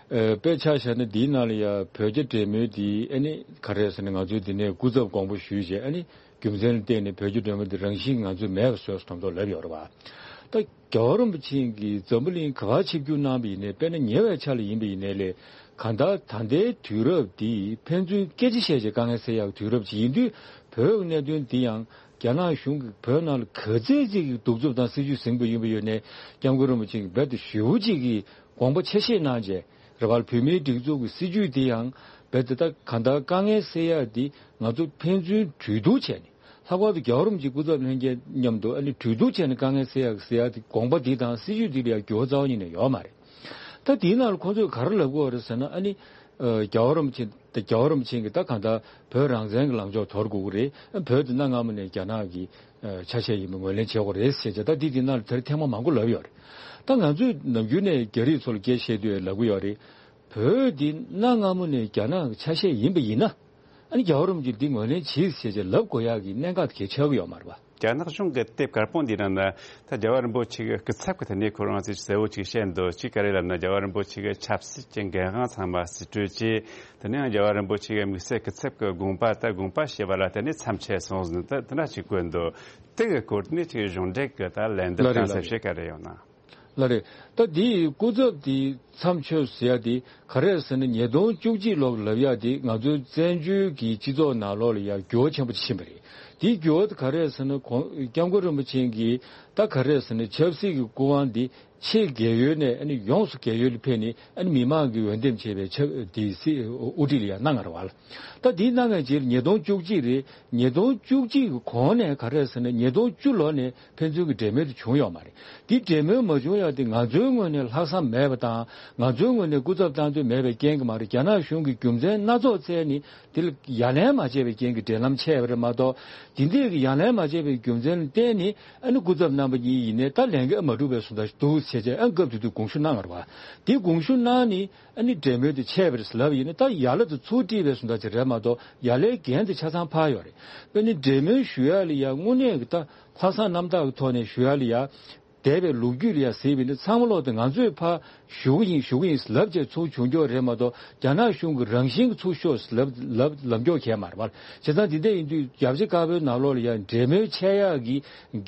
ཨ། དཔེ་ཆ་བཞག་ན་འདིའི་ནང་ལ་ཡ་བོད་རྒྱ་འབྲེལ་མོལ་འདི། ཨ་ནི་ག་རེ་ཟེར་ན། ང་ཚོས་འདི་ནས་སྐུ་ཚབ་དགོངས་པ་ཞུས་བྱས། ཨ་ནི་རྒྱུ་མཚན་ལ་བརྟེན་ནས་བོད་རྒྱ་འབྲེལ་མོལ་འདི་རང་བཞིན་ང་ཚོས་མེད་པ་བཟོས་སོང་མདོག་མདོག་ལབ་ཡོད་རེད་པ། ད་རྒྱལ་བ་རིན་པོ་ཆེ་གིས་འཛམ་བུ་གླིང་ག་པར་ཆིབས་བསྒྱུར་གནང་བ་ཡིན་ནའི། དཔེར་ན་ཉེ་བའི་ཆར་ལ་ཡིན་པ་ཡིན་ནའི་ལས། གང་ལྟར་ད་ལྟའི་དུས་རབས་འདི་ཕན་ཚུན་སྐད་ཆ་བཤད་བྱས་དཀའ་ངལ་སེལ་ཡག་གི་དུས་རབས་ཅིག་ཡིན་དུས། བོད་ཀྱི་གནད་དོན་འདི་ཡང་ རྒྱ་ནག་གཞུང་གིས་བོད་ནང་ལ་ག་ཚད་ཅིག་གི་གདུག་རྩུབ་དང་སྲིད་ཇུས་ཟིན་པ་ཡིན་པ་ཡོད་ནའི་སྐྱབས་མགོན་རིན་པོ་ཆེ་གིས་རྦད་དེ་ཞེ་པོ་ཅིག་གི་དགོངས་པ་ཆ་ཤས་གནང་རྗེས་རེ་བར་བོད་མིའི་སྒྲིག་འཛུགས་ཀྱི་སྲིད་ཇུས་དེ་ཡང་རྦད་དེ་ད་གང་ལྟར་དཀའ་ངལ་སེལ་ཡག་འདི་ང་ཚོ་ཕན་ཚུན་གྲོས་བསྡུར་བྱས་ནས་ལྷག་པར་དུ་རྒྱལ་བ་རིན་པོ་ཆེ་སྐུ་ཚབ་ལྷན་རྒྱས་མཉམ་དུ་ཨ་ནི་གྲོས་བསྡུར་བྱས་ནས་དཀའ་ངལ་སེལ་ཡག་སེལ་ཡག་དེ་དགོངས་པ་འདི་དང་སྲིད་ཇུས་འདི་ལ་ཡང་འགྱུར་བ་རྩ་བ་ཉིད་ནས་ཡོད་མ་རེད། ད་དེའི་ནང་ལ་ཁོང་ཚོས་ག་རེ་ལབ་དགོས་རེད་ཟེར་ན། ཨ་ནི་ཨ་རྒྱལ་བ་རིན་པོ་ཆེ་ད་རྒྱལ་བ་རིན་པོ་ཆེ་གིས་ད་གང་ལྟར་བོད་རང་བཙན་གྱི་ལངས་ཕྱོགས་དོར་དགོས་ཀྱི་རེད། བོད་དེ་གནའ་སྔ་མོ་ནས་རྒྱ་ནག་གི་ཨ་ཆ་ཤས་ཡིན་པ་ངོས་ལེན་བྱེད་དགོས་རེད་ཟེར་བྱས། ད་འདི་དེ་ནང་ལ་དེར་ཐེངས་མ་མང་པོ་ལབ་ཡོད་རེད། ད་ང་ཚོས་ནམ་རྒྱུན་ནས་རྒྱ་རིགས་ཚོ་ལ་སྐད་བཤད་དུས་ལབ་ཀྱི་ཡོད་རེད། བོད་འདི་གནའ་སྔ་མོ་ནས་རྒྱ་ནག་གི་ཆ་ཤས་ཡིན་པ་ཡིན་ན། ཨ་ནི་རྒྱལ་བ་རིན་པོ་ཆེས་འདི་ངོས་ལེན་བྱེད་ཟེར་བྱས་ལབ་དགོས་ཡག་གི་གནད་འགག་དེ་གལ་ཆགས་ཀྱི་ཡོད་མ་རེད་པ། རྒྱ་ནག་གཞུང་གི་དེབ་དཀར་པོ་འདིའི་ནང་ན་ད་རྒྱལ་བ་རིན་པོ་ཆེ་གི་སྐུ་ཚབ་ཀྱི་ཐད་ནས་ཁོ་རང་ཚོས་གསལ་བོ་ཅིག་བཤད་འདུག་ཅིག་ག་རེ་ལབ་ན། རྒྱལ་བ་རིན་པོ་ཆེ་གི་ཆབ་སྲིད་ཀྱི་འགན་དབང་ཚང་མ་ཟུར་སྤྲོད་བྱས། དེ་ནས་ཡང་རྒྱལ་བ་རིན་པོ་ཆེ་གི་དམིགས་བསལ་སྐུ་ཚབ་ཀྱི་དགོངས་པ་ད་དགོངས་པ་བཞེས་པ་ལ་བརྟེན་ནས་མཚམས་ཆད་སོང་ཟིན། ད་དེ་འདྲ་ཅིག་བཀོད་འདུག་དེ་གི་སྐོར་ནས་ཅིག་གཞུང་འབྲེལ་གྱི་ད་ལན་འདེབས་ལ་རེད་གཏང་ལ་ས་རེད། བཤད་ག་རེ་ཡོད་ན། ལ་རེད། ད་འདིའི་སྐུ་ཚབ་དེའི་མཚམས་ཆད་ཟེར་ཡ་དེ་ག་རེ་ཟེར་ན། ཉིས་སྟོང་བཅུ་གཅིག་ལོར་ལབ་ཡ་དེ་ང་ཚོའི་བཙན་བྱོལ་གྱི་སྤྱི་ཚོགས་ནང་ལོགས་ལ་ཡ་འགྱུར་བ་ཆེན་པོ་ཕྱིན་པ་རེད། དེའི་འགྱུར་བ་དེ་ག་རེ་ཟེར་ན། ཁོང་སྐྱབས་མགོན་རིན་པོ་ཆེ་གིས་ད་ག་རེ་ཟེར་ན། ཆབ་སྲིད་ཀྱི་སྐུ་དབང་དེ་ཕྱེད་རྒས་ཡོལ་ནས་ཨ་ནི་ཡོངས་སུ་རྒས་ཡོལ་ལ་ཕེབས་ནས། ཨ་ནི་མི་མང་གིས་འོས་འདེམས་བྱས་པའི་ཆབ་དེའི་སྲིད་དབུ་ཁྲིད་ལ་ཡ་གནང་ཡོད་རེད་པ། ད་དེའི་གནང་བའི་རྗེས་ལ་ཉིས་སྟོང་བཅུ་གཅིག་རེད། ཉིས་སྟོང་བཅུ་གཅིག་གི་གོང་ནས་ག་རེ་ཟེར་ན། ཉིས་སྟོང་བཅུ་ལོ་ནས་ཕན་ཚུན་གྱི་འབྲེལ་མོལ་དེ་བྱུང་ཡོད་མ་རེད། དེ་འབྲེལ་མོལ་མ་བྱུང་ཡ་དེ་ང་ཚོའི་ངོས་ནས་ལྷག་བསམ་མེད་པ་དང་། ང་ཚོའི་ངོས་ནས་སྐུ་ཚབ་བཏང་འདོད་མེད་པའི་རྐྱེན་གྱིས་མ་རེད། རྒྱ་ནག་གཞུང་གིས་རྒྱུ་མཚན་སྣ་ཚོགས་བཙལ་ནས་དེ་ལ་ཡ་ལན་མ་བྱས་པའི་རྐྱེན་གྱིས་འབྲེལ་ལམ་ཆད་པ་རེད་མ་གཏོགས། དེ་འདྲའི་གི་ཡ་ལན་མ་བྱས་པའི་རྒྱུ་མཚན་ལ་བརྟེན་ནས་ཨ་ནི་སྐུ་ཚབ་རྣམ་པ་གཉིས་ཡིན་ནའི་ད་ལས་འགན་མ་འགྲུབ་པའི་བཟོ་འདྲ་ཞིག་འདུག་ཟེར་བྱས། ཨ་ནི་སྐབས་དེ་དུས་དགོངས་ཞུ་གནང་ཡོད་རེད་པ། དེ་དགོངས་ཞུ་གནང་ནས་ཨ་ནི་འབྲེལ་མོལ་དེ་ཆད་པ་རེད་ལབ་ཡིན་ན། ད་ཡ་ལན་དེ་ཚུར་སྤྲད་པའི་བཟོ་འདྲ་ཅིག་རེད་མ་གཏོགས། ཡ་ལན་འགན་དེ་ཆ་ཚང་ཕར་ཡོད་རེད། དཔེར་ན་འབྲེལ་མོལ་ཞུ་ཡ་ལ་ཡ་དངོས་གནས་ཀྱི་ད་ལྷག་བསམ་རྣམ་དག་གི་ཐོག་ནས་ཞུ་ཡ་ལ་ཡ། འདས་པའི་ལོ་རྒྱུས་ལ་ཡ་གཟིགས་པ་ཡིན་ན། ཚང་མ་ལོག་དེ་ང་ཚོས་ཕར་ཞུ་གི་ཡིན་ཞུ་གི་ཡིན་ལབ་བྱས་ཚུར་བྱུང་རྒྱུ་རེད་མ་གཏོགས། རྒྱ་ནག་གཞུང་གིས་རང་བཞིན་གྱིས་ཚུར་ཤོག་ལབ་ལབ་ལབ་རྒྱུ་གང་ཡང་མ་རེད་པ། བྱས་ཙང་དེ་འདྲ་ཡིན་དུས་རྒྱལ་སྤྱི་དཀར་པོའི་ནང་ལོགས་ལ་ཡ་འབྲེལ་མོལ་ཆད་ཡག་གི་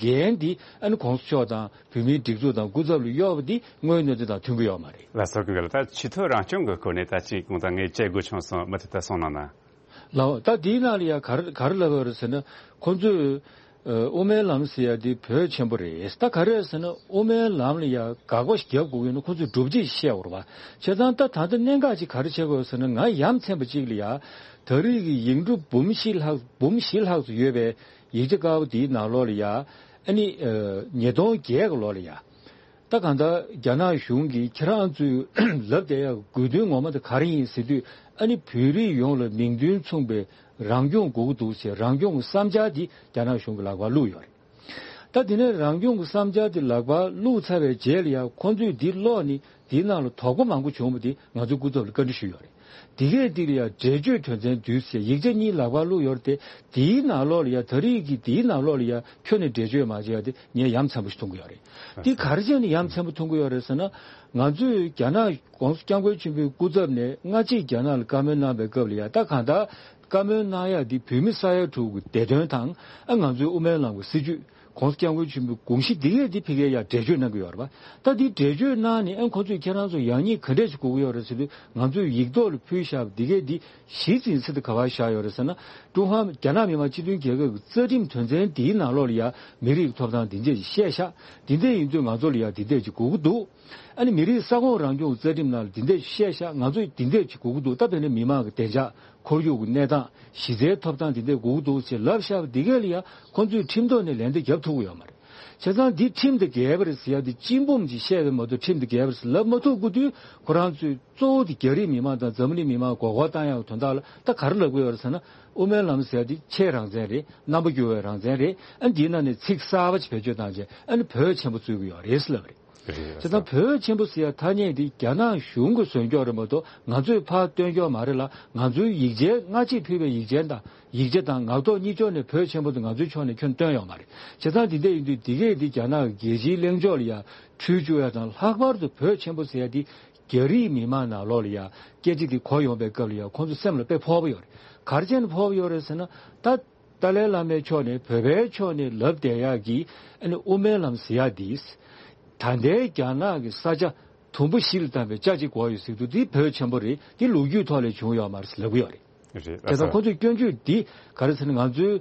འགན་དེ་ཨ་ནི་གོང་ས་མཆོག་དང་བོད་མིའི་སྒྲིག་འཛུགས་དང་སྐུ་ཚབ་ལ་གཡོག་པ་འདི་དངོས་ཡོད་གནས་ཚུལ་དང་མཐུན་གྱི་ཡོད་མ་རེད། ལགས་སོ། གང་ལྟར་ད་ཆེས་མཐོའི་རང་སྐྱོང་གི་སྐོར་ནས་ད་ཅིག་གང་ལྟར་ངས་དཔྱད་དགོས་བྱུང་སོང་། མུ་མཐུད་དུ་གསུང་གནང་ན། ལགས། ད་དེའི་ནང་ལ་ཡ་ག་རེ་ག་རེ་ལབ་ཡོད་རེད་ཟེར་ན། ཁོང་ཚོས་ཨ་དབུ་མའི་ལམ་ཟེར་ཡ་དེ་བོད་ཆེན་པོ་རེད། ད་ག་རེ་ཟེར་ན། དབུ་མའི་ལམ་ལ་ཡ་དགག་པ་ཞིག་རྒྱབ་དགོས་ཀྱི་ཡོད་ན་ཁོང་ཚོས་སྒྲུབ་བྱེད་ཞིག་བཤད་དགོས་རེད་པ། བྱས་ཙང་ད་ད་ལྟ་གནད་འགག་ཅིག་ག་རེ་ཆགས་ཀྱི་ཡོད་ཟེར་ན། ང་ཡ་མཚན་པ་ཅིག་ལ་ཡ། ད་རེས་ཀྱི་ཡིག་འབྲུ་འབུམ་བཞི་ལྷག་འབུམ་བཞི་ལྷག་ཙམ་ཡོད་པའི་ཡིག་ཆ་དཀར་པོ་དེའི་ནང་ལོགས་ལ་ཡ། ཨ་ནི་ཨ་ཉིས་སྟོང་བརྒྱད་གི་ལོ་ལ་ཡ། ད་གང་ལྟར་རྒྱ་ནག་གཞུང་གིས་ཁྱེད་རང་ཚོས་ལབ་བསྡད་ཡག་དགོས་དོན་ངོ་མ་དེ་ག་རེ་ཡིན་ཟེར་དུས། ཨ་ནི་བོད་རིགས་ཡོངས་ལ་མིང་དོན་མཚུངས་པའི་རང་སྐྱོང་དགོས་ཀྱི་འདུག་ཟེར། རང་སྐྱོང་གི་བསམ་འཆར་འདི་རྒྱ་ནག་གཞུང་གི་ལག་པར་བླུགས་ཡོད་རེད། ད་དེ་ནས་རང་སྐྱོང་གི་བསམ་འཆར་འདི་ལག་པར་བླུགས་ཚར་བའི་རྗེས་ལ་ཡང་ཁོང་ཚོས་འདི་ཀློག་ནས་འདིའི་ནང་ལ་དོགས་པ་མང་པོ་བྱུང་བ་འདི་ང་ཚོས་སྐུ་ཚབ་ལ་བཀའ་འདྲི་ཞུས་ཡོད་རེད། དེ་གས་འདི་ལ་ཡང་འགྲེལ་བརྗོད་དོན་ཚན་བདུན་ཟེར་ཡིག་ཆ་གཉིས་ལག་པར་བླུགས་ཡོད་རེད་དེ། དེའི་ནང་ལོགས་ལ་ཡང་། ད་རེས་ཀྱི་དེའི་ནང་ལོགས་ལ་ཡང་ཁྱོན་ནས་འགྲེལ་བརྗོད་མ་བྱས་ཡ་དེ་ངས་ཡ་མཚན་པོ་ཞིག་མཐོང་གི་ཡོད་རེད། དེ་ག་རེ་བྱས་ནས་ཡ་མཚན་པོ་མཐོང་གི་ཡོད་རེད་ཟེར་ན། ང་ཚོས་རྒྱ་ནག་༸གོང་ས་༸སྐྱབས་མགོན་ཆེན་པོའི་སྐུ་ཚབ་ནས་སྔ་ཕྱི་རྒྱ་ནག་ལ་བཀའ་མོལ་གནང་བའི་སྐབས་ལ་ཡ། ད་གང་ལྟར་བཀའ་མོལ་གནང་ཡ་འདི་བོད་མི་ས་ཡ་དྲུག་གི་བདེ་དོན་དང་། ཨ་ང་ཚོའི་དབུ་མའི་ལམ་གྱི་སྲིད་བྱུས། ༸གོང་ས་༸སྐྱབས་མགོན་ཆེན་པོའི་དགོངས་གཞི་འདི་གས་འདི་ཕ་གིར་ཡ་འགྲེལ་བརྗོད་གནང་གི་ཡོད་རེད་པ། ད་འདི་འགྲེལ་བརྗོད་གནང་ནས། ཨ་ཁོང་ཚོས་ཁྱེད་རང་ཚོ་ཡག་ཉེས་ག་འདྲས་ཞིག་དགོས་ཀྱི་ཡོད་རེད་ཟེར་དུས། ང་ཚོས་ཡིག་ཐོག་ལ་ཕུལ་བཞག་པ་འདི་གས་འདི་གཞི་འཛིན་ས་དེ་ག་པར་བཞག་ཡོད་རེད་ཟེར་ན། ཀྲུང་ཧྭ་རྒྱ་ནག་མི་དམངས་སྤྱི་མཐུན་རྒྱལ་ཁབ་ཀྱི་རྩ་ཁྲིམས་དོན་ཚན་འདིའི་ནང་ལོགས་ལ་ཡ་མི་རིགས་ཀྱི་ཐོབ་ཐང་འདི་འདྲས་ཞིག་བཤད་བཞག་འདི་འདྲས་ཡིན་དུས་ང་ཚོ་ལ་ཡ་འདི་འདྲས་ཅིག་དགོས་ཀྱི་འདུག་ཨ་ནི་མི་རིགས་ས་ཁོངས་རང་སྐྱོང་གི་རྩ་ཁྲིམས་ནང་ལ་འདི་འདྲས་བཤད་བཞག་ང་ཚོས་འདི་འདྲས་ཅིག་དགོས་ཀྱི་འདུག་ད་དཔེར་ན་མི་མང་གི་བདེ་འཇགས། ཁོར་ཡུག་གི་གནས་སྟངས། གཞི་རྩའི་ཐོབ་ཐང་འདི་འདྲས་དགོས་ཀྱི་འདུག་ཅེས་ལབ་བཞག་པ་འདི་གས་ལ་ཡ། ཁོང་ཚོས་ཁྲིམས་ཐོག་ནས་ལན་འདེབས་རྒྱབ་ཐུབ་ཀྱི་ཡོད་མ་རེད། བྱས་ཙང་འདི་ཁྲིམས་དང་འགལ་བ་རེད་ཟེར་ཡ་འདི་གཅིག་འབུམ་ཅིག་བཤད་པ་མ་གཏོགས་ཁྲིམས་དང་འགལ་བ་རེད་ཟེར་ལབ་མ་ཐུབ་དགོས་དུས། ཁོ་རང་ཚོས་གཙོ་བོ་དེ་རྒྱ་རིགས་མི་མང་དང་འཛམ་གླིང་མི་མང་མགོ་སྐོར་བཏང་ཡག་དོན་དག་ལ་ད་ག་རེ་ལབ་ཀྱི་ཡོད་རེད་ཟེར་ན། དབུ་མའི་ལམ་ཟེར་ཡ་འདི་ཆེས་རང་བཙན་རེད། རྣམ་པ་འགྱུར་བའི་རང་བཙན་རེད། ཨ་འདིའི་ནང་ནས་ཚིག་གསར་པ་ཅིག་བེད་སྤྱོད་བཏང་རྗེས། ཨ་ནི་བོད་ཆེན་པོ་རྩོད་ཀྱི་ཡོད་རེད་ཟེར་ལབ་པ་རེད། རེད། བྱས་ཙང་བོད་ཆེན་པོ་ཟེར་ཡ་ཐ་སྙད་འདི་རྒྱ་ནག་གཞུང་གིས་བཟོས་ཀྱོག་རེད་མ་གཏོགས། ང་ཚོས་ཕར་བཏོན་ཀྱོག་མ་རེད་ལ། ང་ཚོའི་ཡིག་ཆའི་སྔ་ཕྱིར་ཕུལ་བའི་ཡིག་ཆའི་དང་། ཡིག་ཆ་དང་ངག་ཐོག་གཉིས་ཕྱོགས་ནས་བོད་ཆེན་པོ་དེ་ང་ཚོའི་ཕྱོགས་ནས་ཁྱོན་བཏོན་ཡོད་མ་རེད། བྱས་ཙང་འདི་འདྲ་ཡིན་དུས་འདི་གས་འདི་རྒྱ་ནག་གི་རྒྱལ་སྤྱིའི་གླེང་ཕྱོགས་ལ་ཡ་འཁྲུལ་བཅུག་ཡ་དང་། ལྷག་པར་དུ་བོད་ཆེན་པོ་ཟེར་ཡ་འདི་རྒྱ་རིགས་མི་མང་ནང་ལོགས་ལ་ཡ་སྐད་ཆ་འདི་གོ་ཡོང་པའི་སྐབས་ལ་ཡ་ཁོང་ཚོ་སེམས་ལ་དཔེ་ཕོག་པ་ཡོད་རེད། ག་རེ་བྱས་ནས་ཕོག་པ་ཡོད་རེད་ཟེར་ན། ད་ཏཱ་ལའི་བླ་མའི་ཕྱོགས་ནས། བོད་པའི་ཕྱོགས་ནས་ལབ་བསྡད་ཡག་གི་ཨ་ནི་དབུ་མའི་ལམ་ཟེར་ཡག་འདི། ད་ལྟའི་རྒྱ་ནག་གི་ས་ཆ་དུམ་བུ་བཞི་ལ་བཏང་བའི་ཆ་གཅིག་གོ་ཡོད་ཟེར་དུས། འདི་བོད་ཆེན་པོ་རེད། འདི་ལོ་རྒྱུས་ཐོག་ལས་བྱུང་ཡོད་མ་རེད་ཟེར་ལབ་ཀྱི་ཡོད་རེད། རེད། དེ་ལྟར་ཁོང་ཚོས་སྐྱོན་བརྗོད་འདི་ག་རེ་ཟེར་ན། ང་ཚོའི་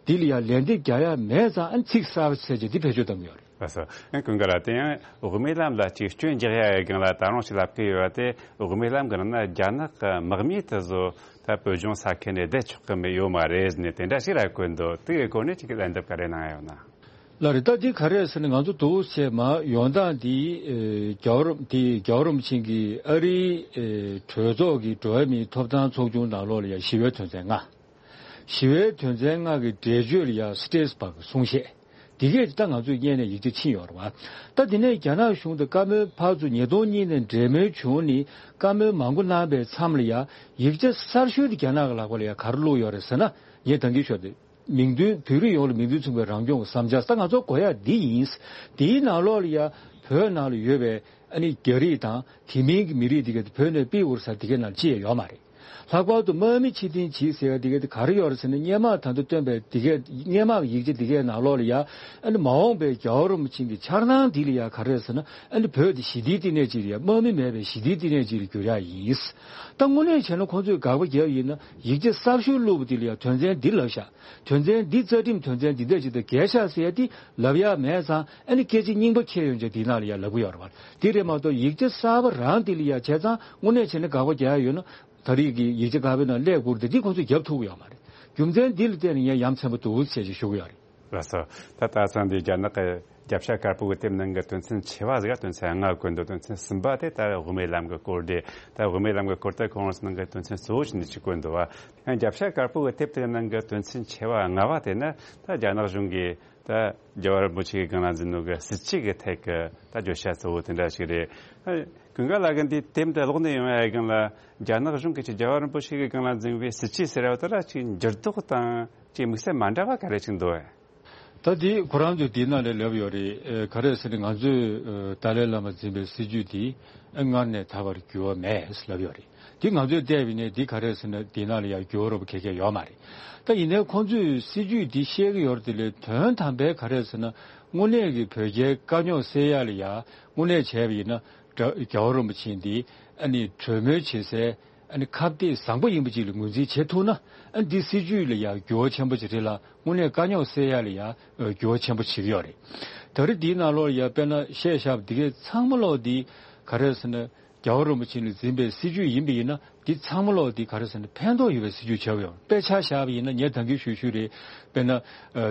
འདི་ལ་ཡང་ལན་འདེབས་རྒྱག་ཡ་མེད་ཙང་ཨ་ཚིག་གསར་པ་བཙལ་བྱས་འདི་བེད་སྤྱོད་གཏང་གི་ཡོད་རེད། ལགས་སོ། ཨ་ཀུན་དགའ་ལགས། དེ་ཡང་དབུ་མའི་ལམ་ལ་ཅིག་སྐྱོན་རྒྱག་ཡ་ཡི་སྒང་ལ་ད་རུང་ཞིག་ལབ་ཀྱི་ཡོད་པ་དེ། དབུ་མའི་ལམ་གྱི་ནང་ན་རྒྱ་ནག་གི་དམག་མི་དེ་ཚོ་ད་བོད་ལྗོངས་ས་ཁུལ་ནས་བསྡད་ཆོག་གི་མེད་ཡོད་མ་རེད་ཟེར་ནས་དེ་འདྲ་ཞིག་ར་བཀོད་འདུག་དེ་གི་སྐོར་ནས་ཅིག་ལན་འདེབས་ག་རེ་གནང་ཡ་ཡོད་ན། ལགས་རེད། ད་འདི་ག་རེ་ཟེར་ན་ང་ཚོ་འདུག་བྱས་མ་ཡོང་སྟངས་འདི་ཨེ་རྒྱལ་བ་རིན་འདི་རྒྱལ་བ་རིན་པོ་ཆེ་གིས་ཨ་རིའི་ཨེ་གྲོས་ཚོགས་ཀྱི་འགྲོ་བ་མིའི་ཐོབ་ཐང་ཚོགས་ཆུང་ནང་ལོགས་ལ་ཡང་ཞི་བའི་དོན་ཚན་ལྔ། ཞི་བའི་དོན་ཚན་ལྔ་གི་འགྲེལ་བརྗོད་ལ་ཡང་སི་ཏྲེས་པ་གི་གསུང་བཤད། འདི་གས་ད་ང་ཚོས་སྔོན་ནས་ཡིག་ཆ་ཕྱིན་ཡོད་རེད་བ། ད་འདི་ནས་རྒྱ་ནག་གཞུང་དང་བཀའ་མོལ་ཕར་ཚུར་ཉིས་སྟོང་གཉིས་ནས་འབྲེལ་མོལ་བྱུང་ནས་བཀའ་མོལ་མང་པོ་གནང་པའི་མཚམས་ལ་ཡང་ཡིག་ཆ་གསར་ཤོས་དེ་རྒྱ་ནག་གི་ལག་པ་ལ་ཡང་ག་རེ་བླུགས་ཡོད་རེད་ཟེར་ན། ངས་ད་གིན་ཞུས་ཏེ། མིང་དོན་བོད་རིགས་ཡོངས་ལ་མིང་དོན་མཚུངས་པའི་རང་སྐྱོང་གི་བསམ་འཆར་ད་ང་ཚོ་དགོས་ཡ་འདི་ཡིན། དེའི་ནང་ལོགས་ལ་ཡ་བོད་ནང་ལ་ཡོད་པའི་ཨ་ནི་རྒྱ་རིགས་དང་དེ་མིན་གྱི་མི་རིགས་དེ་ག་དེ་བོད་ནས་ཕྱིར་འབུད་ས་དེ་གའི་ནང་ཅི་ཡང་ཡོད་མ་རེད། ལྷག་པར་དུ་དམག་མི་ཕྱིར་འཐེན་བྱེད་ཟེར་ཡ་དེ་ག་དེ་ག་རེ་ཡོད་རེད་ཟེར་ན། སྔོན་མ་ད་ལྟ་བཏོན་པའི་དེ་གའི་སྔོན་མ་གི་ཡིག་ཆ་དེ་གའི་ནང་ལོགས་ལ་ཡ་ཨ་ནི་མ་འོངས་པའི་རྒྱལ་བ་རིན་པོ་ཆེ་གི་འཆར་སྣང་འདི་ལ་ཡ་ག་རེ་རེད་ཟེར་ན། ཨ་ནི་བོད་དེ་ཞི་བདེའི་བསྟི་གནས་ཅིག་ལ་ཡ་དམག་མི་མེད་པའི་ཞི་བདེའི་བསྟི་གནས་ཅིག་ལ་འགྱུར་ཡ་ཡིན། ད་དངོས་གནས་བྱས་ན་ཁོང་ཚོས་དགག་པ་བརྒྱབ་ཡིན་ན་ཡིག་ཆ་གསར་ཤོས་བླུགས་པ་དེ་ལ་ཡ་དོན་ཚན་འདི་ལབ་ཤག་དོན་ཚན་འདི་རྩ་ཁྲིམས་དོན་ཚན་འདི་འདྲ་ཅིག་དང་འགལ་ཤག་ཟེར་ཡ་དེ་ལབ་ཡ་མེད་ཙང་། ཨ་ནི་སྐད་ཆ་རྙིང་པ་ཁྱེར་ཡོང་བྱས་དེའི་ནང་ལ་ཡ་ལབ་གི་ཡོད་རེད་བ། དེ་རེད་མ་གཏོགས་ཡིག་ཆ་གསར་པ་རང་དེ་ལ་ཡ་བྱས་ཙང་དངོས་གནས་བྱས་ན་དགག་པ་རྒྱག་ཡ་ཡོད་ན་ད་རེས་ཀྱི་ཡིག་ཆ་དགག་པའི་ནང་སླེབས་དགོས་རེད་དེ། འདི་ཁོང་ཚོས་རྒྱབ་ཐུབ་གི་ཡོད་མ་རེད། རྒྱུ་མཚན་འདི་ལ་བརྟེན་ནས་ངས་ཡ་མཚན་པ་འདུག་ཟེར་ཅིག་ཞུ་གི་ཡོད་རེད། ལགས་སོ། ད་ད་ཚང་འདི་རྒྱ་ནག་གི་རྒྱབ་ཤ་དཀར་པོ་གི་དེབ་ནང་གི་དོན་ཚན་ཆེ་བ་ཟིག་དོན་ཚན་ལྔ་བཀོད་འདུག་དོན་ཚན་གསུམ་པ་དེ་ད་དབུ་མའི་ལམ་གི་སྐོར་དེ། ད་དབུ་མའི་ལམ་གི་སྐོར་དེ་ཁོང་རང་ཚོ་ནང་གི་དོན་ཚན་གཙོ་བོ་ཞིག་ནས་ཅིག་བཀོད་འདུག་བ། ཡང་རྒྱབ་ཤ་དཀར་པོ་གི་དེབ་དེ་ནང་གི་དོན་ཚན་ཆེ་བ་ལྔ་བ་དེ་ནི་ད་རྒྱ་ནག་གཞུང་གིས་ད་རྒྱལ་བ་རིན་པོ་ཆེ་གི་སྒང་ལ་འཛིན་ནོ་གི་སྲིད་བྱུས་ཀྱི་ཐད་ཀྱི་ད་བརྗོད་བྱ་གཙོ་བོ་དེ་འདྲ་ཞིག་རེད། ཀུན་དགའ་ལགས་ཀྱིས་འདི་དེབ་འདི་ཀློག་ནས་ཡོང་ཡ་སྒང་ལ་རྒྱ་ནག་གཞུང་གིས་ཅིག་རྒྱལ་བ་རིན་པོ་ཆེ་གི་སྒང་ལ་འཛིན་པའི་སྲིད་བྱུས་ཟེར་བ་དེ་ལ་ཅིག་འགྱུར་ལྡོག་དང་ཅིག་དམིགས་བསལ་མ་འདྲ་བ་ག་རེ་ཅིག་འདུག་ཨེ། ད་འདི་ཁོ་རང་ཚོས་འདི་ནང་ལ་ལབ་ཡོད་རེད། ཨེ་ག་རེ་ཟེར་ན་ང་ཚོས་ཨེ་ཏཱ་ལའི་བླ་མ་འཛིན་པའི་སྲིད་བྱུས་འདི་ཨེ་སྔར་ནས་ད་བར་འགྱུར་བ་མེད་ལབ་ཡོད་རེད། འདི་ང་ཚོས་བལྟས་པ་ཡིན་ན་འདི་ག་རེ་ཟེར་ན་འདི་ནང་ལ་ཡང་འགྱུར་བ་རོབ་ག་གེ་ཡོད་མ་རེད། ད་ཡིན་ནའི་ཁོང་ཚོས་སྲིད་བྱུས་འདི་བཤད་ཀྱི་ཡོད་རེད་དེ་ལས་དོན་དམ་པའི་ག་རེ་ཟེར་ན་དངོས་གནས་ཀྱི་བོད་རྒྱའི་དཀའ་རྙོག་སེལ་ཡ་ལ་ཡ་དངོས་གནས་བྱས་པ་ཡིན་ན་རྒྱལ་བ་རིན་པོ་ཆེ་འདི་ཨ་ནི་གྲོས་མོལ་བྱེད་སའི་ཨ་ནི་ཁ་གཏད་བཟང་པོ་ཡིན་པ་ཅིག་ལ་ངོས་འཛིན་བྱེད་ཐུབ་ན། ཨ་ནི་འདི་སྲིད་བྱུས་ལ་ཡང་འགྱུར་བ་ཆེན་པོ་ཅིག་རེད་ལ། དངོས་གནས་དཀའ་རྙོག་སེལ་ཡ་ལ་ཡང་འགྱུར་བ་ཆེན་པོ་བྱེད་ཀྱི་ཡོད་རེད། ད་རེས་འདིའི་ནང་ལོགས་ལ་ཡང་དཔེར་ན་བཤད་བཞག་པ་འདི་གའི་ཚང་མ་ལོག་འདི་ག་རེ་ཟེར་ན་རྒྱལ་བ་རིན་པོ་ཆེ་ལ་འཛིན་པའི་སྲིད་བྱུས་ཡིན་པ་ཡིན་ན་འདི་ཚང་མ་ལོག་འདི་ག་རེ་ཟེར་ན་ཕན་ཐོགས་ཡོད་པའི་སྲིད་བྱུས་ཆགས་ཡོད། དཔེ་ཆ་བཞག་པ་ཡིན་ན་ངས་ད་གིན་ཞུས་ཞུས་རེད། དཔེར་ན་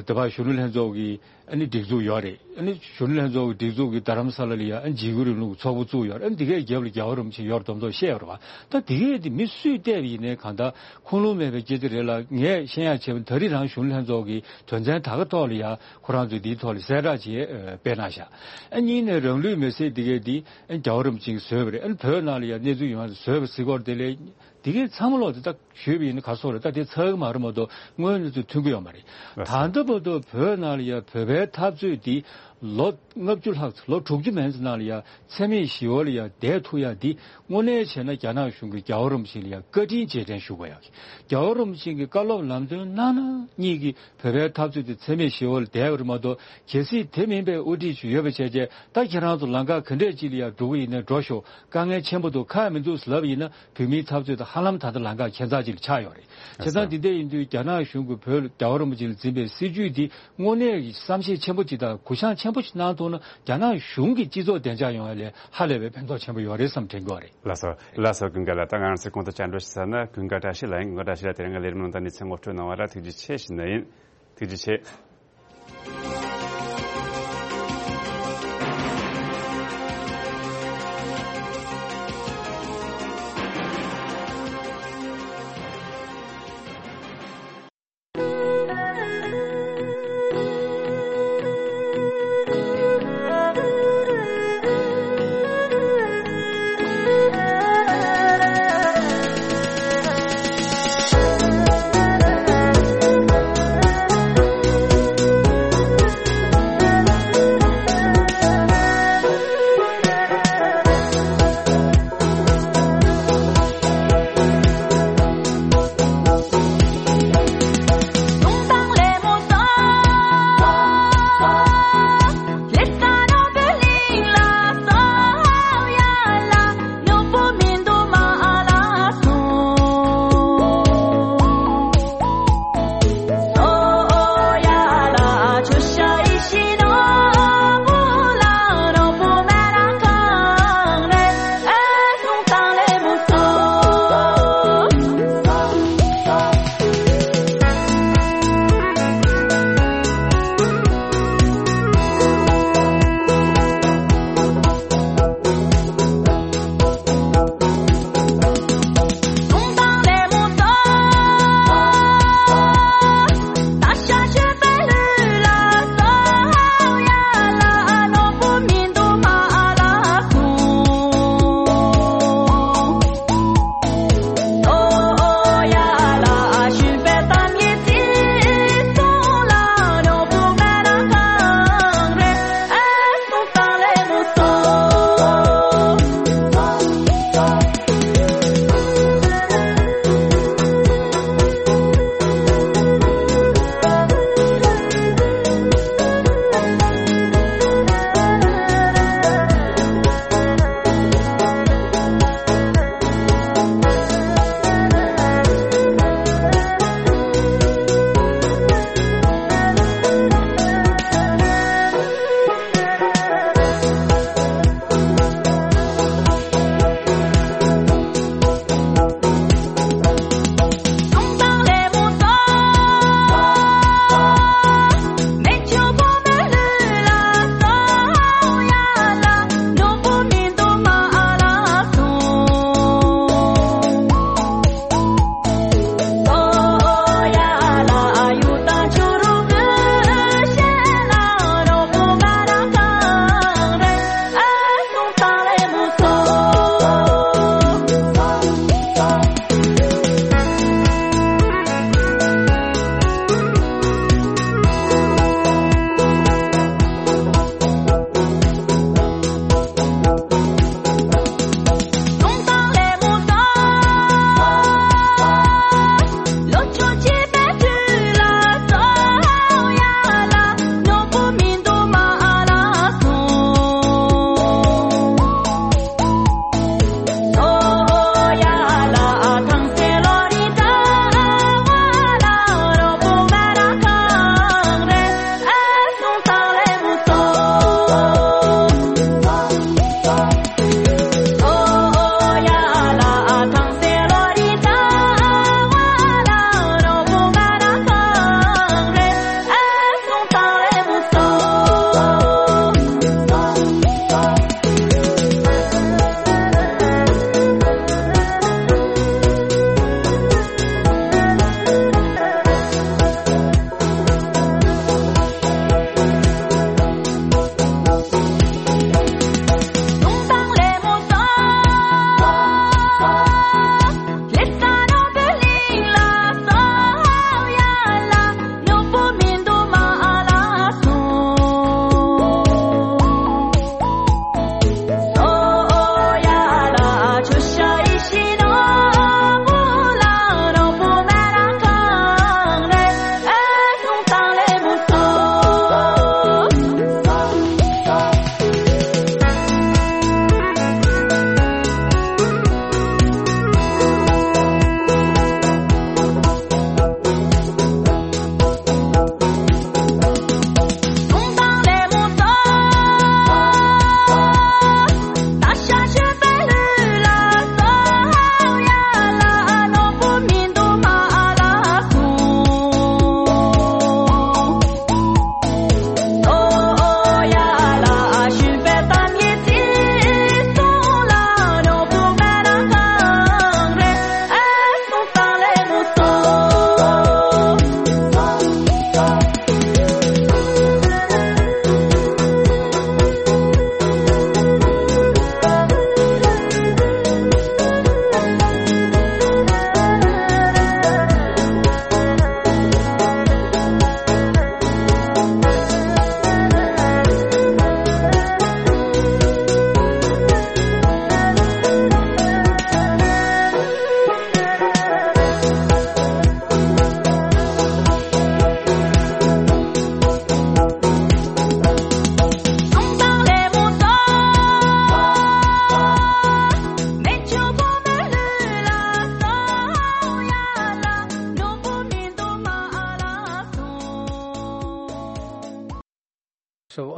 ད་བར་གཞོན་ནུ་ལྷན་ཚོགས་ཀྱི་ཨ་ནི་སྒྲིག་འཛུགས་ཡོད་རེད། ཨ་ནི་གཞོན་ནུ་ལྷན་ཚོགས་ཀྱི་སྒྲིག་འཛུགས་ཀྱི་རྡ་རམ་ས་ལ་ལ་ཡ་ཨ་ནི་འཇིགས་སྐུལ་རིང་ལུགས་ཚོགས་པ་བཙུགས་ཡོད་རེད། ཨ་ནི་དེ་གའི་རྒྱབ་ལ་རྒྱལ་བ་རིན་པོ་ཆེ་ཡོད་རེད་མདོག་མདོག་བཤད་ཡོད་རེད་བ། ད་དེ་གའི་དེ་མི་སུས་བལྟས་པ་ཡིན་ནའི་གང་ལྟར་ཁུངས་ལུང་མེད་པའི་སྐད་ཆ་རེད་ལ། ངས་ཤེས་ཡ་བྱས་པ་ད་རེས་རང་གཞོན་ནུ་ལྷན་ཚོགས་ཀྱི་དོན་ཚན་ད་ག་ཐོག་ལ་ཡ་ཁོ་རང་ཚོས་འདིའི་ཐོག་ལ་གསལ་བསྒྲགས་བྱས་ཨ་སྤེལ་གནང་ཤག་ཨ་གཉིས་ནས་རང་ལུས་མེར་སྲེག་དེ་གའི་དེ་ཨ་ནི་རྒྱལ་བ་རིན་པོ་ཆེ་གིས་བཟོས་པ་རེད། ཨ་ནི་བོད་ནང་ལ་ཡ་གནས་ཚུལ་ཡོང་ཡ་བཟོས་པ་ཟེར་སྐོར་དེ་ལས། དེ་གའི་ཚང་མ་ལོག་དེ་ད་ཞུས་པ་ཡིན་ན་ག་སོགས་རེད། ད་དེ་ཚར་གི་མ་རེད་མ་གཏོགས་དངོས་གནས་ཚུལ་མཐུན་གི་ཡོད་མ་རེད། ལགས་སོ། ད་ལྟ་བར་དུ་བོད་ནང་ལ་ཡ་བོད་པའི་འཐབ་རྩོད་དེ་ལོ་ལྔ་བཅུ་ལྷག་ཙམ་ལོ་དྲུག་ཅུ་མན་ཙམ་ནང་ལ་ཡ་འཚེ་མེད་ཞི་བ་ལ་ཡ་བསྡད་ཐུབ་ཡ་འདི་དངོས་གནས་བྱས་ན་རྒྱ་ནག་གཞུང་གིས་རྒྱལ་བ་རིན་པོ་ཆེ་ལ་ཡ་བཀའ་དྲིན་རྗེས་དྲན་ཞུ་དགོས་ཡ། རྒྱལ་བ་རིན་པོ་ཆེ་གིས་བཀའ་སློབ་ལམ་སྟོན་གནང་ན་གཉིས་ཀྱི་བོད་པའི་འཐབ་རྩོད་དེ་འཚེ་མེད་ཞི་བ་ལ་བསྡད་པ་རེད་མ་གཏོགས་གལ་སྲིད་དེ་མིན་པའི་དབུ་ཁྲིད་ཅིག་ཡོད་པ་བྱས་རྗེས་ད་ཁྱེད་རང་ཚོ་ལམ་ཁ་ག་འདྲས་ཅིག་ལ་ཡ་འགྲོ་གི་ཡིན་ན་འགྲོ་ཤོག་དཀའ་ངལ་ཆེན་པོ་འདུག་ཁག་མི་འདུག་ལབ་ཡིན་ན་བོད་མིའི་འཐབ་རྩོད་དང་ཧ་ལམ་ད་ལྟ་ལམ་ཁ་ཁྱད་མཚར་ཅིག་ལ་ཆགས་ཡོད་རེད། བྱས་ཙང་འདི་འདྲ་ཡིན་དུས་རྒྱ་ནག་གཞུང་གིས་བོད་རྒྱལ་བ་རིན་པོ་ཆེ་ལ་འཛིན་པའི་སྲིད་བྱུས་འདི་དངོས་གནས་ཀྱི་བསམ་ཤེས་ཆེན་པོ་ཅིག་དང་གུ་བཤངས་ཆེན་པོ་ཅིག་གནང་ཐུབ་ན་རྒྱ་ནག་གཞུང་གི་སྤྱི་ཚོགས་བདེ་འཇགས་ཡོང་བ་ལས་ཧ་ལས་པའི་ཕན་ཐོགས་ཆེན་པོ་ཡོད་རེད་བསམ་དྲན་གྱི་ཡོད་རེད། ལགས་སོ། ལགས་སོ། ཀུན་དགའ་ལགས། ད་ང་རང་ཚོས་གོང་དུ་བཅར་འདྲི་ཞུ་ས་ནི་ཀུན་དགའ་བཀྲ་ཤིས་ལགས་ཡིན། ཀུན་དགའ་བཀྲ་ཤིས་ལགས་དེ་རིང་གི་ལས་རིམ་ནང་ད་གནས་ཚུལ་ངོ་སྤྲོད་གནང་བ་ལ་ཐུགས་རྗེ་ཆེ་ཞུ་ནི་ཡིན། ཐུགས་རྗེ་ཆེ།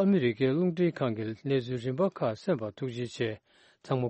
ཨ་མི་རི་ཀའི་རླུང་འཕྲིན་ཁང་གི་གནས་ཚུལ་རིམ་པ་ཁག་གསན་པར་ཐུགས་རྗེ་ཆེ། ཚང་མ་